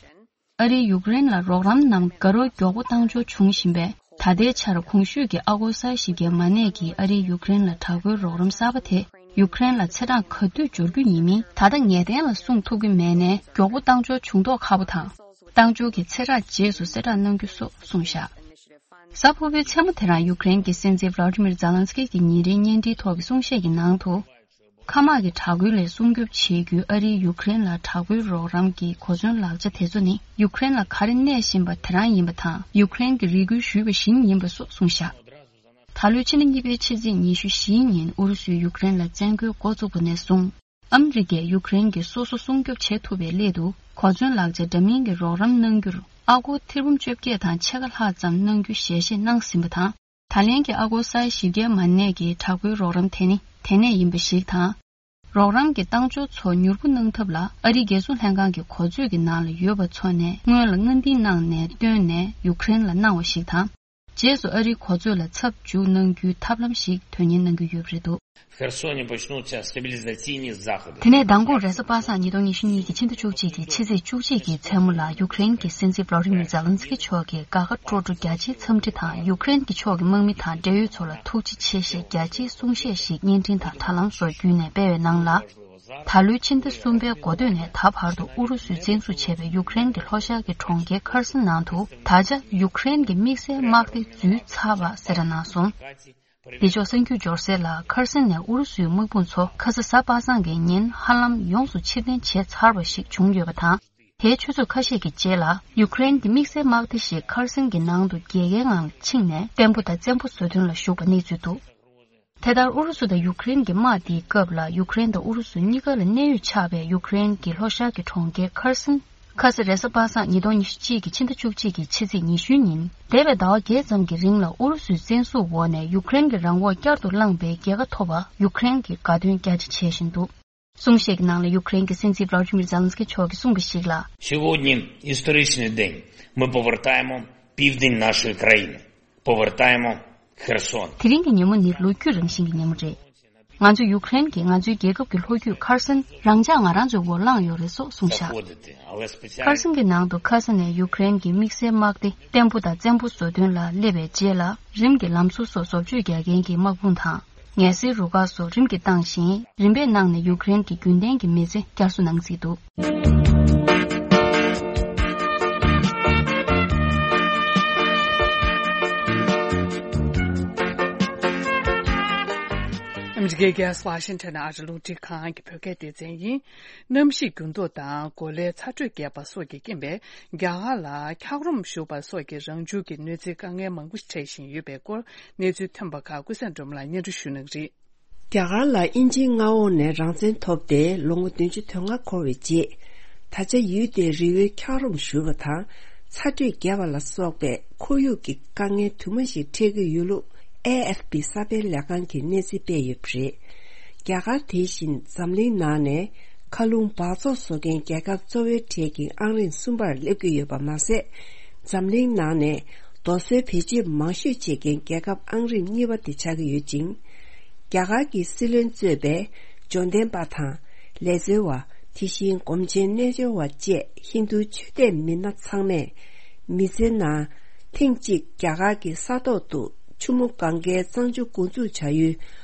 ཨ་རིས་ཡུཀ་རེན་ལ་རོགས་རམ་གནང་དགའ་རབ་མགྱོགས་པོ་བཏང་འབྱོར་བྱུང་བཞིན་པས། ད་ལྟའི་ཆར་གོང་ཞུས་ཀྱི་ཨ་སྒོར་ས་ཡ་བཞི་བརྒྱ་མ་གནས་ཀྱི་ཨ་རིས་ཡུཀ་རེན་ལ་དྲག་པོའི་རོགས་རམ་གསར་པ་དེ་ཡུཀ་རེན་ལ་ཚེས་གྲངས་ག་དུས་འབྱོར་རྒྱུ་ཡིན་མིན་ད་ལྟ་ངེས་གཏན་ལ་གསུངས་ཐུབ་ཀྱི་མེད་ནས། མགྱོགས་པོ་བཏང་འབྱོར་བྱུང་མདོག་ཁ་པོ་དང་། བཏང་འབྱོར་གྱི་ཚེས་གྲངས་རྗེས་སུ་གསལ་བསྒྲགས་གནང་རྒྱུ་སོགས་གསུངས་བཞག། གཟའ་ཕུར་བུའི་མཚན་མོ་དེ་རང་ཡུཀ་རེན་གྱི་སྲིད་འཛིན་ཝ་ལ་ཏི་མིར་ཛེ་ལན་སི་ཀི་གི་ཉིན་རེའི་བརྙན་འཕྲིན་ཐོག་གི་གསུང་བཤད་ཀྱི་ནང་དུ། མཁའ་དམག་གི་དྲག་རྒོལ་ལས་སྲུང་སྐྱོབ་བྱེད་རྒྱུའི་ཨ་རིའི་ཡུཀ་རེན་ལ་དྲག་པོའི་རོགས་རམ་གྱི་གོ་མཚོན་ལག་ཆ་དེ་ཚོ་ནི་ཡུཀ་རེན་ལ་ག་རེ་གནས་བཞིན་པ་དེ་རང་ཡིན་པ་དང་། ཡུཀ་རེན་གྱིས་རེ་སྐུལ་ཞུས་པ་བཞིན་ཡིན་པ་སོགས་གསུངས་བཞག། ད་ལོའི་ཕྱི་ཟླ་གཉིས་པའི་ཕྱི་ཚེས་ཉི་ཤུ་བཞིའི་ཉིན་ཨུ་རུ་སུས་ཡུཀ་རེན་ལ་བཙན་རྒོལ་འགོ་བཙུགས་པ་ནས་བཟུང་། ཨ་མི་རི་ཀས་ཡུཀ་རེན་གྱི་སོ་སོ་སྲུང་སྐྱོབ་བྱེད་ཐུབ་པའི་སླད་དུ་གོ་མཚོན་ལག་ཆ་འདྲ་མིན་གྱི་རོགས་རམ་གནང་རྒྱུར་ཨ་སྒོར་ཐེར་འབུམ་བཅོ་བརྒྱད་དང་ཕྱེད་ཀ་ལྷག་ཙམ་གནང་རྒྱུ་ཞལ་བཞེས་གནང་ཟིན་པ་དང་། ད་ལན་གྱི་ཨ་སྒོར་ས་ཡ་བཞི་བརྒྱ་མ་གནས་ཀྱི་དྲག་པོའི་རོགས་རམ་དེ་ནི་དེ་ནས་ཡིན་པ་ཞིག་དང་། རོགས་རམ་གྱི་བཏང་འབྱོར་ཚོ་མྱུར་པོ་གནང་ཐབས་ལ་ཨ་རིའི་རྒྱལ་སྲུང་ལྷན་ཁང་གི་གོ་མཛོད་ཀྱི་ནང་ལ་ཡོད་པ་ཚོ་ནས་སྔོན་ལ་སྔ་འདིང་གནང་ནས་བཏོན་ནས་ཡུཀ་རེན་ལ་གནང་བ་ཞིག་དང་། རྗེས་སུ་ཨ་རིའི་གོ་མཛོད་ལ་ཚབ་འཇུག་གནང་རྒྱུའི་ཐབས་ལམ་ཞིག་དོན་གཉེར་གནང་གི་ཡོད་པ་རེད་འདུག། В Херсоне почнутся стабилизационные заходы. དེ་ནས་མདང་དགོང་རེས་གཟའ་པ་སངས་ཉིས་སྟོང་ཉི་ཤུ་གཉིས་ཀྱི་ཕྱི་ཟླ་བཅུ་གཅིག་གི་ཕྱི་ཚེས་བཅུ་གཅིག་གི་མཚན་མོ་ལ་ཡུཀ་རེན་གྱི་སྲིད་འཛིན་ཝ་ལ་ཏི་མིར་ཛེ་ལན་སི་ཀི་མཆོག་གིས་དགའ་དགའ་སྤྲོ་སྤྲོ་རྒྱ་ཆེའི་འཚམས་འདྲི་དང་ཡུཀ་རེན་གྱི་ཕྱོགས་ཀྱི་དམག་མི་དང་འབྲེལ་ཡོད་ཚོ་ལ་ཐུགས་རྗེ་ཆེ་ཞེས་རྒྱ་ཆེའི་གསུང་བཤད་ཞིག་བརྙན་འཕྲིན་དང་དྲ་ལམ་སོགས་བརྒྱུད་ནས་སྤེལ་བའི་ནང་ལ། ད་ལོའི་ཕྱི་ཟླ་གསུམ་པའི་འགོ་སྟོད་ནས་ད་བར་དུ་ཨུ་རུ་སུས་བཙན་བཟུང་བྱས་པའི་ཡུཀ་རེན་གྱི་ལྷོ་ཤར་གྱི་གྲོང་ཁྱེར་ཁར་སན་ནང་དུ་ད་ཆ་ཡུཀ་རེན་གྱི་དམིགས་བསལ་དམག་སྡེ་འཛུལ་ཚར་བ་གསལ་བསྒྲགས་གནང་སོང་། བདེ་མཆོག་གསར་འགྱུར་འབྱོར་གསལ་ལ་ཁར་སན་ནས་ཨུ་རུ་སུའི་དམག་དཔུང་ཚོ་ཁ་ས་གཟའ་པ་སངས་ཀྱི་ཉིན་ཧ་ལམ་ཡོངས་སུ་ཕྱིར་འཐེན་བྱས་ཚར་བ་ཞིག་བྱུང་ཡོད་པ་དང་། དེའི་ཆུ་ཚོད་ཁ་ཤས་ཀྱི་རྗེས་ལ་ཡུཀ་རེན་གྱི་དམིགས་བསལ་དམག་སྡེ་ཞིག་ཁར་སན་གྱི་ནང་དུ་རྒྱལ་ཁའི་ངང་ལ་ཕྱིན་ནས་བརྟན་པོ་དང་བཙན་པོ་བཟོ་དོན་ལ་ཞུགས་པ་གནས་ཚུལ་འདུག། དེ་ལྟར་ཨུ་རུ་སུ་དང་ཡུཀ་རེན་གྱི་དམག་འདིའི་སྐབས་ལ་ཡུཀ་རེན་དང་ཨུ་རུ་སུ་གཉིས་ཀ་ལ་གནས་ཡུལ་ཆགས་པའི་ཡུཀ་རེན་གྱི་ལྷོ་ཤར་གྱི་གྲོང་ཁྱེར་ཁར་སན། ཁ་ས་རེས་གཟའ་པ་སངས་ཉིས་སྟོང་ཉི་ཤུ་གཅིག་གི་ཕྱི་ཟླ་བཅུ་གཅིག་གི་ཕྱི་ཚེས་ཉི་ཤུའི་ཉིན་འདས་པའི་ཟླ་བ་བརྒྱད་ཙམ་གྱི་རིང་ལ་ཨུ་རུ་སུའི་བཙན་བཟུང་འོག་ནས་ཡུཀ་རེན་གྱི་རང་དབང་བསྐྱར་དུ་བླངས་པའི་རྒྱལ་ཁ་ཐོབ་པར་ཡུཀ་རེན་གྱིས་དགའ་སྟོན་རྒྱ་ཆེ་བྱེད་བཞིན་འདུག། གསུང་བཤད་ཀྱི་ནང་ལ་ཡུཀ་རེན་གྱི་སྲིད་འཛིན་ཝ་ལ་ཏི་མིར་ཛེ་ལན་སི་ཀི་མཆོག་གིས་གསུངས་པ་ཞིག་ལ། Сегодня историчный день. Мы повертаємо південь нашої країни. Повертаємо Херсон. དེ་རིང་གི་ཉིན་མོ་ནི་ལོ་རྒྱུས་རང་བཞིན་གྱི་ཉིན་མོ་རེད། ང་ཚོ་ཡུཀ་རེན་གྱིས་ང་ཚོའི་རྒྱལ་ཁབ་ཀྱི་ལྷོ་རྒྱུད་ཁར་སན་རང་འཇགས་ང་རང་ཚོའི་འོག་བླངས་ཡོད་རེད་སོགས་གསུངས་བཞག། ཁར་སན་གྱི་ནང་དུ་ཁ་ས་ནས་ཡུཀ་རེན་གྱི་དམིགས་བསལ་དམག་སྡེ་བརྟན་པོ་དང་བཙན་པོ་བཟོ་དོན་ལ་སླེབས་པའི་རྗེས་ལ། རིམ་གྱིས་ལམ་ཟུར་སོགས་བཟོ་བཅོས་རྒྱག་མཁན་གྱི་དམག་དཔུང་དང་། ངལ་སེལ་རུ་ཁག་སོགས་རིམ་གྱིས་བཏང་ཞིང་། རིམ་པས་གནང་ནས་ཡུཀ་རེན་གྱི་རྒྱུན་ལྡན་གྱི་མི་ཚེ་བསྐྱར་གསོ་གནང་རྩིས་འདུག། ཨ་མི་རི་ཀའི་རྒྱལ་ས་ཝ་ཤིང་ཊོན་ཨ་རི་རླུང་འཕྲིན་ཁང་གི་བོད་སྐད་སྡེ་ཚན་ཡིན། གནམ་གཤིས་འགྱུར་ལྡོག་དང་གོ་ལའི་ཚ་དྲོད་རྒྱས་པ་སོགས་ཀྱི་རྐྱེན་པས་རྒྱ་གར་ལ་འཁྱགས་རོམ་ཞུགས་པ་སོགས་ཀྱི་རང་བྱུང་གི་གནོད་འཚེའི་དཀའ་ངལ་མང་པོ་འཕྲད་བཞིན་ཡོད་པའི་སྐོར་གནས་ཚུལ་ཐོན་པ་ཁག་ཀུན་བཟང་སྒྲོལ་མ་ལགས་སྙན་སྒྲོན་ཞུ་གནང་གི་རེད། རྒྱ་གར་ལ་དབྱིན་ཇིའི་མངའ་འོག་ནས་རང་བཙན་ཐོབ་སྟེ་ལོ་ངོ་བདུན་ཅུ་དོན་ལྔ་འཁོར་བའི་རྗེས། ད་ཆ་ཡུལ་དེའི་རི་བོའི་འཁྱགས་རོམ་ཞུགས་པ་དང་ཚ་དྲོད་རྒྱས་པ་ལ་སོགས་པའི་ཁོར་ཡུག་གི་དཀའ་ངལ་དུ་མ་ཞིག་འཕྲད་ཀྱི་ཡོད་ལུགས་ཨེ་ཨེཕ་པི་གསར་སྤེལ་ལས་ཁང་གིས་གནས་ཚུལ་སྤེལ་ཡོད་པ་རེད། རྒྱ་གར་དེ་བཞིན་འཛམ་གླིང་ནང་ནས་མཁའ་རླུང་འབག་བཙོག་བཟོ་མཁན་རྒྱལ་ཁབ་གཙོ་བོའི་གྲས་ཀྱི་ཨང་རིམ་གསུམ་པར་སླེབས་ཀྱི་ཡོད་པ་མ་ཟད། འཛམ་གླིང་ནང་ནས་རྡོ་སོལ་བེད་སྤྱོད་མང་ཤོས་བྱེད་མཁན་རྒྱལ་ཁབ་ཨང་རིམ་གཉིས་པ་དེ་ཆགས་ཀྱི་ཡོད་ཅིང་། རྒྱ་གར་གྱི་སྲིད་བློན་གཙོས་པའི་འབྱོར་ལྡན་པ་དང་ལས་འཚོལ་བ། དེ་བཞིན་སྒོམ་ཆེན་རྣལ་འབྱོར་བ་བཅས་ཧིན་རྡུའི་ཆོས་དད་མི་སྣ་ཚང་མས་མི་ཚེ་ནང་ཐེངས་གཅིག་རྒྱ་གར་གྱི་ས་ཐོག་ཏུ་ཆུ་མོ་གངྒཱའི་གཙང་ཆུ་འགོ་འཛུགས་བྱ་ཡུལ་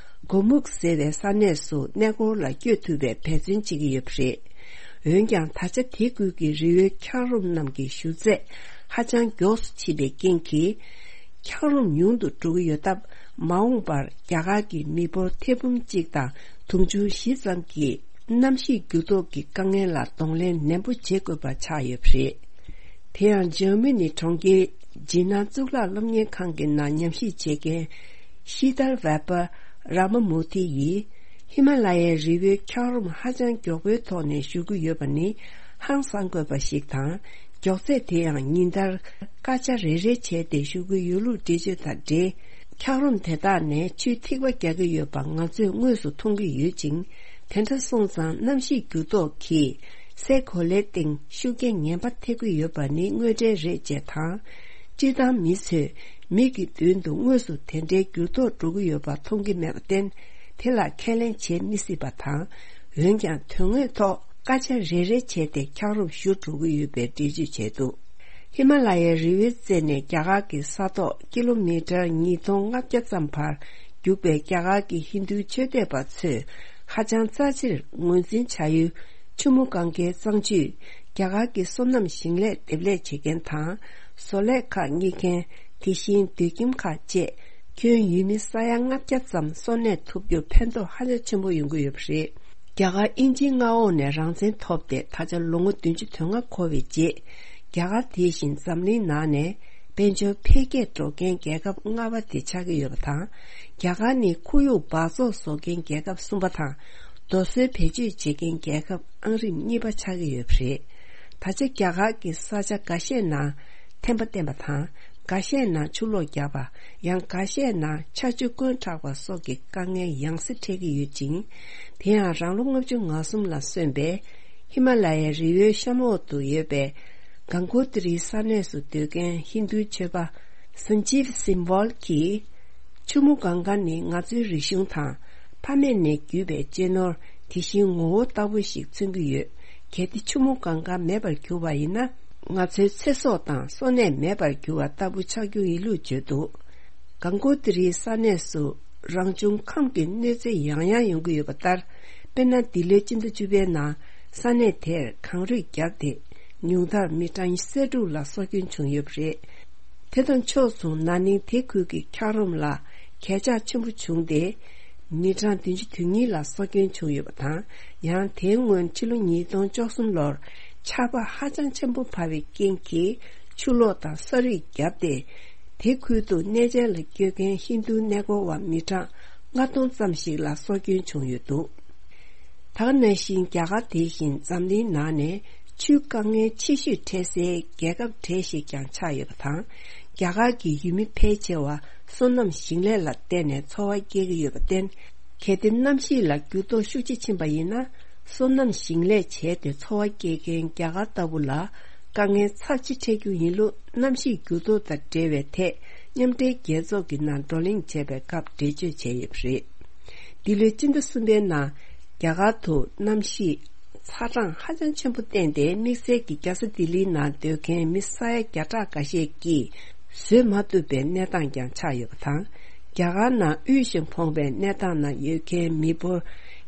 གོ་མུག་ཟེར་བའི་ས་གནས་སུ་གནས་སྐོར་ལ་བསྐྱོད་ཐུབ་པའི་འབད་བརྩོན་བྱེད་ཀྱི་ཡོད་པ་རེད། འོན་ཀྱང་ད་ཆ་དེ་ཁུལ་གྱི་རི་བོའི་འཁྱགས་རོམ་རྣམས་ཀྱི་ཞུ་ཚད་ཧ་ཅང་མགྱོགས་སུ་ཕྱིན་པའི་རྐྱེན་གྱིས། འཁྱགས་རོམ་ཉུང་དུ་འགྲོ་གི་ཡོད་སྟབས། མ་འོངས་པར་རྒྱ་གར་གྱི་མི་འབོར་ཐེར་འབུམ་གཅིག་དང་དུང་ཕྱུར་བཞི་ཙམ་གྱིས་གནམ་གཤིས་འགྱུར་ལྡོག་གི་དཀའ་ངལ་ལ་གདོང་ལེན་ནན་པོ་བྱེད་དགོས་པ་ཆགས་ཡོད་པ་རེད། དེ་ཡང་འཇར་མ་ནི་གྲོང་ཁྱེར་ཇི་ནན་གཙུག་ལག་སློབ་གཉེར་ཁང་གི་ནང་ཉམས་ཞིབ་བྱེད་མཁན་ཤི་དར་ཝེ་པ་ར་མ་མུ་ཐི་ཡིས། ཧི་མ་ལ་ཡའི་རི་བོའི་འཁྱགས་རོམ་ཧ་ཅང་མགྱོགས་པོའི་ཐོག་ནས་ཞུ་གི་ཡོད་པ་ནི་ཧང་སང་དགོས་པ་ཞིག་དང་། མགྱོགས་ཚད་དེ་ཡང་ཉིན་ལྟར་སྐར་ཆ་རེ་རེ་བྱས་ཏེ་ཞུ་གི་ཡོད་ལུགས་འགྲེལ་བརྗོད་དང་འབྲེལ། འཁྱགས་རོམ་དེ་དག་ནས་ཆུའི་ཐིགས་པ་རྒྱག་གི་ཡོད་པ་ང་ཚོས་དངོས་སུ་མཐོང་གི་ཡོད་ཅིང་། དེ་འདྲ་སོང་ཙང་གནམ་གཤིས་འགྱུར་ལྡོག་གིས་སའི་གོ་ལའི་སྟེང་ཤུགས་རྐྱེན་ངན་པ་ཐེབས་ཀྱི་ཡོད་པ་ནི་དངོས་འབྲེལ་རེད་ཅེས་དང་། སྤྱིར་བཏང་མི་ཚོས་མིག་གི་མདུན་དུ་དངོས་སུ་དེ་འདྲའི་འགྱུར་ལྡོག་འགྲོ་གི་ཡོད་པ་མཐོང་གི་མེད་པར་བརྟེན། དེ་ལ་ཁས་ལེན་བྱེད་མི་སྲིད་པ་དང་། འོན་ཀྱང་དོན་དངོས་ཐོག་སྐད་ཆ་རེ་རེ་བྱས་ཏེ་འཁྱགས་རོམ་བཞུར་འགྲོ་གི་ཡོད་པའི་འགྲེལ་བརྗོད་བྱས་འདུག་ཧི་མ་ལ་ཡའི་རི་བོའི་རྩེ་ནས་རྒྱ་གར་གྱི་ས་ཐོག་ཀི་ལོ་མི་ཊར་ཉིས་སྟོང་ལྔ་བརྒྱ་ཙམ་བར་རྒྱུག་པའི་རྒྱ་གར་གྱི་ཧིན་རྡུའི་ཆོས་དད་པ་ཚོས་ཧ་ཅང་རྩ་ཆེར་ངོས་འཛིན་བྱ་ཡུལ་ཆུ་མོ་གངྒཱའི་གཙང་ཆུས། རྒྱ་གར་གྱི་སོ་ནམ་ཞིང་ལས་འདེབས་ལས་བྱེད་མཁན་དང་། བཟོ་ལས་ཁག་གཉེར་མཁན། དེ་བཞིན་སྡོད་ཁྱིམ་ཁག་བཅས་ཁྱོན་ཡུལ་མི་ས་ཡ་ལྔ་བརྒྱ་ཙམ་གསོ་གནས་ཐུབ་རྒྱུར་ཕན་ཐོགས་ཧ་ཅང་ཆེན་པོ་ཡོང་གི་ཡོད་པ་རེད། རྒྱ་གར་དབྱིན་ཇིའི་མངའ་འོག་ནས་རང་བཙན་ཐོབ་སྟེ་ད་ཆ་ལོ་ངོ་བདུན་ཅུ་དོན་ལྔ་འཁོར་བའི་རྗེས། རྒྱ་གར་དེ་བཞིན་འཛམ་གླིང་ནང་ནས་དཔལ་འབྱོར་འཕེལ་རྒྱས་འགྲོ་མཁན་རྒྱལ་ཁབ་ལྔ་པ་དེ་ཆགས་ཀྱི་ཡོད་པ་དང་། རྒྱ་གར་ནི་ཁོར་ཡུག་འབག་བཙོག་བཟོ་མཁན་རྒྱལ་ཁབ་གསུམ་པ་དང་། རྡོ་སོལ་བེད་སྤྱོད་བྱེད་མཁན་རྒྱལ་ཁབ་ཨང་རིམ་གཉིས་པ་ཆགས་ཀྱི་ཡོད་པ་རེད། ད་ཆ་རྒྱ་གར་གྱི་ས་ཆ་འགའ་ཤས་ནང་ཐན་པ་བསྟེན་པ་དང་། འགའ་ཤས་ནང་ཆུ་ལོག་བརྒྱབ་པ། ཡང་འགའ་ཤས་ནང་ཆར་ཆུ་བསྐོན་དྲགས་པ་སོགས་ཀྱི་དཀའ་ངལ་ཡང་སེ་འཕྲད་ཀྱི་ཡོད་ཅིང་། དེ་ཡང་རང་ལོ་ལྔ་བཅུ་ང་གསུམ་ལ་སོན་པའི་ཧི་མ་ལ་ཡའི་རི་བོའི་གཤམ་འོག་ཏུ་ཡོད་པའི་གང་གོ་ཏི་རིའི་ས་གནས་སུ་སྡོད་མཁན་ཧིན་རྡུའི་ཆོས་པ་སན་ཇིབ་སིམ་བོལ་གྱིས། ཆུ་མོ་གངྒཱ་ནི་ང་ཚོའི་རིག་གཞུང་དང་། ཕ་མེས་ནས་བརྒྱུད་པའི་གཅེས་ནོར། དེ་བཞིན་ངོ་བོ་ལྟ་བུ་ཞིག་མཚོན་གྱི་ཡོད། གལ་ཏེ་ཆུ་མོ་གངྒཱ་མེད་པར་གྱུར་བ་ཡིན་ན། ང་ཚོའི་ཚེ་སྲོག་དང་གསོན་གནས་མེད་པར་གྱུར་བ་ལྟ་བུ་ཆགས་རྒྱུ་ཡིན་ལུགས་བརྗོད་འདུག་གང་གོ་ཏི་རིའི་ས་གནས་སུ་རང་བྱུང་ཁམས་ཀྱི་གནོད་འཚེ་ཡང་ཡང་ཡོང་གི་ཡོད་པ་ལྟར། དཔེར་ན། འདི་ལོའི་སྤྱི་ཟླ་བཅུ་པའི་ནང་ས་གནས་དེར་གངས་རུད་བརྒྱབ་སྟེ། ཉུང་མཐར་མི་གྲངས་སེ་དྲུག་ལ་སྲོག་སྐྱོན་བྱུང་ཡོད་པ་རེད། དེ་དང་ཕྱོགས་མཚུངས། ན་ནིང་དེ་ཁུལ་གྱི་འཁྱགས་རོམ་ལ་གས་ཆག་ཆེན་པོ་བྱུང་སྟེ། མི་གྲངས་བདུན་ཅུ་དོན་གཉིས་ལ་སྲོག་སྐྱོན་བྱུང་ཡོད་པ་དང་། ཡང་དེའི་སྔོན་ཕྱི་ལོ་ཉིས་སྟོང་བཅུ་གསུམ་ལོར་ཆར་པ་ཧ་ཅང་ཆེན་པོ་བབས་པའི་རྐྱེན་གྱིས་ཆུ་ལོག་དང་ས་རུད་བརྒྱབ་སྟེ། དེ་ཁུལ་དུ་གནས་མཇལ་ལ་བསྐྱོད་མཁན་ཧིན་རྡུ་གནས་སྐོར་བ་མི་གྲངས་ལྔ་སྟོང་ཙམ་ཞིག་ལ་སྲོག་སྐྱོན་བྱུང་ཡོད་འདུག་ད་ག་ནང་བཞིན་རྒྱ་གར་དེ་བཞིན་འཛམ་གླིང་ནང་ནས་ཆུའི་དཀའ་ངལ་ཆེ་ཤོས་འཕྲད་སའི་རྒྱལ་ཁབ་གྲས་ཤིག་ཀྱང་ཆགས་ཡོད་པ་དང་། རྒྱ་གར་གྱི་ཡུལ་མི་ཕལ་ཆེ་བ་སོ་ནམ་ཞིང་ལས་ལ་བརྟེན་ནས་འཚོ་བ་སྐྱེལ་གྱི་ཡོད་པར་བརྟེན། གལ་ཏེ་གནམ་གཤིས་ལ་འགྱུར་ལྡོག་ཤུགས་ཆེ་ཕྱིན་པ་ཡིན་ན། སོ་ནམ་ཞིང་ལས་བྱས་ཏེ་འཚོ་བ་སྐྱེལ་མཁན་རྒྱ་གར་ལྟ་བུ་ལ་དཀའ་ངལ་ཚབས་ཆེ་འཕྲད་རྒྱུ་ཡིན་ལུགས། གནམ་གཤིས་འགྱུར་ལྡོག་དང་འབྲེལ་བའི་ཐད་མཉམ་འབྲེལ་རྒྱལ་ཚོགས་ཀྱི་ནང་བགྲོ་གླེང་བྱས་པའི་སྐབས་འགྲེལ་བརྗོད་བྱས་ཡོད་པ་རེད། འདི་ལོའི་སྤྱི་ཟླ་གསུམ་པའི་ནང་རྒྱ་གར་དུ་གནམ་གཤིས་ཚ་གྲང་ཧ་ཅང་ཆེན་པོ་བསྟན་ཏེ། དམིགས་བསལ་གྱིས་རྒྱལ་ས་ལྡི་ལིའི་ནང་སྡོད་མཁན་མི་ས་ཡ་བརྒྱ་ཕྲག་འགའ་ཤས་ཀྱིས་བཟོད་མ་ཐུབ་པའི་གནས་སྟངས་ཀྱང་ཆགས་ཡོད་པ་དང་། རྒྱ་གར་ནང་དབུལ་ཞིང་ཕོངས་པའི་གནས་སྟངས་ནང་ཡོད་མཁན་མི་འབོར་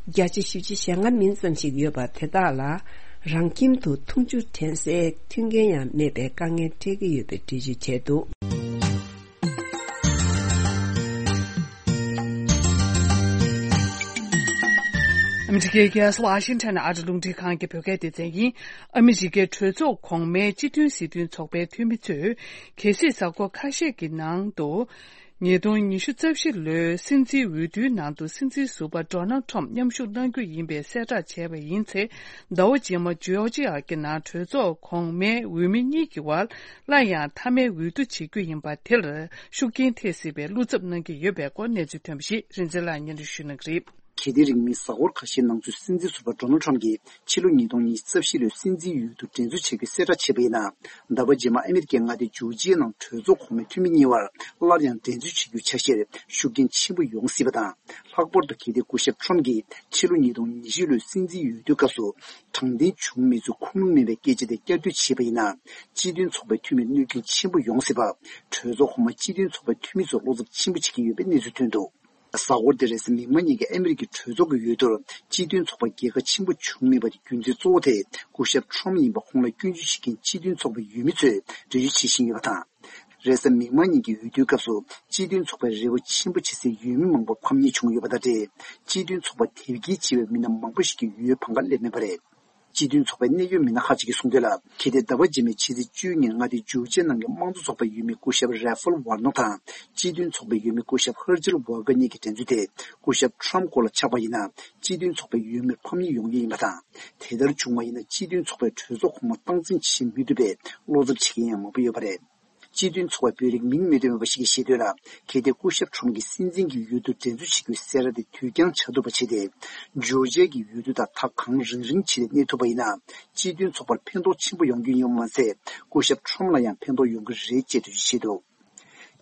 བརྒྱ་ཆ་བཞི་བཅུ་ཞེ་ལྔ་མིན་ཙམ་ཞིག་ཡོད་པ་དེ་དག་ལ་རང་ཁྱིམ་དུ་འཐུང་ཆུ་འདྲེན་སའི་མཐུན་རྐྱེན་ཡང་མེད་པའི་དཀའ་ངལ་འཕྲད་ཀྱི་ཡོད་པའི་འགྲེལ་བརྗོད་བྱས་འདུག་ཨ་མི་རི་ཀའི་རྒྱལ་ས་ཝ་ཤིང་ཊོན་ཨ་རི་རླུང་འཕྲིན་ཁང་གི་བོད་སྐད་སྡེ་ཚན་ཡིན། ཨ་མི་རི་ཀའི་གྲོས་ཚོགས་གོང་མའི་སྤྱི་མཐུན་སྲིད་དོན་ཚོགས་པའི་འཐུས་མི་ཚོས་གལ་སྲིད་གཟའ་འཁོར་ཁ་ཤས་ཀྱི་ནང་དུ་ཉིས་སྟོང་ཉི་ཤུ་རྩ་བཞི་ལོའི་སྲིད་འཛིན་འོས་བསྡུའི་ནང་དུ་སྲིད་འཛིན་ཟུར་པ་ཌོ་ནལ་ཁྲོམ་མཉམ་ཞུགས་གནང་རྒྱུ་ཡིན་པའི་གསལ་བསྒྲགས་བྱས་པ་ཡིན་ཚེ། ཟླ་བ་རྗེས་མ་ཇོར་ཇི་ཡ་གི་ནང་གྲོས་ཚོགས་གོང་མའི་འོས་མི་གཉིས་ཀྱི་བར་སླར་ཡང་མཐའ་མའི་འོས་བསྡུ་བྱེད་རྒྱུ་ཡིན་པ་དེར་ཤུགས་རྐྱེན་ཐེབས་སྲིད་པའི་བློ་འཚབ་གནང་གི་ཡོད་པའི་སྐོར་གནས་ཚུལ་ཐོན་པ་ཞིག་རིན་འཛིན་ལགས་སྙན་སྒྲོན་ཞུ་གནང་གི་རེད། གལ་ཏེ་རིང་མིན་གཟའ་འཁོར་ཁ་ཤས་ནང་ཚུད་སྲིད་འཛིན་ཟུར་པ་ཌོ་ནལ་ཁྲམ་གྱིས་ཕྱི་ལོ་ཉིས་སྟོང་ཉི་ཤུ་རྩ་བཞི་ལོའི་སྲིད་འཛིན་འོས་བསྡུ་འགྲན་རྩོད་བྱེད་རྒྱུའི་གསལ་བསྒྲགས་བྱས་པ་ཡིན་ན། ཟླ་བ་རྗེས་མ་ཨ་མི་རི་ཀའི་མངའ་སྡེ་ཇོར་ཇི་ཡའི་ནང་གྲོས་ཚོགས་གོང་མའི་འཐུས་མི་གཉིས་བར་སླར་ཡང་འགྲན་རྩོད་བྱེད་རྒྱུའི་ཆ་ཤས་ཤུགས་རྐྱེན་ཆེན་པོ་ཡོང་སྲིད་པ་དང་། ལྷག་པར་དུ་གལ་ཏེ་སྐུ་ཞབས་ཁྲམ་གྱིས་ཕྱི་ལོ་ཉིས་སྟོང་ཉི་ཤུ་ལོའི་སྲིད་འཛིན་འོས་བསྡུའི་སྐབས་སུ་དྲང་བདེན་བྱུང་མེད་ཚུལ་ཁུངས་ལུང་མེད་པའི་སྐད་ཆ་དེ་བསྐྱར་ཟློས་བྱས་པ་ཡིན་ན། སྤྱི་མཐུན་ཚོགས་པའི་འཐུས་མིར་གནོད་སྐྱོན་ཆེན་པོ་ཡོང་སྲིད་པ། གྲོས་ཚོགས་གོང་མ་སྤྱི་མཐུན་ཚོགས་པའི་འཐུས་མི་ཚོས་བློ་འཚབ་ཆེན་པོ་བྱེད་ཀྱི་ཡོད་པའི་གནས་ཚུལ་ཐོན་འདུག་གཟའ་འཁོར་འདིར་རེས་གཟའ་མིག་དམར་ཉིན་གྱི་ཨ་མི་རི་ཀའི་གྲོས་ཚོགས་ཀྱི་འོས་བསྡུར་སྤྱི་མཐུན་ཚོགས་པ་རྒྱལ་ཁ་ཆེན་པོ་བྱུང་མེད་པ་དེ་རྒྱུ་མཚན་གཙོ་བོ་དེ་སྐུ་ཞབས་ཁྲོམ་ཡིན་པ་ཁོང་ལ་སྐྱོན་བརྗོད་བྱེད་མཁན་སྤྱི་མཐུན་ཚོགས་པའི་འོས་མི་ཚོས་འགྲེལ་བརྗོད་བྱེད་བཞིན་ཡོད་པ་དང་། རེས་གཟའ་མིག་དམར་ཉིན་གྱི་འོས་བསྡུའི་སྐབས་སུ་སྤྱི་མཐུན་ཚོགས་པའི་རེ་བ་ཆེན་པོ་བྱེད་སའི་འོས་མི་མང་པོ་ཕམ་ཉེས་བྱུང་ཡོད་པ་དང་འབྲེལ། སྤྱི་མཐུན་ཚོགས་པ་དེབ་སྐྱེལ་བྱེད་པའི་མི་སྣ་མང་པོ་ཞིག་གིས་འོས་བང་ཁ་སླེབས་མེད་པ་རེད། སྤྱི་མཐུན་ཚོགས་པའི་གནད་ཡོད་མི་སྣ་ཁག་ཅིག་གིས་གསུངས་དོན་ལ། གལ་ཏེ་ཟླ་བ་རྗེས་མའི་ཕྱི་ཚེས་བཅུ་གཉིས་ཉིན་མངའ་སྡེ་ཇོར་ཇི་ཡའི་ནང་གི་དམངས་གཙོ་ཚོགས་པའི་འོས་མི་སྐུ་ཞབས་ར་ཧྥལ་ཝར་ནོ་དང་། སྤྱི་མཐུན་ཚོགས་པའི་འོས་མི་སྐུ་ཞབས་ཧར་ཇིལ་ཝར་ཀར་གཉིས་ཀྱི་འགྲན་རྩོད་དེ་སྐུ་ཞབས་ཁྲམ་སྐོར་ལ་ཆགས་པ་ཡིན་ན། སྤྱི་མཐུན་ཚོགས་པའི་འོས་མིར་ཕམ་ཉེས་ཡོང་རྒྱུ་ཡིན་པ་དང་། དེ་ལྟར་བྱུང་བ་ཡིན་ན། སྤྱི་མཐུན་ཚོགས་པའི་གྲོས་ཚོགས་གོང་མ་སྟངས་འཛིན་བྱེད་མི་ཐུབ་པའི་བློ་འཚབ་བྱེད་མཁན་ཡང་མང་པོ་ཡོད་པ་རེད། སྤྱི་མཐུན་ཚོགས་པའི་དཔོན་རིགས་མིང་མི་བཏོན་པ་ཞིག་གིས་བཤད་དོན་ལ། གལ་ཏེ་སྐུ་ཞབས་ཁྲོམ་གྱིས་སྲིད་འཛིན་གྱི་འོས་བསྡུ་འགྲན་རྩོད་བྱེད་རྒྱུའི་གསལ་བསྒྲགས་དེ་དུས་འགྱངས་བྱ་ཐུབ་པ་བྱས་ཏེ། ཇོར་ཇི་ཡ་གི་འོས་བསྡུ་དང་ཐག་གང་རིང་རིང་བྱས་ཏེ་གནས་ཐུབ་པ་ཡིན་ན། སྤྱི་མཐུན་ཚོགས་པར་ཕན་ཐོགས་ཆེན་པོ་ཡོང་རྒྱུ་ཡིན་པ་མ་ཟད། སྐུ་ཞབས་ཁྲོམ་ལ་ཡང་ཕན་ཐོགས་ཡོང་གི་རེད་ཅེས་འགྲེལ་བརྗོད་བྱས་འདུག་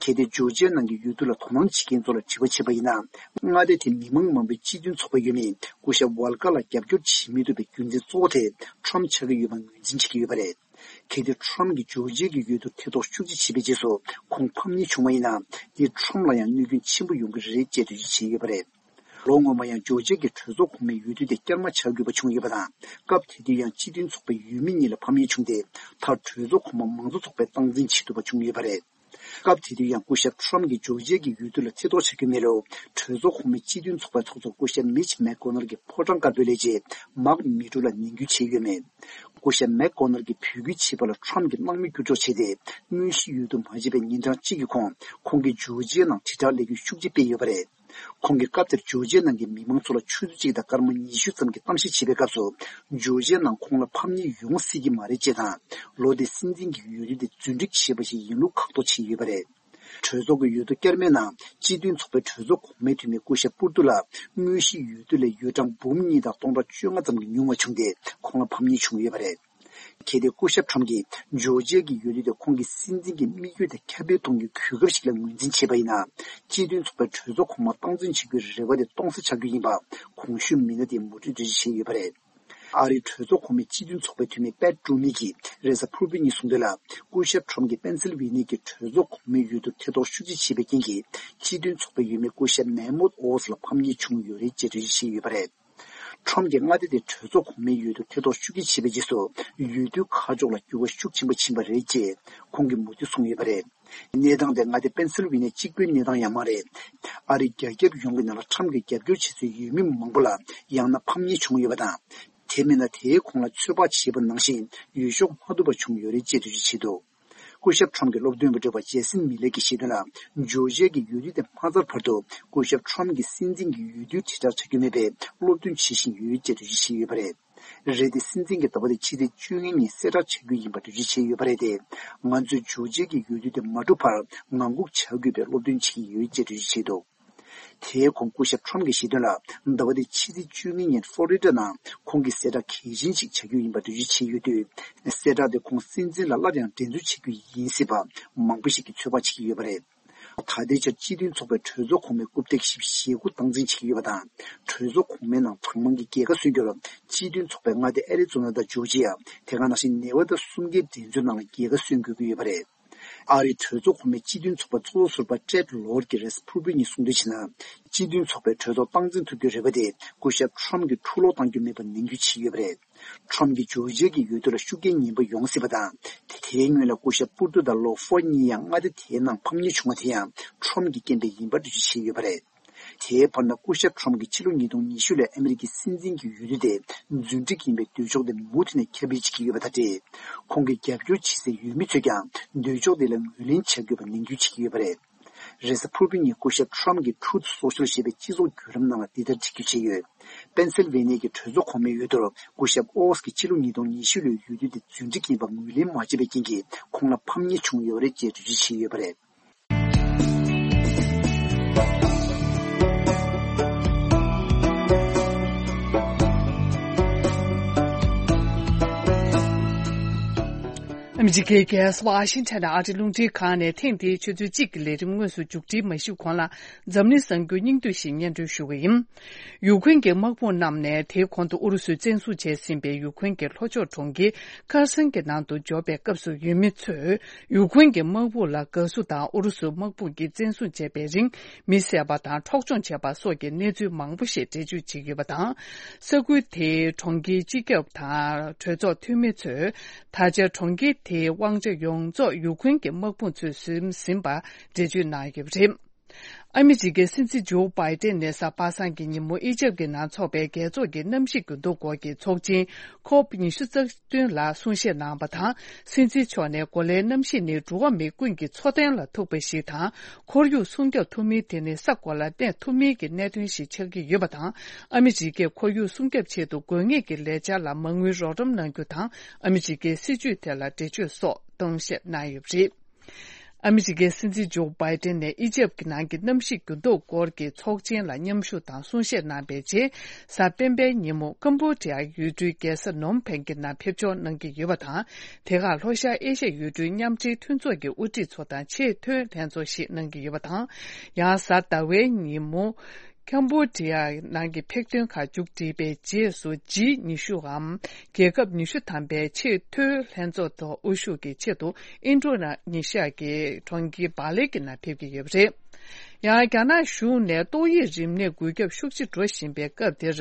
གལ་ཏེ་ཇོར་ཇི་ཡ་ནང་གི་འོས་བསྡུ་ལ་དོ་སྣང་བྱེད་མཁན་ཚོ་ལ་དྲི་བ་བྱས་པ་ཡིན་ན། མངའ་སྡེ་དེའི་མི་མང་མང་པོས་སྤྱི་མཐུན་ཚོགས་པ་ཡོད་མེད་སྐུ་ཞབས་ཝལ་ཀར་ལ་རྒྱབ་སྐྱོར་བྱེད་མི་ཐུབ་པའི་རྒྱུ་མཚན་གཙོ་བོ་དེ་ཁྲོམ་ཆགས་ཀྱི་ཡོད་པ་ངོས་འཛིན་བྱེད་ཀྱི་ཡོད་པ་རེད། གལ་ཏེ་ཁྲོམ་གྱིས་ཇོར་ཇི་ཡའི་འོས་བསྡུར་ཐེ་གཏོགས་ཤུགས་ཆེ་བྱས་པའི་རྗེས་སུ་ཁོང་ཕམ་ཉེས་བྱུང་བ་ཡིན་ན། དེས་ཁྲོམ་ལ་ཡང་གནོད་སྐྱོན་ཆེན་པོ་ཡོང་གི་རེད་ཅེས་འགྲེལ་བརྗོད་བྱས་ཡོད་པ་རེད། ལོ་སྔོན་མ་ཡང་ཇོར་ཇི་ཡའི་གྲོས་ཚོགས་གོང་མའི་འོས་བསྡུ་དེ་བསྐྱར་མ་བྱ་དགོས་པ་བྱུང་ཡོད་པ་དང་། སྐབས་དེ་དུས་ཡང་སྤྱི་མཐུན་ཚོགས་པའི་འོས་མི་གཉིས་ལ་ཕམ་ཉེས་བྱུང་སྟེ། མཐར་གྲོས་ཚོགས་གོང་མ་མང་གཙོ་ཚོགས་པས་སྟངས་འཛིན་བྱེད་ཐུབ་པ་བྱུང་ཡོད་པ་རེད། སྐབས་དེ་དུས་ཡང་སྐུ་ཞབས་ཁྲོམ་གྱིས་ཇོར་ཇི་ཡའི་འོས་བསྡུ་ལ་ཐེ་གཏོགས་བྱ་རྒྱུ་མེད་ལུགས་གྲོས་ཚོགས་གོང་མའི་སྤྱི་མཐུན་ཚོགས་པའི་ཚོགས་གཙོ་སྐུ་ཞབས་མིཆ་མེག་གྷོ་ནལ་གྱི་ཕོ་བྲང་དཀར་པོའི་ལས་བྱེད་མཱག་མི་ཊོ་ལ་ནན་སྐུལ་བྱས་ཡོད་མེད། སྐུ་ཞབས་མེག་གྷོ་ནལ་གྱིས་འབོད་སྐུལ་བྱས་པ་ལ་ཁྲོམ་གྱིས་སྣང་མེད་བསྐྱུར་འཇོག་བྱས་ཏེ། དངོས་གཞིའི་འོས་བསྡུ་མ་བྱས་པའི་ཉིན་གྲངས་གཅིག་གི་གོང་ཁོང་གིས་ཇོར་ཇི་ཡའི་ནང་དྲིལ་བསྒྲགས་ལས་འགུལ་ཤུགས་ཆེ་སྤེལ་ཡོད་པ་རེད། ཁོང་གིས་སྐབས་དེར་ཇོར་ཇི་ཡའི་ནང་གི་མི་མང་ཚོ་ལ་ཆུ་ཚོད་གཅིག་དང་སྐར་མ་ཉི་ཤུ་ཙམ་གྱི་གཏམ་བཤད་བྱེད་པའི་སྐབས་སུ། ཇོར་ཇི་ཡའི་ནང་ཁོང་ལ་ཕམ་ཉེས་ཡོང་སྲིད་ཀྱི་མ་རེད་ཅེས་དང་། ལོ་དེའི་སྲིད་འཛིན་གྱི་འོས་བསྡུ་དེ་རྫུན་སྒྲིག་བྱས་པ་ཞིག་ཡིན་ལུགས་ཁག་ཐེག་བྱས་ཡོད་པ་རེད། གྲོས་ཚོགས་ཀྱི་འོས་བསྡུ་བསྐྱར་མའི་ནང་སྤྱི་མཐུན་ཚོགས་པའི་གྲོས་ཚོགས་གོང་མའི་འཐུས་མི་སྐུ་ཞབས་པུར་ཏུ་ལ་དངོས་གཞིའི་འོས་བསྡུ་ལས་འོས་གྲངས་འབུམ་གཉིས་དང་སྟོང་ཕྲག་བཅོ་ལྔ་ཙམ་གྱིས་ཉུང་བ་བྱུང་སྟེ། ཁོང་ལ་ཕམ་ཉེས་བྱུང་ཡོད་པ་རེད། གལ་ཏེ་སྐུ་ཞབས་ཁྲོམ་གྱིས་ཇོར་ཇི་ཡའི་འོས་བསྡུ་དེ་ཁོང་གི་སྲིད་འཛིན་གྱི་དམིགས་ཡུལ་དེ་ཁྱབ་སྤེལ་གཏོང་རྒྱུའི་གོ་སྐབས་ཤིག་ལ་ངོས་འཛིན་བྱས་པ་ཡིན་ན། སྤྱི་མཐུན་ཚོགས་པའི་གྲོས་ཚོགས་གོང་མ་སྟངས་འཛིན་བྱེད་རྒྱུའི་རེ་བ་དེ་སྟོང་ཟད་ཆགས་རྒྱུ་ཡིན་པ་གོང་ཞུས་མི་སྣ་དེས་མུ་མཐུད་འགྲེལ་བརྗོད་བྱས་ཡོད་པ་རེད། ཨ་རིའི་གྲོས་ཚོགས་གོང་མའི་སྤྱི་མཐུན་ཚོགས་པའི་འཐུས་མི་པེ་ཏྲུ་མི་གིས་རེས་གཟའ་ཕུར་བུ་ཉིན་གསུངས་དོན་ལ། སྐུ་ཞབས་ཁྲོམ་གྱིས་པེན་སིལ་ཝེ་ནི་ཡའི་གྲོས་ཚོགས་གོང་མའི་འོས་བསྡུར་ཐེ་གཏོགས་ཤུགས་ཆེ་བྱས་པའི་རྐྱེན་གྱིས། སྤྱི་མཐུན་ཚོགས་པའི་འོས་མི་སྐུ་ཞབས་མེ་མོད་ཨོ་སི་ལ་ཕམ་ཉེས་བྱུང་ཡོད་རེད་ཅེས་འགྲེལ་བརྗོད་བྱས་ཡོད་པ་རེད། ཁྲོམ་གྱིས་མངའ་སྡེ་དེའི་གྲོས་ཚོགས་གོང་མའི་འོས་བསྡུར་ཐེ་གཏོགས་ཤུགས་ཆེ་བྱས་པའི་རྗེས་སུ། འོས་བསྡུའི་ཁ་ཕྱོགས་ལ་འགྱུར་བ་ཤུགས་ཆེན་པོ་ཕྱིན་པ་རེད་ཅེས་ཁོང་གིས་མུ་མཐུད་གསུངས་ཡོད་པ་རེད། གནས་སྟངས་དེ་མངའ་སྡེ་པེན་སིལ་ཝེ་ནི་ཡ་གཅིག་པུའི་གནས་སྟངས་ཡང་མ་རེད། ཨ་རིའི་རྒྱ་ཁྱབ་ཡོངས་ཀྱི་ནང་ལ་ཁྲོམ་གྱི་རྒྱབ་སྐྱོར་བྱེད་སའི་འོས་མི་མང་པོ་ལ་ཡང་ན་ཕམ་ཉེས་བྱུང་ཡོད་པ་དང་། དེ་མིན་ན་དེའི་གོང་ལ་ཚོད་དཔག་བྱས་པ་ནང་བཞིན་འོས་ཤོག་མ་ཐོབ་པ་བྱུང་ཡོད་རེད་ཅེས་འགྲེལ་བརྗོད་བྱས་འདུག་སྐུ་ཞབས་ཁྲོམ་གྱི་སློབ་སྟོན་པ་འབྲེལ་བ་ཇེ་སིན་མི་ལེ་གིས་བཤད་དོན་ལ། ཇོར་ཇི་ཡའི་འོས་བསྡུ་དེ་མ་ཚར་བར་དུ་སྐུ་ཞབས་ཁྲོམ་གྱིས་སྲིད་འཛིན་གྱི་འོས་བསྡུའི་དྲིལ་བསྒྲགས་བྱ་རྒྱུ་མེད་པའི་སློབ་སྟོན་བྱེད་བཞིན་ཡོད་ཅེས་འགྲེལ་བརྗོད་བྱས་ཡོད་པ་རེད། རེད་དེ། སྲིད་འཛིན་གྱི་ཟླ་བ་འདིའི་ཕྱི་ཚེས་བཅོ་ལྔ་ཉིན་གསལ་བསྒྲགས་བྱ་རྒྱུ་ཡིན་པ་འགྲེལ་བརྗོད་བྱས་ཡོད་པ་རེད་དེ། ང་ཚོས་ཇོར་ཇི་ཡའི་འོས་བསྡུ་དེ་མ་གྲུབ་བར་ངང་སྒུག་བྱ་དགོས་པའི་སློབ་སྟོན་བྱེད་ཀྱི་ཡོད་ཅེས་འགྲེལ་བརྗོད་བྱས་འདུག་དེའི་གོང་སྐུ་ཞབས་ཁྲོམ་གྱིས་བཤད་དོན་ལ། ཟླ་བ་འདིའི་ཕྱི་ཚེས་བཅོ་ལྔ་ཉིན་ཧྥོ་རི་ཌ་ནང་ཁོང་གིས་གསལ་བསྒྲགས་གལ་ཆེན་ཞིག་བྱ་རྒྱུ་ཡིན་པ་འགྲེལ་བརྗོད་བྱས་ཡོད་དུས། གསལ་བསྒྲགས་དེ་ཁོང་སྲིད་འཛིན་ལ་སླར་ཡང་འགྲན་རྩོད་བྱེད་རྒྱུ་ཡིན་སྲིད་པ་མང་པོ་ཞིག་གིས་ཚོད་དཔག་བྱེད་ཀྱི་ཡོད་པ་རེད། ད་ལྟའི་ཆར་སྤྱི་མཐུན་ཚོགས་པའི་གྲོས་ཚོགས་གོང་མའི་རྐུབ་སྟེགས་བཞི་བཅུ་ཞེ་དགུ་སྟངས་འཛིན་བྱེད་ཀྱི་ཡོད་པ་དང་། གྲོས་ཚོགས་གོང་མའི་ནང་གྲངས་མང་གི་རྒྱལ་ཁ་སོན་རྒྱུར་སྤྱི་མཐུན་ཚོགས་པའི་མངའ་སྡེ་ཨེ་རི་ཛོ་ན་དང་ཇོར་ཇི་ཡ། དེ་ག་ནང་བཞིན་ནེ་ཝ་ད་གསུམ་ཀའི་འགྲན་རྩོད་ནང་ལ་རྒྱལ་ཁ་སོན་དགོས་ཀྱི་ཡོད་པ་རེད། ཨ་རིའི་གྲོས་ཚོགས་གོང་མའི་སྤྱི་མཐུན་ཚོགས་པའི་ཚོགས་གཙོ་ཟུར་པ་ཀྲེད་ལོར་གྱིས་རེས་ཕུར་བུའི་ཉིན་གསུངས་དོན་བྱས་ན། སྤྱི་མཐུན་ཚོགས་པའི་གྲོས་ཚོགས་སྟངས་འཛིན་ཐུབ་རྒྱུའི་རེ་བ་དེ་སྐུ་ཞབས་ཁྲོམ་གྱིས་འཁྲུག་སློང་གཏང་རྒྱུ་མེད་པར་ནན་སྐུལ་བྱས་ཡོད་པ་རེད། ཁྲོམ་གྱིས་ཇོར་ཇི་ཡའི་འོས་བསྡུ་ལ་ཤུགས་རྐྱེན་ངན་པ་ཡོང་སྲིད་པ་དང་། དེའི་སྔོན་ལ་སྐུ་ཞབས་པུར་ཏུ་དང་ལོ་ཧྥོར་གཉིས་ཡང་མངའ་སྡེ་དེའི་ནང་ཕམ་ཉེས་བྱུང་བ་དེ་ཡང་ཁྲོམ་གྱི་རྐྱེན་པས་ཡིན་པར་འགྲེལ་བརྗོད་བྱས་ཡོད་པ་རེད། དེའི་བར་ན་སྐུ་ཞབས་ཁྲོམ་གྱིས་ཕྱི་ལོ་ཉིས་སྟོང་ཉི་ཤུ་ལོའི་ཨ་མི་རི་ཀའི་སྲིད་འཛིན་གྱི་འོས་བསྡུ་དེ་རྫུན་སྒྲིག་ཡིན་པའི་འདོད་ཕྱོགས་དེ་མུ་མཐུད་ནས་ཁྱབ་སྤེལ་བྱེད་ཀྱི་ཡོད་པ་དང་འབྲེལ། ཁོང་གི་རྒྱབ་སྐྱོར་བྱེད་སའི་འོས་མི་ཚོས་ཀྱང་འདོད་ཕྱོགས་དེ་ལ་ངོས་ལེན་བྱ་དགོས་པ་ནན་སྐུལ་བྱེད་ཀྱི་ཡོད་པ་རེད། རེས་གཟའ་ཕུར་བུ་ཉིན་སྐུ་ཞབས་ཁྲོམ་གྱིས་Truth Social ཞེས་པའི་སྤྱི་ཚོགས་བརྒྱུད་ལམ་ནང་ལ་འདི་ལྟར་འགྲེལ་བརྗོད་བྱས་ཡོད། པེན་སིལ་ཝེ་ནི་ཡའི་གྲོས་ཚོགས་གོང་མའི་འོས་བསྡུར་སྐུ་ཞབས་ཨོ་སི་ཀྱིས་ཕྱི་ལོ་ཉིས་སྟོང་ཉི་ཤུ་ལོའི་འོས་བསྡུ་དེ་རྫུན་སྒྲིག་ཡིན་པ་ངོས་ལེན་མ་བྱས་པའི་རྐྱེན་གྱིས་ཁོང་ལ་ཕམ་ཉེས་བྱུང་ཡོད་རེད་ཅེས་འགྲེལ་བརྗོད་བྱས་ཡོད་པ་རེད། ཨ་མི་རི་ཀའི་རྒྱལ་ས་ཝ་ཤིང་ཊོན་ནས་ཨ་རིའི་རླུང་འཕྲིན་ཁང་ནས་ཐེངས་འདིའི་ཆུ་ཚོད་གཅིག་གི་ལས་རིམ་དངོས་སུ་མཇུག་སྒྲིལ་མ་ཞུས་གོང་ལ། འཛམ་གླིང་གསར་འགྱུར་སྙིང་བསྡུས་ཤིག་སྙན་སྒྲོན་ཞུ་གི་ཡིན། ཡུ་ཁུན་གྱི་དམག་དཔུང་བསྣམས་ནས་དེའི་གོང་དུ་ཨུ་རུ་སུས་བཙན་བཟུང་བྱས་ཟིན་པའི་ཡུ་ཁུན་གྱི་ལྷོ་ཕྱོགས་གྲོང་ཁྱེར་ཁར་སན་གྱི་ནང་དུ་འབྱོར་བའི་སྐབས་སུ། ཡུལ་མི་ཚོས་ཡུ་ཁུན་གྱི་དམག་དཔུང་ལ་དགའ་བསུ་དང་ཨུ་རུ་སུ་དམག་དཔུང་གིས་བཙན་བཟུང་བྱས་པའི་རིང་མི་བསད་པ་དང་འཕྲོག་བཅོམ་བྱས་པ་སོགས་ཀྱི་གནས་ཚུལ་མང་པོ་ཞིག་འགྲེལ་བརྗོད་བྱེད་ཀྱི་ཡོད་པ་དང་། ས་ཁུལ་དེའི་གྲོང་ཁྱེར་སྤྱི་ཁྱབ་དང་གྲོས་ཚོགས་འཐུས་མི་ཚོས་ད་ཆ་གྲོང་ཁྱེར་དེའི་དབང་ཆ་ཡོངས་རྫོགས་ཡུ་ཁུན་གྱི་དམག་དཔུང་ཚོས་ཟིན་ཟིན་པ་འགྲེལ་བརྗོད་གནང་ཡོད་པ་རེད། ཨ་མི་རི་ཀའི་སྲིད་འཛིན་ཇོ་བྷའི་ཏན་ནས་གཟའ་པ་སངས་ཀྱི་ཉིན་མོ་ཨི་ཇེབ་ཀྱི་ནང་འཚོགས་པའི་རྒྱལ་ཚོགས་ཀྱི་གནམ་གཤིས་འགྱུར་ལྡོག་སྐོར་གྱི་ཚོགས་ཆེན་ཁོབ་ཉི་ཤུ་རྩ་བདུན་ལ་གསུང་བཤད་གནང་བ་དང་། སྲིད་འཛིན་མཆོག་ནས་གོ་ལའི་གནམ་གཤིས་ནི་འགྲོ་བ་མི་ཀུན་གྱི་འཚོ་རྟེན་ལ་ཐུག་པ་ཞིག་དང་། ཁོར་ཡུག་སྲུང་སྐྱོབ་ཐུབ་མིན་དེ་ནི་ས་གོ་ལ་གནས་ཐུབ་མིན་གྱི་གནད་དོན་ཞིག་ཆགས་ཀྱི་ཡོད་པ་དང་། ཨ་མི་རི་ཀས་ཁོར་ཡུག་སྲུང་སྐྱོབ་ཆེད་དུ་དགོས་ངེས་ཀྱི་ལས་འཆར་ལ་མ་དངུལ་རོགས་རམ་གནང་རྒྱུ་དང་། ཨ་མི་རི་ཀའི་སྲིད་ཇུས་དེ་ལ་འགྲེལ་བརྗོད་སོགས་གཏོང་བཤད་གནང་ཡོད་པ་རེད། ཨ་མི་རི་ཀའི་སྲིད་འཛིན་ཇོ་བྷའི་ཏན་ནས་ཨི་ཇེབ་ཀྱི་ནང་གི་གནམ་གཤིས་འགྱུར་ལྡོག་སྐོར་གྱི་ཚོགས་ཆེན་ལ་མཉམ་ཞུགས་དང་གསུང་བཤད་གནང་བའི་རྗེས། གཟའ་སྤེན་པའི་ཉིན་མོ་ཀམ་བྷོ་ཌི་ཡའི་ཡུལ་གྲུའི་རྒྱལ་ས་ནོམ་ཕེན་གྱི་ནང་ཕེབས་འབྱོར་གནང་གི་ཡོད་པ་དང་། དེ་ཁར་ལྷོ་ཤར་ཨེ་ཤ་ཡའི་ཡུལ་གྲུའི་མཉམ་འབྲེལ་མཐུན་ཚོགས་ཀྱི་དབུ་ཁྲིད་ཚོ་དང་ཆེས་མཐོའི་ལྷན་ཚོགས་ཤིག་གནང་གི་ཡོད་པ་དང་། ཡང་གཟའ་ཟླ་བའི་ཉིན་མོ། ཀམ་བྷོ་ཌི་ཡ་ནང་གི་ཕེག་ཐོན་ཁག་མཇུག་སྒྲིལ་བའི་རྗེས་སུ་ཇི་ཉི་ཤུའམ་རྒྱལ་ཁབ་ཉི་ཤུ་ཐམ་པའི་ཆེས་མཐོའི་ལྷན་ཚོགས་ཐོག་དབུ་བཞུགས་ཀྱི་ཆེད་དུ་ཨིན་ཌོ་ནེ་ཤི་ཡ་གི་གྲོང་ཁྱེར་བྷ་ལེ་གི་ནང་ཕེབས་ཀྱི་ཡོད་པ་རེད། ཡང་རྒྱ་ནག་གཞུང་ནས་ཏོག་དབྱིབས་རིམས་ནད་འགོས་ཁྱབ་ཤུགས་ཆེ་འགྲོ་བཞིན་པའི་སྐབས་འདིར་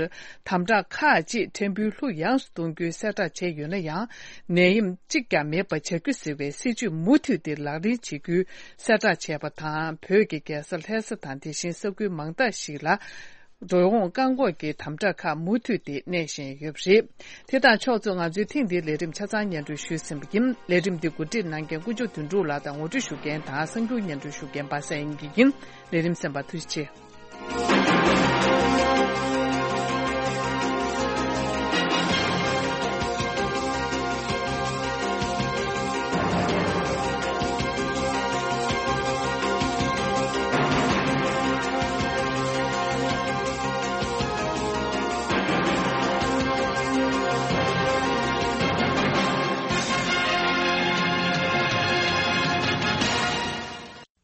དམ་དྲག་ཁག་ཅིག་ཕྲན་བུ་ལྷུག་ཡངས་སུ་གཏོང་རྒྱུའི་གསལ་བསྒྲགས་བྱས་ཡོད་ན་ཡང་། ནད་ཡམས་གཅིག་ཀྱང་མེད་པ་བྱ་རྒྱུ་ཟེར་བའི་སྲིད་ཇུས་མུ་མཐུད་དེ་ལག་ལེན་བྱེད་རྒྱུའི་གསལ་བསྒྲགས་བྱས་པ་དང་། བོད་ཀྱི་རྒྱལ་ས་ལྷ་ས་དང་དེ་བཞིན་ས་ཁུལ་མང་དག་ཞིག་ལ་འགྲོ་འོང་བཀག་འགོག་གི་དམ་དྲག་ཁག་མུ་མཐུད་དེ་གནས་བཞིན་ཡོད་པ་རེད། དེ་དང་ཕྱོགས་མཚུངས་ང་ཚོའི་ཐེངས་འདིའི་ལས་རིམ་ཆ་ཚང་སྙན་སྒྲོན་ཞུས་ཟིན་པ་ཡིན། ལས་རིམ་འདི་གོ་སྒྲིག་གནང་མཁན་དཀོན་མཆོག་དོན་གྲུབ་ལགས་དང་ངོ་སྤྲོད་ཞུ་མཁན་དང་གསར་འགྱུར་སྙན་སྒྲོན་ཞུ་མཁན་པ་སངས་དབྱངས་སྐྱིད་ཡིན། ལས་རིམ་གསན་པར་ཐུགས་རྗེ་ཆེ།